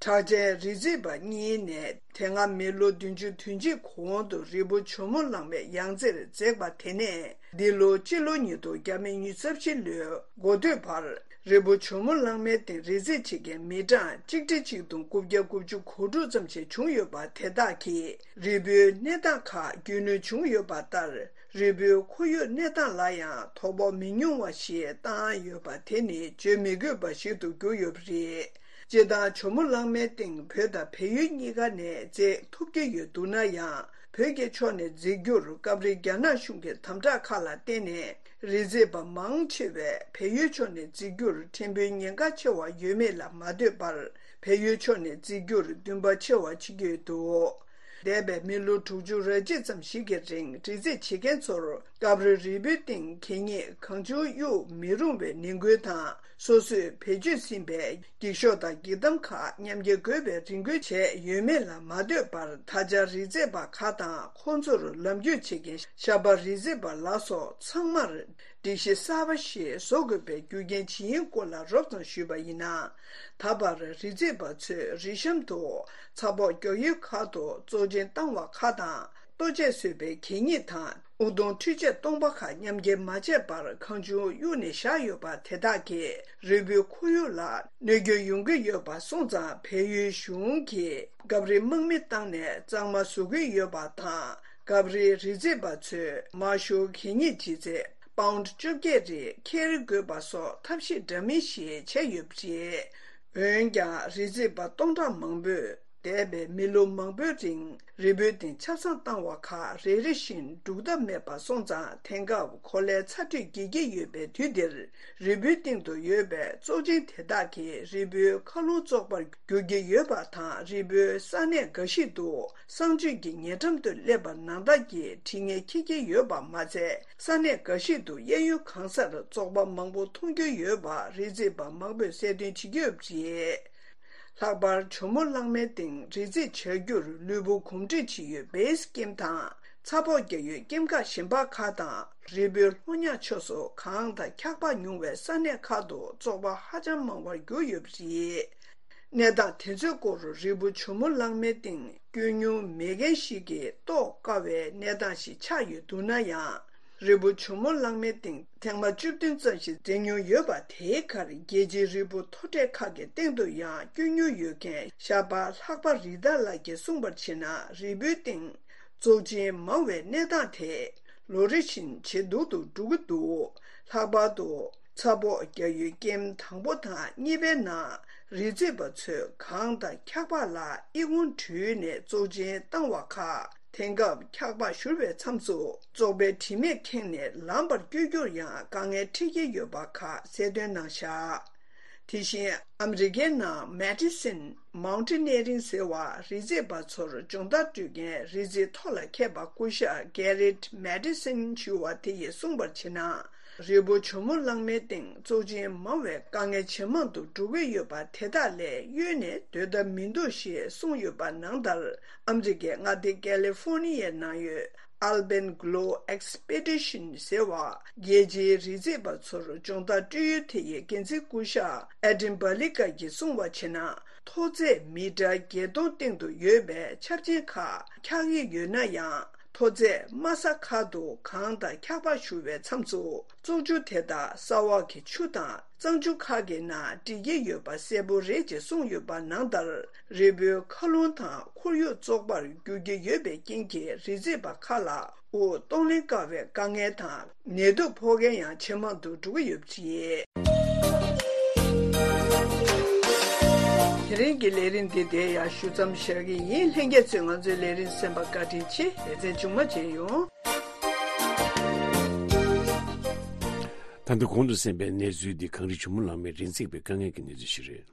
གྲགས་ཅན་རི་འཛེག་པ་གཉིས་ནས་དེ་སྔ་མི་ལོ་བདུན་ཅུ་དོན་གཅིག་གོང་དུ་རི་བོ་ཇོ་མོ་གླང་མའི་ཡང་རྩེར་འཛེགས་པ་དེ་ནས། འདི་ལོ་སྤྱི་ལོ་ཉིས་སྟོང་བརྒྱ་མེད་ཉི་ཤུ་རྩ་བཞི་ལོའི་འགོ་སྟོད་བར། རི་བོ་ཇོ་མོ་གླང་མའི་སྟེང་རི་འཛེག་བྱེད་མཁན་མི་གྲངས་གཅིག་ཁྲི་གཅིག་སྟོང་དགུ་བརྒྱ་དགུ་བཅུ་གོ་དྲུག་ཙམ་ཞིག་བྱུང་ཡོད་པ་དེ་དག་གིས་རི་བོའི་གནས་སྟངས་ཁག་རྒྱུས་ལོན་བྱུང་ཡོད་པ་ལྟར། རི་བོའི་ཁོར་ཡུག་གནས་སྟངས་ལ་ཡང་དོ་ཕོག་མི་ཉུང་བ་ཞིག་བཏང་ཡོད་པ་དེ་ནི་བརྗོད་མི་དགོས་པ་ཞིག་ཏུ་གྱུར་ཡོད་པ་རེད། སྤྱིར་བཏང་ཇོ་མོ་གླང་མའི་སྟེང་བོད་དང་བལ་ཡུལ་གཉིས་ཀ་ནས་འཛེག་ཐུབ་ཀྱི་ཡོད་འདུག་ན་ཡང་། བོད་ཀྱི་ཕྱོགས་ནས་འཛེག་རྒྱུར་སྐབས་རེ་རྒྱ་ནག་གཞུང་གི་དམ་དྲག་ཁག་ལ་བརྟེན་ནས། རི་འཛེག་པ་མང་ཆེ་བས་བལ་ཡུལ་ཕྱོགས་ནས་འཛེག་རྒྱུར་ཕྲན་བུའི་ཉེན་ཁ་ཆེ་བ་ཡོད་མེད་ལ་མ་ལྟོས་པར། བལ་ཡུལ་ཕྱོགས་ནས་འཛེག་རྒྱུར་འདུན་པ་ཆེ་བ་བྱེད་ཀྱི་ཡོད་འདུག། འདས་པའི་མི་ལོ་དྲུག་ཅུ་རེ་གཅིག་ཙམ་ཞིག་གི་རིང་རི་འཛེག་བྱེད་མཁན་ཚོར་སྐབས་རེ་རི་བོའི་སྟེང་གད་སྙིགས་གང་བྱུང་གཡུག་མི་རུང་བའི་ནན་སྐུལ་དང་། སོ་སོས་བེད་སྤྱོད་ཟིན་པའི་འགྱིག་ཤོག་དང་འགྱིག་དམ་ཁག་མཉམ་འཁྱེར་དགོས་པའི་རེ་སྐུལ་བྱས་ཡོད་མེད་ལ་མ་ལྟོས་པར། ད་ཆ་རི་འཛེག་པ་ཁག་དང་ཁོང་ཚོར་ལམ་རྒྱུས་བྱེད་མཁན་ཞབས་པ་རི་འཛེག་པ་ལ་སོགས་ཚང་མར་སྒྲིག་གཞི་གསར་པ་ཞིག་བཟོ་དགོས་པའི་རྒྱུ་རྐྱེན་ཇི་ཡིན་སྐོར་ལ་རོབ་ཙམ་ཞུས་པ་ཡིན་ན། ད་བར་རི་འཛེག་པ་ཚོས་རི་གཤམ་དུ་ཚ་ཕོག་རྒྱག་ཡུལ་ཁག་ཏུ་བཙོག་ཆེན་བཏང་བ་ཁག་དང་། ལྟོ་ཆས་བཟོས་པའི་གད་སྙིགས་དང་། ཨུ་དུམ་འཕྲུལ་ཆས་སྟོང་པ་ཁག་མཉམ་འཁྱེར་མ་བྱས་པར་གང་བྱུང་གཡུགས་ནས་བཞག་ཡོད་པ་དེ་དག་གིས་རི་བོའི་ཁོར་ཡུག་ལ་གནོད་སྐྱོན་ཡོང་གི་ཡོད་པ་སོང་ཙང་། བལ་ཡུལ་གཞུང་གིས་སྐབས་རེ་དམག་མི་བཏང་ནས་གཙང་མ་བཟོ་གི་ཡོད་པ་དང་། སྐབས་རེ་རི་འཛེག་པ་ཚོས་མང་ཤོས་གད་སྙིགས་ལྗིད་ཚད་པའུན་ཌི་བཅོ་བརྒྱད་རེ་འཁྱེར་དགོས་པ་སོགས་ཐབས་ཤེས་འདྲ་མིན་ཞིག་བྱས་ཡོད་པ་རེད། འོན་ཀྱང་། རི་འཛེག་པ་སྟོང་ཕྲག་མང་པོས་འདས་པའི་མི་ལོ་མང་པོའི་རིང་རི་བོའི་སྟེང་ཆ་ཚང་བཏང་བ་ཁག་རེ་རེ་བཞིན་སྒྲུག་ཐབས་མེད་པ་སོང་ཙང་། དེང་སྐབས་གོ་ལའི་ཚ་དྲོད་རྒྱས་ཀྱི་ཡོད་པའི་དུས་འདིར། རི་བོའི་སྟེང་དུ་ཡོད་པའི་བཙོག་ཆེན་དེ་དག་གིས་རི་བོའི་མཁའ་རླུང་བཙོག་པར་འགྱུར་གྱི་ཡོད་པ་དང་། རི་བོའི་ས་གནས་འགའ་ཞིག་ཏུ་གསང་སྤྱོད་ཀྱི་ཉེ་འགྲམ་དུ་སླེབས་པར་ནང་ལྟར་གྱི་དྲི་ངན་འཁྱེར་གྱི་ཡོད་པ་མ་ཚད། ས་གནས་འགའ་ཞིག་ཏུ་གཡས་གཡོན་གང་སར་བཙོག་པ་མང་པོ་མཐོང་རྒྱུ་ཡོད་པ་རི་འཛེག་པ་མང་པོས་གསལ་སྟོན་བྱེད་ཀྱི་ཡོད་པ་རེད། ལྷག་པར་ཇོ་མོ་གླང་མའི་སྟེང་རི་འཛེག་བྱ་རྒྱུར་ལུས་པོ་གོམས་འདྲིས་བྱེད་ཡུལ་བེས་ཀེམ་དང་། ཚ་ཕོག་རྒྱག་ཡུལ་ཀེམ་ཁག་གཞན་པ་ཁག་དང་། རི་བོའི་ལྷོ་ཉག་ཕྱོགས་སུ་གངས་དང་འཁྱགས་པ་ཉུང་བའི་ས་གནས་ཁག་ཏུ་བཙོག་པ་ཧ་ཅང་མང་བར་གྱུར་ཡོད་པ་རེད། གནས་སྟངས་དེ་ཚོའི་སྐོར་རི་བོ་ཇོ་མོ་གླང་མའི་སྟེང་སྐྱོད་མྱོང་མེད་མཁན་ཞིག་གིས་རྟོགས་དཀའ་བའི་གནས་སྟངས་ཤིག་ཆགས་ཡོད་འདུག་ན་ཡང་། རི་བོ་ཇོ་མོ་གླང་མའི་སྟེང་ཐེངས་མ་བཅུ་བདུན་ཙམ་ཞིག་འཛེགས་མྱོང་ཡོད་པ་དེའི་ཁར། རྒྱལ་སྤྱིའི་རི་བོ་མཐོ་གྲས་ཁག་གི་སྟེང་དུ་ཡང་སྐྱོད་མྱོང་ཡོད་མཁན་ཞབས་པ་ལྷག་པ་རི་ཏཱ་ལགས་ཀྱིས་གསུངས་པར་བྱས་ན། རི་བོའི་སྟེང་བཙོག་ཆེན་མང་བའི་གནས་སྟངས་དེ་ལོ་རེ་བཞིན་ཇེ་སྡུག་ཏུ་འགྲོ་གི་འདུག་ལྷག་པར་དུ། ཚ་ཕོག་རྒྱག་ཡུལ་ཀེམ་དང་པོ་དང་གཉིས་པའི་ནང་རི་འཛེག་པ་ཚོས་གངས་དང་འཁྱགས་པ་ལ་ཨི་ཁུང་དྲུད་ནས་བཙོག་ཆེན་བཏང་བ་ཁག་དེང་སྐབས་འཁྱགས་པ་བཞུར་བའི་མཚམས་སུ་བཙོག་པའི་དྲི་མས་ཁེངས་ནས་ལངས་པར་བསྐྱོད་རྒྱུར་ཡང་དཀའ་ངལ་འཕྲད་ཀྱི་ཡོད་པ་ཁག་གསལ་སྟོན་གནང་བཞག་དེ་བཞིན་ཨ་མི་རི་ཀའི་ནང་Medicine Mountaineering ཟེར་བ་རི་འཛེག་པ་ཚོར་སྦྱོང་བརྡར་སྤྲོད་མཁན་རི་འཛེག་མཐོ་ལ་མཁས་པ་སྐུ་ཞབས་Garrett Madison ཞུ་བ་དེ་ཡིས་གསུངས་པར་བྱས་ན། རི་བོ་ཇོ་མོ་གླང་མའི་སྟེང་བཙོག་ཆེན་མང་བའི་དཀའ་ངལ་ཇེ་མང་དུ་འགྲོ་གི་ཡོད་པ་དེ་དག་ལས་གཡོལ་ནས་སྡོད་ཐབས་མི་འདུག་ཞེས་གསུངས་ཡོད་པ་ནང་ལྟར། ཨ་མི་རི་ཀའི་མངའ་སྡེ་ཀ་ལི་ཧྥོ་ནི་ཡའི་ནང་ཡོད་Alpenglow Expedition ཟེར་བ་རྒྱལ་སྤྱིའི་རི་འཛེག་པ་ཚོར་སྦྱོང་བརྡར་སྤྲོད་ཡུལ་དེ་ཡི་འགན་འཛིན་སྐུ་ཞབས་Adam Balica གིས་གསུངས་པར་བྱས་ན། མཐོ་ཚད་མི་ཊར་བརྒྱད་སྟོང་སྟེང་དུ་ཡོད་པའི་ཆབ་ཆེན་ཁག་འཁྱགས་ཀྱི་ཡོད་ན་ཡང་། མཐོ་ཚད་དམའ་ས་ཁག་ཏུ་གངས་དང་འཁྱགས་པ་བཞུར་བའི་མཚམས་སུ་བཙོག་ཆུ་དེ་དག་ས་འོག་གི་ཆུ་དང་གཙང་ཆུ་ཁག་གི་ནང་འགྲིལ་གྱི་ཡོད་པ་གསལ་པོ་རེད་ཅེས་གསུངས་ཡོད་པ་ནང་ལྟར། རི་བོའི་མཁའ་རླུང་དང་ཁོར་ཡུག་བཙོག་པར་འགྱུར་གྱི་ཡོད་པའི་རྐྱེན་གྱིས་རི་འཛེག་པ་ཁག་ལ་དབུགས་གཏོང་ལེན་དཀའ་བའི་དཀའ་ངལ་དང་ནད་དུག་ཕོག་མཁན་ཡང་ཇེ་མང་དུ་འགྲོ་གི་ཡོད་པ་རེད། དེ་རིང་གི་ལས་རིམ་འདི་དེ་ཡང་ཞུ་མཚམས་བཞག་གི་ཡིན། ལྷན་རྒྱས་ཚོས་ང་ཚོའི་ལས་རིམ་གསན་པར་བཀའ་དྲིན་ཆེ། ལེ་ཚན་མཇུག་མ་མཇལ་ཡོང་། ད་ལྟ་གོང་དུ་གསན་པའི་གནས་ཚུལ་འདི་གངས་རི་ཇོ་མོ་གླང་མའི་རི་འཛེག་པའི་དཀའ་ངལ་གྱི་གནས་ཚུལ་ཞིག་རེད།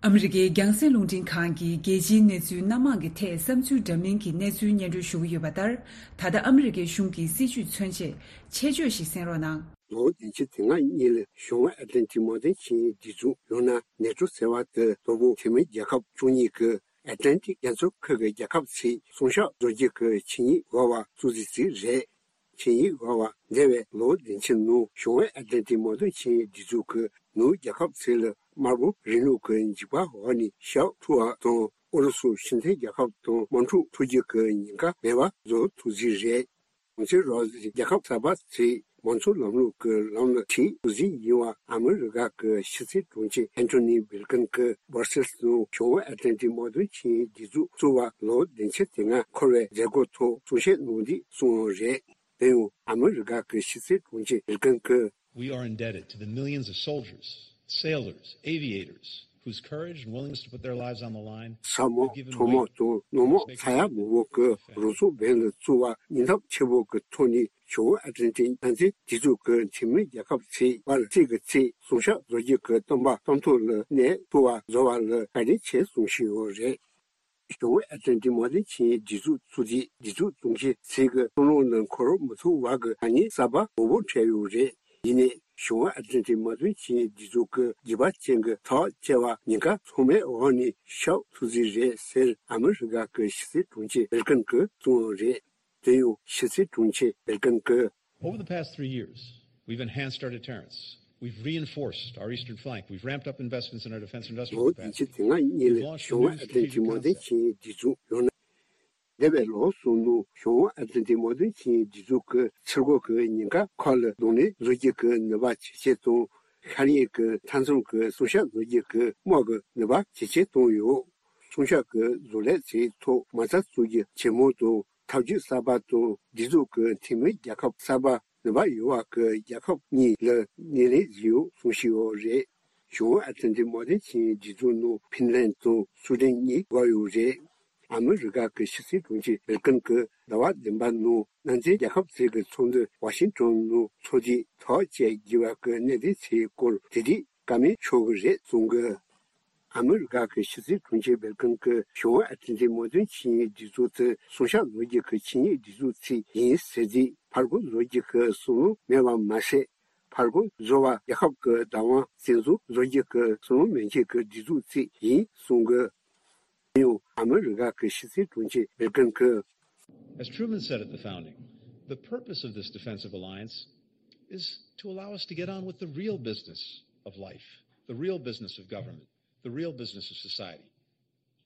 ཨ་མི་རི་ཀའི་རྒྱང་སྲིང་རླུང་འཕྲིན་ཁང་གིས་རྒྱལ་སྤྱིའི་གནས་ཚུལ་སྣ་མང་གི་ཐད་བསམ་ཚུལ་འདྲ་མིན་གྱི་གནས་ཚུལ་སྙན་སྒྲོན་ཞུ་གི་ཡོད་པ་ལྟར། ད་ལྟ་ཨ་མི་རི་ཀའི་གཞུང་གི་སྲིད་བྱུས་མཚོན་ཆེད་ཆེད་བརྗོད་ཞིག་གསན་རོགས་གནང་། ལོ་བདུན་ཅུ་དོན་ལྔ་གཉིས་ལ་བྱང་ཨེཊ་ལན་ཊིག་དམག་དོན་ཆིངས་ཡིག་འདི་ཚོ་ཡང་ན་ནེ་ཊོ་ཟེར་བ་དེ་དོ་དགོང་འཐུས་མི་རྒྱལ་ཁབ་བཅུ་གཉིས་ཀྱི་ཨེཊ་ལན་ཊིག་རྒྱ་མཚོ་ཁུལ་གྱི་རྒྱལ་ཁབ་ཚོས་སྲུང་སྐྱོབ་བཟོ་རྒྱུ་གི་ཆིངས་ཡིག་འོག་བ་བཙུགས་རྩིས་རེད། ཆིངས་ཡིག་འོག་བ་འདས་པའི་ལོ་བདུན་ཅུ་ནང་བྱང་ཨེཊ་ལན་ཊིག་དམག་དོན་ཆིངས་ཡིག་འདི་ཚོ་གི་ནང་རྒྱལ་ཁབ་ཚོ་ལ་དམར་པོ་རིང་ལུགས་ཀྱི་འཇིགས་པ་འོག་ནས་ཤོག་ཐུབ་པ་དང་། ཨུ་རུ་སུ་སྤྱི་མཐུན་རྒྱལ་ཁབ་དང་དམག་འཁྲུག་འཕྲོག་རྒྱུ་གི་ཉེན་ཁ་མེད་པ་བཟོ་ཐུབ་རྩིས་རེད། གོང་ཚེ་རོགས་རྒྱལ་ཁབ་གསར་པ་ཚོས་མང་གཙོ་ལམ་ལུགས་ཀྱི་ལམ་ལ་ཁྲིད་ཐུབ་རྩིས་ཡིན་པ་ཨ་མི་རི་ཀ་གི་ཕྱི་སྲིད་དྲུང་ཆེ་ཨན་ཐོ་ནི་བྷིལ་ཀིན་གྱིས་སྦར་སེལ་སི་ནང་བྱང་ཨེཊ་ལན་ཊིག་དམག་དོན་ཆིངས་ཡིག་འདི་ཚོ་བཙུགས་པ་ལོ་བདུན་ཅུ་དོན་ལྔ་འཁོར་བའི་མཛད་སྒོ་ཐོག་གསུང་བཤད་གནང་དུས་གསུངས་པ་རེད། དེ་ཡང་ཨ་མི་རི་ཀ་གི་ཕྱི་སྲིད་དྲུང་ཆེ་བྷིལ་ཀིན་གྱིས། We are indebted to the millions of soldiers, sailors, aviators, whose courage and willingness to put their lives on the line ཚ་མོག་ཚོགས་མོག་དང་ནོར་མོག་ཚ་ཡག་མང་པོ་གི་རང་སྲོག་འབེན་ལ་བཙུགས་པ་སྙིང་སྟོབས་ཆེན་པོ་གི་ཐོག་ནས་ཞུང་ཨ་ཏན་ཏན་མནའ་མཐུན་སྒྲིག་འཛུགས་ཀྱི་འཐུས་མི་རྒྱལ་ཁབ་ཚོའི་བར་རྩིས་ཀྱི་ཚེ་སྲུང་སྐྱོབ་བཟོ་རྒྱུ་གི་སྟོན་པ་གཏམ་ཐོག་ལ་གནས་ཐུབ་པ་བཟོ་བ་ལ་བཀའ་དྲིན་ཆེ་གསུངས་བཞིན་ཡོད་རེད། ཞུང་ཨ་ཏན་ཏན་མནའ་མཐུན་སྒྲིག་འཛུགས་ཚུགས་རྗེས་སྒྲིག་འཛུགས་དྲུང་ཆེ་ཚོས་ཀྱི་བསམ་བློ་ནང་འཁོར་མི་ཐུབ་བར་གྱི་ཐ་སྙད་གསར་པ་མང་པོ་འཕྲད་ཡོད་རེད། ཡིན་ནའི་ཞུང་ཨ་ཏན་ཏན་མནའ་མཐུན་སྒྲིག་འཛུགས་ཀྱི་རྒྱུད་པ་ཅན་གྱི་ཐག་བཅད་པ་ཉེན་ཁ་ཚང་མའི་འོག་ནས་ཤོག་ཐུབ་རྩིས་རེད་ཟེར་ཨ་མི་རི་ཀ་གི་ཕྱི་སྲིད་དྲུང་ཆེ་བྷིལ་ཀིན་གྱིས་གསུངས་ཡོད་རེད། དེ་ཡང་ཕྱི་སྲིད་དྲུང་ཆེ་བྷིལ་ཀིན་གྱིས། Over the past three years, we've enhanced our deterrence. We've reinforced our eastern flank. We've ramped up investments in our defense industrial capacity. ལོ་བདུན་ཅུ་དོན་ལྔ་གཉིས་ལ་ཞུང་ཨ་ཏན་ཏན་མནའ་མཐུན་སྒྲིག་འཛུགས་ཡང་ན། འདས་པའི་ལོ་གསུམ་ནང་ཞུང་ཨ་ཏན་ཏན་མནའ་མཐུན་སྒྲིག་འཛུགས་ཀྱི་ཚུར་རྒོལ་གྱི་ཉེན་ཁ་ཁག་ལ་གདོང་ལེན་བཟོ་རྒྱུ་གི་ནུས་པ་ཇེ་ཆེར་བཏང་། ཤར་ཡུལ་གྱི་མཐའ་མཚམས་ཀྱི་སྲུང་སྐྱོབ་བཟོ་རྒྱུ་གི་དམག་གི་ནུས་པ་ཇེ་ཆེར་བཏང་ཡོད། སྲུང་སྐྱོབ་ཀྱི་བཟོ་ལས་ཚོའི་ཐོག་མ་རྩ་འཛུགས་རྒྱུ་ཇེ་མང་དང་ཐབས་ཇུས་གསར་པ་དང་སྒྲིག་འཛུགས་ཀྱི་འཐུས་མི་རྒྱལ་ཁབ་གསར་པ་ནུས་པ་ཡོད་པ་གི་རྒྱལ་ཁབ་གཉིས་ལ་སྣེ་ལེན་བཟོས་ཡོད་གསུངས་བཞིན་ཡོད་རེད། ཞུང་ཨ་ཏན་ཏན་མནའ་མཐུན་སྒྲིག་འཛུགས་ནང་ཕིན་ལན་དང་སུའུ་ཌེན་གཉིས་འགོ་ཡོད་རེད། ཨ་མི་རི་ཀ་གི་ཕྱི་སྲིད་དྲུང་ཆེ་བྷིལ་ཀིན་གྱིས་ཟླ་བ་བདུན་པ་ནང་མནའ་མཐུན་རྒྱལ་ཁབ་ཚོའི་གི་ཚོགས་འདུ་ཝ་ཤིང་ཏོན་ནང་ཚོགས་རྗེས་ཐག་བཅད་དགོས་པ་གི་གནད་དོན་ཚོའི་སྐོར་དེ་རིང་བཀའ་མོལ་ཤོར་གི་རེད་གསུང་གི། ཨ་མི་རི་ཀ་གི་ཕྱི་སྲིད་དྲུང་ཆེ་བྷིལ་ཀིན་གྱིས་ཞུང་ཨ་ཏན་ཏན་མནའ་མཐུན་ཆིངས་ཡིག་སྒྲིག་འཛུགས་དེ་སྲུང་སྐྱོབ་བཟོ་རྒྱུ་གི་ཆིངས་ཡིག་སྒྲིག་འཛུགས་ཚིག་ཡིན་ཟེར་རྗེས་ཕར་རྒོལ་བཟོ་རྒྱུ་གི་བསམ་བློ་མེད་པ་མ་ཟད། ཕར་རྒོལ་བཟོ་བ་རྒྱལ་ཁབ་ཀྱི་བདག་དབང་བཙན་བཟུང་བཟོ་རྒྱུ་གི་བསམ་བློ་མེད་མཁན་གྱི་སྒྲིག་འཛུགས་ཚིག་ཡིན་གསུང་གི། དེ་ཡང་ཨ་མི་རི་ཀ་གི་ཕྱི་སྲིད་དྲུང་ཆེ་བྷིལ་ཀིན་གྱིས། As Truman said at the founding, the purpose of this defensive alliance is to allow us to get on with the real business of life, the real business of government, the real business of society,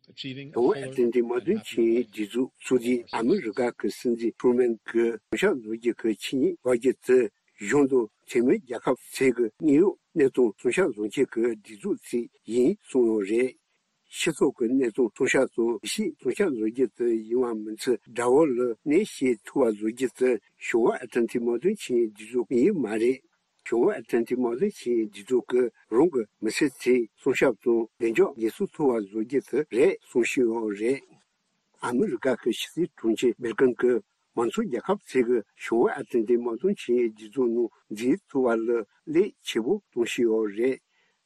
achieving a fuller and happier life. ཞུང་ཨ་ཏན་ཏན་མནའ་མཐུན་ཆིངས་ཡིག་སྒྲིག་འཛུགས་ཚུགས་རྗེས་ཨ་མི་རི་ཀ་གི་སྲིད་འཛིན་ཁྲུ་མན་གྱིས་སྲུང་སྐྱོབ་བཟོ་རྒྱུ་གི་ཆིངས་ཡིག་འགོད་རྒྱུ་དེ་གཞུང་དང་འཐུས་མི་རྒྱལ་ཁབ་ཚོའི་གི་དངོས་ཡོད་གནས་སྟངས་སྲུང་སྐྱོབ་བཟོ་རྒྱུ་གི་སྒྲིག་འཛུགས་ཚིག་ཡིན་གསུངས་ཡོད་རེད། སྤྱི་ཚོགས་ཀྱི་གནས་སྟངས་སྲུང་སྐྱོབ་དང་སྒྲིག་གཞི་སྲུང་སྐྱོབ་བཟོ་རྒྱུ་དེ་ཡིན་པ་མིན་ཚུལ་དགྲ་བོ་ལ་གནོད་བྱེད་ཐུབ་པ་བཟོ་རྒྱུ་དེ་ཞུང་ཨ་ཏན་ཏན་མནའ་མཐུན་ཆིངས་ཡིག་སྒྲིག་འཛུགས་ཡིན་མ་རེད། ཞུང་ཨ་ཏན་ཏན་མནའ་མཐུན་ཆིངས་ཡིག་སྒྲིག་འཛུགས་ཀྱིས་རང་གི་མི་སེར་ཚོའི་སྲུང་སྐྱོབ་དང་བདེ་འཇགས་འགན་སྲུང་ཐུབ་པ་བཟོ་རྒྱུ་དེ་རེད་གསུང་བཞིན་ཡོད་རེད། ཨ་མི་རི་ཀ་གི་ཕྱི་སྲིད་དྲུང་ཆེ་བྷིལ་ཀིན་གྱིས་མང་གཙོ་རྒྱལ་ཁབ་ཚོས་ཀྱི་ཞུང་ཨ་ཏན་ཏན་མནའ་མཐུན་ཆིངས་ཡིག་སྒྲིག་འཛུགས་ནང་འཛུལ་ཐུབ་པ་ལ་ལས་ཆེ་པོ་གཏོང་བཞིན་ཡོད་རེད།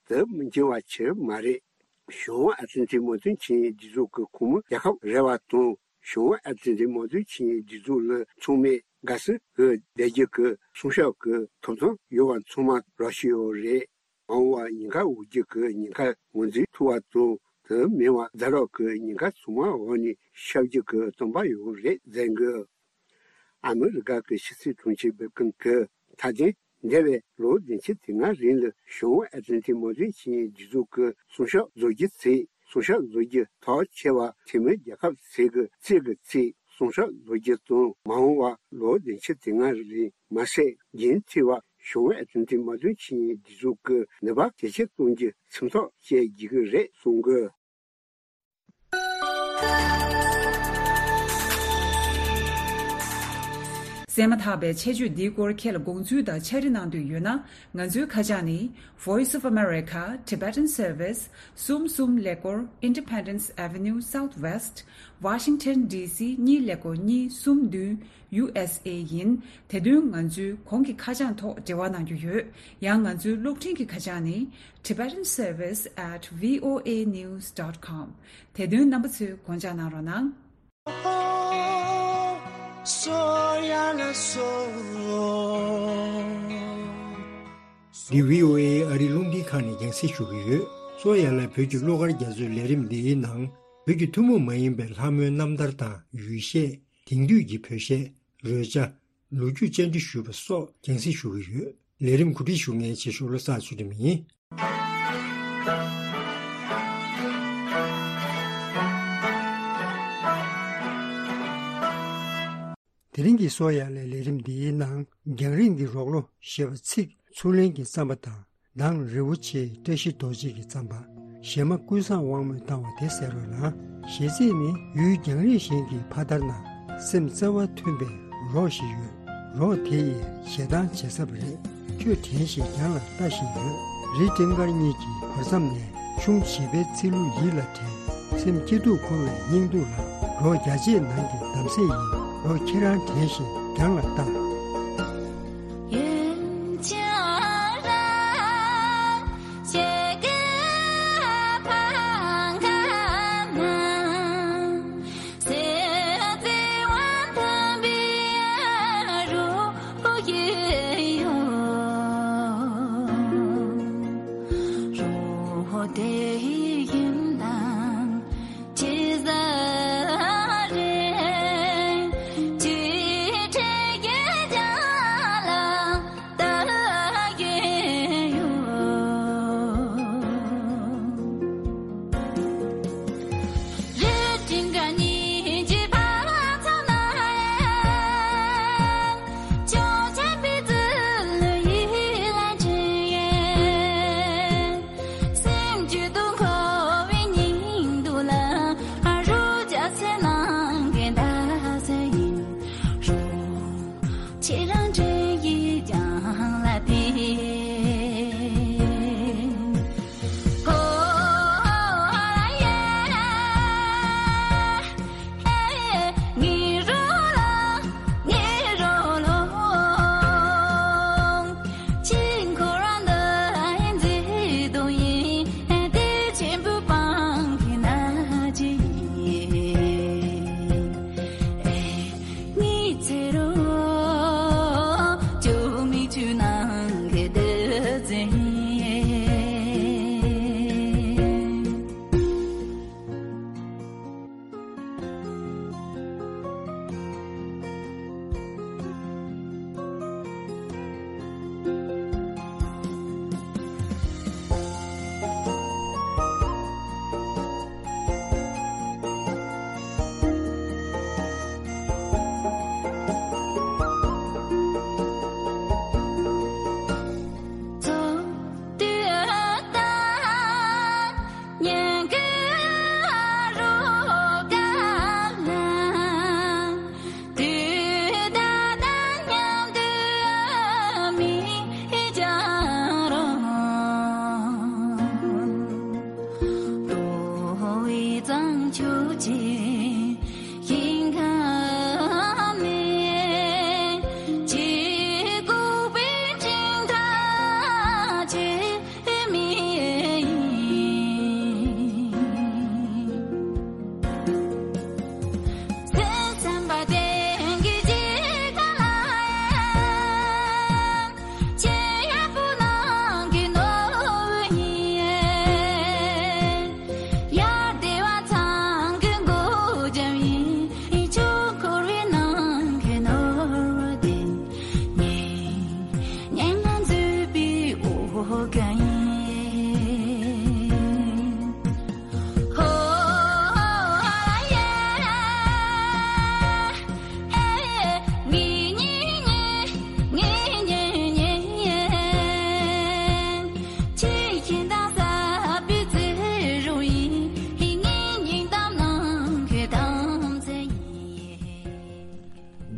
དེ་མི་འགྱུར་བ་ཆེར་མ་རེད། ཞུང་ཨ་ཏན་ཏན་མནའ་མཐུན་ཆིངས་ཡིག་སྒྲིག་འཛུགས་ཀྱི་ཁོངས་མི་རྒྱལ་ཁབ་རེ་བ་དང་ཞུང་ཨ་ཏན་ཏན་མནའ་མཐུན་ཆིངས་ཡིག་སྒྲིག་འཛུགས་ལ་ཚང་མས་དགའ་བསུ་གི་བསྡད་རྒྱུ་གི་སྲུང་སྐྱོབ་ཀྱི་ཐོབ་ཐང་ཡོད་པ་ཚང་མ་རག་བཞིན་ཡོད་རེད། མ་འོངས་པར་ཉེན་ཁ་འོག་རྒྱུ་གི་ཉེན་ཁ་ངོས་འཛིན་ཐུབ་པ་དང་དེ་མིན་པར་ཛ་དྲག་གི་ཉེན་ཁ་ཚང་མ་འོག་ནས་ཤར་རྒྱུ་གི་སྟོན་པ་ཡོད་རེད་ཟེར་གི། ཨ་མི་རི་ཀ་གི་ཕྱི་སྲིད་དྲུང་ཆེ་བྷིལ་ཀིན་གྱིས་མཐའ་དོན་འདས་པའི་ལོ་བདུན་ཅུ་དོན་ལྔ་རིང་ལ་ཞུང་ཨ་ཏན་ཏན་མནའ་མཐུན་ཆིངས་ཡིག་སྒྲིག་འཛུགས་ཀྱི་སྲུང་སྐྱོབ་བཟོ་རྒྱུ་ཚེ་སྲུང་སྐྱོབ་བཟོ་རྒྱུ་ཐག་ཆོད་པ་འཐུས་མི་རྒྱལ་ཁབ་ཚོས་ཀྱི་རྩིས་ཀྱི་ཚེ་སྲུང་སྐྱོབ་བཟོ་རྒྱུ་དང་མ་འོངས་པ་ལོ་བདུན་ཅུ་དོན་ལྔ་རིང་མ་ཟད་རྒྱུན་མཐུད་པ་ཞུང་ཨ་ཏན་ཏན་མནའ་མཐུན་ཆིངས་ཡིག་སྒྲིག་འཛུགས་ཀྱི་ནུས་པ་ཇེ་ཆེར་གཏོང་རྒྱུ་ཁྲིམས་ཐག་བཅད་དགོས་ཀྱི་རེད་གསུངས་གི། གསན་མ་ཐག་པའི་ཆེད་བརྗོད་འདིའི་སྐོར་ཁྱེད་ལ་དགོངས་ཚུལ་དང་ཕྱག་བྲིས་གནང་འདོད་ཡོད་ན། ང་ཚོའི་ཁ་བྱང་ནི། Voice of America Tibetan Service གསུམ་གསུམ་ཀླད་ཀོར་Independence Avenue Southwest Washington DC གཉིས་ཀླད་ཀོར་གཉིས་གསུམ་བདུན། ཡུ་ཨེས་ཨེ་ཡིན། དེ་དོན་ང་ཚོའི་གོང་གི་ཁ་བྱང་ཐོག་འབྲེལ་བ་གནང་རྒྱུ་ཡོད། ཡང་ང་ཚོའི་གློག་འཕྲིན་གྱི་ཁ་བྱང་ནི། Tibetan Service at V O A news dot com དེ་དོན་རྣམ་པ་ཚོས་དགོངས་འཇགས་གནང་རོགས་གནང་། འདི་V O A ཨ་རིའི་རླུང་འཕྲིན་ཁང་ནས་རྒྱང་སྲིང་ཞུ་གི་ཡོད། སོ་ཡ་ལ་བོད་ཀྱི་གླུ་གར་རྒྱ་མཚོའི་ལས་རིམ་འདིའི་ནང་བོད་ཀྱི་ཐུན་མོང་མ་ཡིན་པའི་ལྷ་མོའི་རྣམ་ཐར་དང་ཡུལ་གཞས། དེང་དུས་ཀྱི་བོད་གཞས། རོལ་ཆ། ལོ་རྒྱུས་བཅར་འདྲི་ཞུས་པ་སོགས་རྒྱང་སྲིང་ཞུ་གི་ཡོད། ལས་རིམ་གོ་སྒྲིག་ཞུ་མཁན་ཆེ་ཤོས་བློ་བཟང་ཚུལ་ཁྲིམས་ཡིན། དེ་རིང་གི་སོ་ཡ་ལའི་ལས་རིམ་འདིའི་ནང་རྒྱང་རིང་གི་རོགས་ལོ་ཞེས་པ་ཚིག་ཚུར་ལེན་གྱི་རྩོམ་པ་དང་། མདང་རིན་པོ་ཆེའི་བཀྲ་ཤིས་རྡོ་རྗེ་གི་རྩོམ་པ། གཞས་མ་ཀུན་བཟང་དབང་མོས་བཏང་བ་དེ་གསན་རོགས་གནང་། གཞས་ཚིག་ནི། ཡུལ་རྒྱང་རིང་ཞིག་གི་ཕ་དར་ན། སེམས་བརྩེ་བ་མཐུན་པའི་རོགས་ཤིག་ཡོད། རོགས་དེ་ཡིས་གཞས་གཏམ་བྱེད་ས་རེད། ཁྱོད་དྲན་ཞིག་རྒྱང་ལ་ལྟ་བཞིན་ཡོད། རི་སྤྲིན་དཀར་གཉིས་ཀྱི་བར་མཚམས་ནས། གཞུང་བཞི་པའི་ཚིག་ལྷུག་ཡིད་ལ་དྲན། སེམས་སྐྱིད་སྡུག་འཁོར་བའི་སྙིང་སྡུག་ལ། རོ་བརྒྱ་བྱེད་ནང་གི་འདམ་སྲེ་ཡིན། རོ་ཁྱེད་རང་དྲན་བཞིན་རྒྱང་ལ་བཏང་།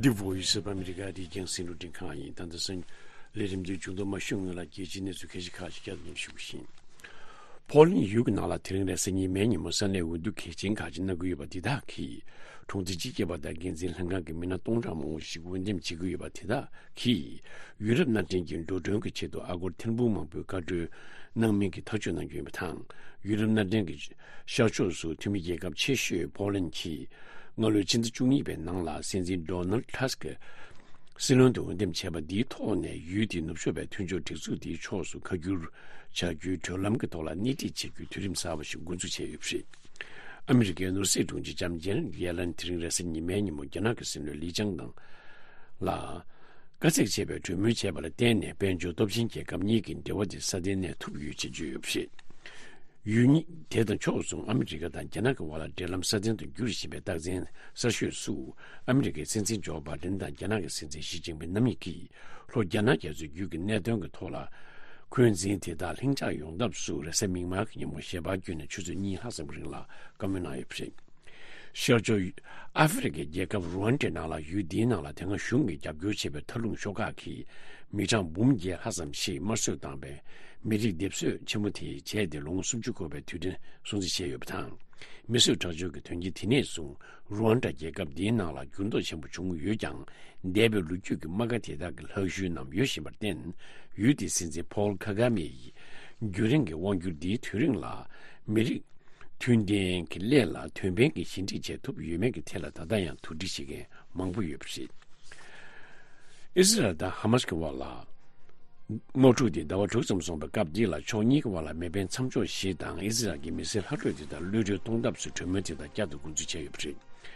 འདི་བོད་ཡིག་གསར་པ་ཨ་མི་རི་ཀ་བོད་ཁྱིམ་སྡེ་རྒྱང་སྲིང་རླུང་འཕྲིན་ཁང་ཡིན། ད་ལྟ་སང་ལས་རིམ་འདིའི་མཇུག་ཏུ་མ་ཞུ་སྔོན་ལ་རྒྱལ་སྤྱིའི་གནས་ཚུལ་ཁ་ཤས་ཁག་ཅིག་བསྐྱར་དུ་ཉན་ཞུ་གི་ཡིན། ཕོ་ལན་ཡུལ་གྱི་ནང་ལ་དེ་རིང་རེས་གཟའ་ཉི་མའི་ཉིན་མོ་ས་གནས་འོས་བསྡུ་གལ་ཆེན་ཁག་ཅིག་གནང་གི་ཡོད་པ་འདི་དག་གིས་གྲོང་སྡེ་སྤྱི་ཁྱབ་པ་དང་འགན་འཛིན་ལྷན་ཁང་གི་མི་སྣ་སྟོང་ཕྲག་མང་པོ་ཞིག་འོས་འདེམས་བྱེད་ཀྱི་ཡོད་པ་དེ་དག་གིས་ཡུལ་རབས་སྣ་འདྲེན་གྱི་འགྲོ་གྲོན་གྱི་ཆེད་དུ་ཨ་སྒོར་ཐེར་འབུམ་མང་པོའི་བཀའ་འཁྲོལ་གནང་མིན་གྱི་ཐག་གཅོད་གནང་རྒྱུ་ཡིན་པ་དང་། ཡུལ་རབས་སྣ་འདྲེན་གྱི་ཤར་ཕྱོགས་སུ་འཐུས་མི་རྒྱལ་ཁབ་ཆེ་ཤོས་ཕོ་ལན་གྱིས་སྔ་ལོའི་ཕྱི་ཟླ་བཅུ་གཉིས་པའི་ནང་ལ་སྲིད་འཛིན་ཌོ་ནལ་ཊ་སི་ཀི་སྲིད་བློན་དུ་འོས་འདེམས་བྱས་པ་འདིའི་ཐོག་ནས་ཡུལ་དེའི་ནུབ་ཕྱོགས་པའི་མཐུན་ཕྱོགས་སྒྲིག་འཛུགས་དེའི་ཕྱོགས་སུ་ཁ་བསྒྱུར་བྱ་རྒྱུའི་བགྲོད་ལམ་གྱི་ཐོག་ལ་སྣེ་ཁྲིད་བྱེད་རྒྱུའི་དུས་རིམ་གསར་པ་ཞིག་འགོ་འཛུགས་བྱས་ཡོད་པ་རེད། ཨ་མི་རི་ཀའི་ནོར་སྲིད་དྲུང་ཆེ་ལྕམ་ཇེ་ནེཊ་ཡེ་ལན་དེ་རིང་རེས་གཟའ་ཉི་མའི་ཉིན་མོ་རྒྱ་ནག་གི་སྲིད་བློན་ལི་ཅང་དང་ལ་དཀའ་ཚེགས་ཆེ་བའི་གྲོས་མོལ་བྱས་པ་ལ་བརྟེན་ནས་དཔལ་འབྱོར་སྟོབས་ཆེན་རྒྱལ་ཁབ་གཉིས་ཀྱི་འབྲེལ་བ་དེ་སྲ་བརྟན་གནས་ཐུབ་ཡོད་ཅེས་བརྗོད་ཡོད་པ་རེད། ཡུལ་གཉིས་དེ་དང་ཕྱོགས་མཚུངས་ཨ་མི་རི་ཀ་དང་རྒྱ་ནག་གི་དབར་ལ་འབྲེལ་ལམ་སྲ་བརྟན་དུ་འགྱུར་བཞིན་པའི་རྟགས་མཚན་གསར་ཤོས་སུ། ཨ་མི་རི་ཀའི་སྲིད་འཛིན་ཇོ་བྷའི་ཌེན་དང་རྒྱ་ནག་གི་སྲིད་འཛིན་ཞི་ཅིན་ཕིང་རྣམ་གཉིས་ཀྱིས་ལྷོ་རྒྱ་ནག་རྒྱ་མཚོའི་རྒྱུད་ཀྱི་གནད་དོན་གྱི་ཐོག་ལ། འཁོན་འཛིན་དེ་དག་ལྷིང་འཇགས་ཡོང་ཐབས་སུ་རེས་གཟའ་མིག་དམར་གྱི་ཉིན་མོ་ཞལ་པར་བརྒྱུད་ནས་ཆུ་ཚོད་གཉིས་ལྷག་ཙམ་གྱི་རིང་ལ་བཀའ་མོལ་གནང་ཡོད་པ་རེད། ཤར་ཕྱོགས་ཨ་ཧྥེ་རི་ཁའི་རྒྱལ་ཁབ་རུ་ཝན་ཌའི་ནང་ལ། ཡུལ་འདིའི་ནང་ལ་དེ་སྔ་གཞུང་གིས་རྒྱབ་སྐྱོར་བྱས་པའི་མཐའ་ལྷུང་ཤོག་ཁག་གིས་ མི་གྲངས་འབུམ་བརྒྱད་ལྷག་ཙམ་ཞིག་དམར་གསོད་བཏང་བའི་མི་རིགས་སྡེབ་གསོད་ཆེན་མོ་དེ་བྱས་ཏེ་ལོ་ངོ་སུམ་ཅུ་འཁོར་བའི་དུས་དྲན་སྲུང་བརྩི་བྱས་ཡོད་པ་དང་། མི་གསོད་ཁྲག་སྦྱོར་གྱི་དོན་རྐྱེན་དེ་ནས་བཟུང་རུ་ཝན་ཌ་རྒྱལ་ཁབ་འདིའི་ནང་ལ་འགྱུར་ལྡོག་ཆེན་པོ་བྱུང་ཡོད་ཀྱང་། འདས་པའི་ལོ་རྒྱུས་ཀྱི་རྨ་ཁ་དེ་དག་གི་ལྷག་ཤུལ་རྣམས་ཡོད་བཞིན་པར་བརྟེན། ཡུལ་དེའི་སྲིད་འཛིན་ཕོལ་ཁ་ག་མེ་ཡིས་རྒྱུན་རིང་གི་དབང་སྒྱུར་འདིའི་དུས་རིང་ལ་མི་རིགས་མཐུན་ལྡན་གྱི་སླད་ལ་དོན་ཕན་གྱི་ཞི་འགྲིག་བྱེད་ཐུབ་ཡོད་མེད་ཀྱི་ཐད་ལ་ད་ལྟ་ཡང་དོགས་འདྲི་བྱེད་མཁན་མང་པོ་ཡོད་པ་རེད། ཨི་ཟི་རལ་དང་ཧ་མཱས་ཀྱི་བར་ལ་དམག་འཁྲུག་དེ་ཟླ་བ་དྲུག་ཙམ་སོང་བའི་སྐབས་འདི་ལ་ཕྱོགས་གཉིས་ཀྱི་བར་ལ་མེ་འཕེན་མཚམས་འཇོག་བཞི་དང་ཨི་ཟི་རལ་གྱི་མི་སེར་ལྷག་འཕྲོས་དེ་དག་གློད་གྲོལ་གཏོང་ཐབས་སུ་གྲོས་མོལ་དེ་དག་བསྐྱར་དུ་འགོ་འཛུགས་བྱས་ཡོད་པ་རེད།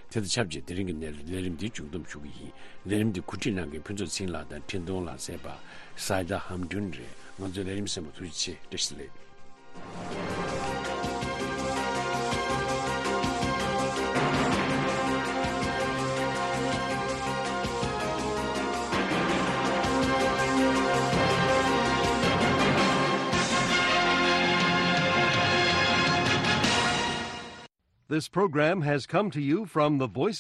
དེ་དང་ཆབས་ཅིག་དེ་རིང་གི་ནས་ལས་རིམ་འདི་མཇུག་བསྡོམས་ཞུ་གི་ཡིན། ལས་རིམ་འདི་གོ་སྒྲིག་གནང་མཁན་ཕུན་ཚོགས་ཚེ་རིང་ལགས་དང་འཕྲིན་གཏོང་ལག་རྩལ་པ་སའི་ད་ཧམ་ཌུན་རེད། ང་ཚོའི་ལས་རིམ་གསན་པར་ཐུགས་རྗེ་ཆེ། བཀྲ་ཤིས་བདེ་ལེགས། This program has come to you from the Voice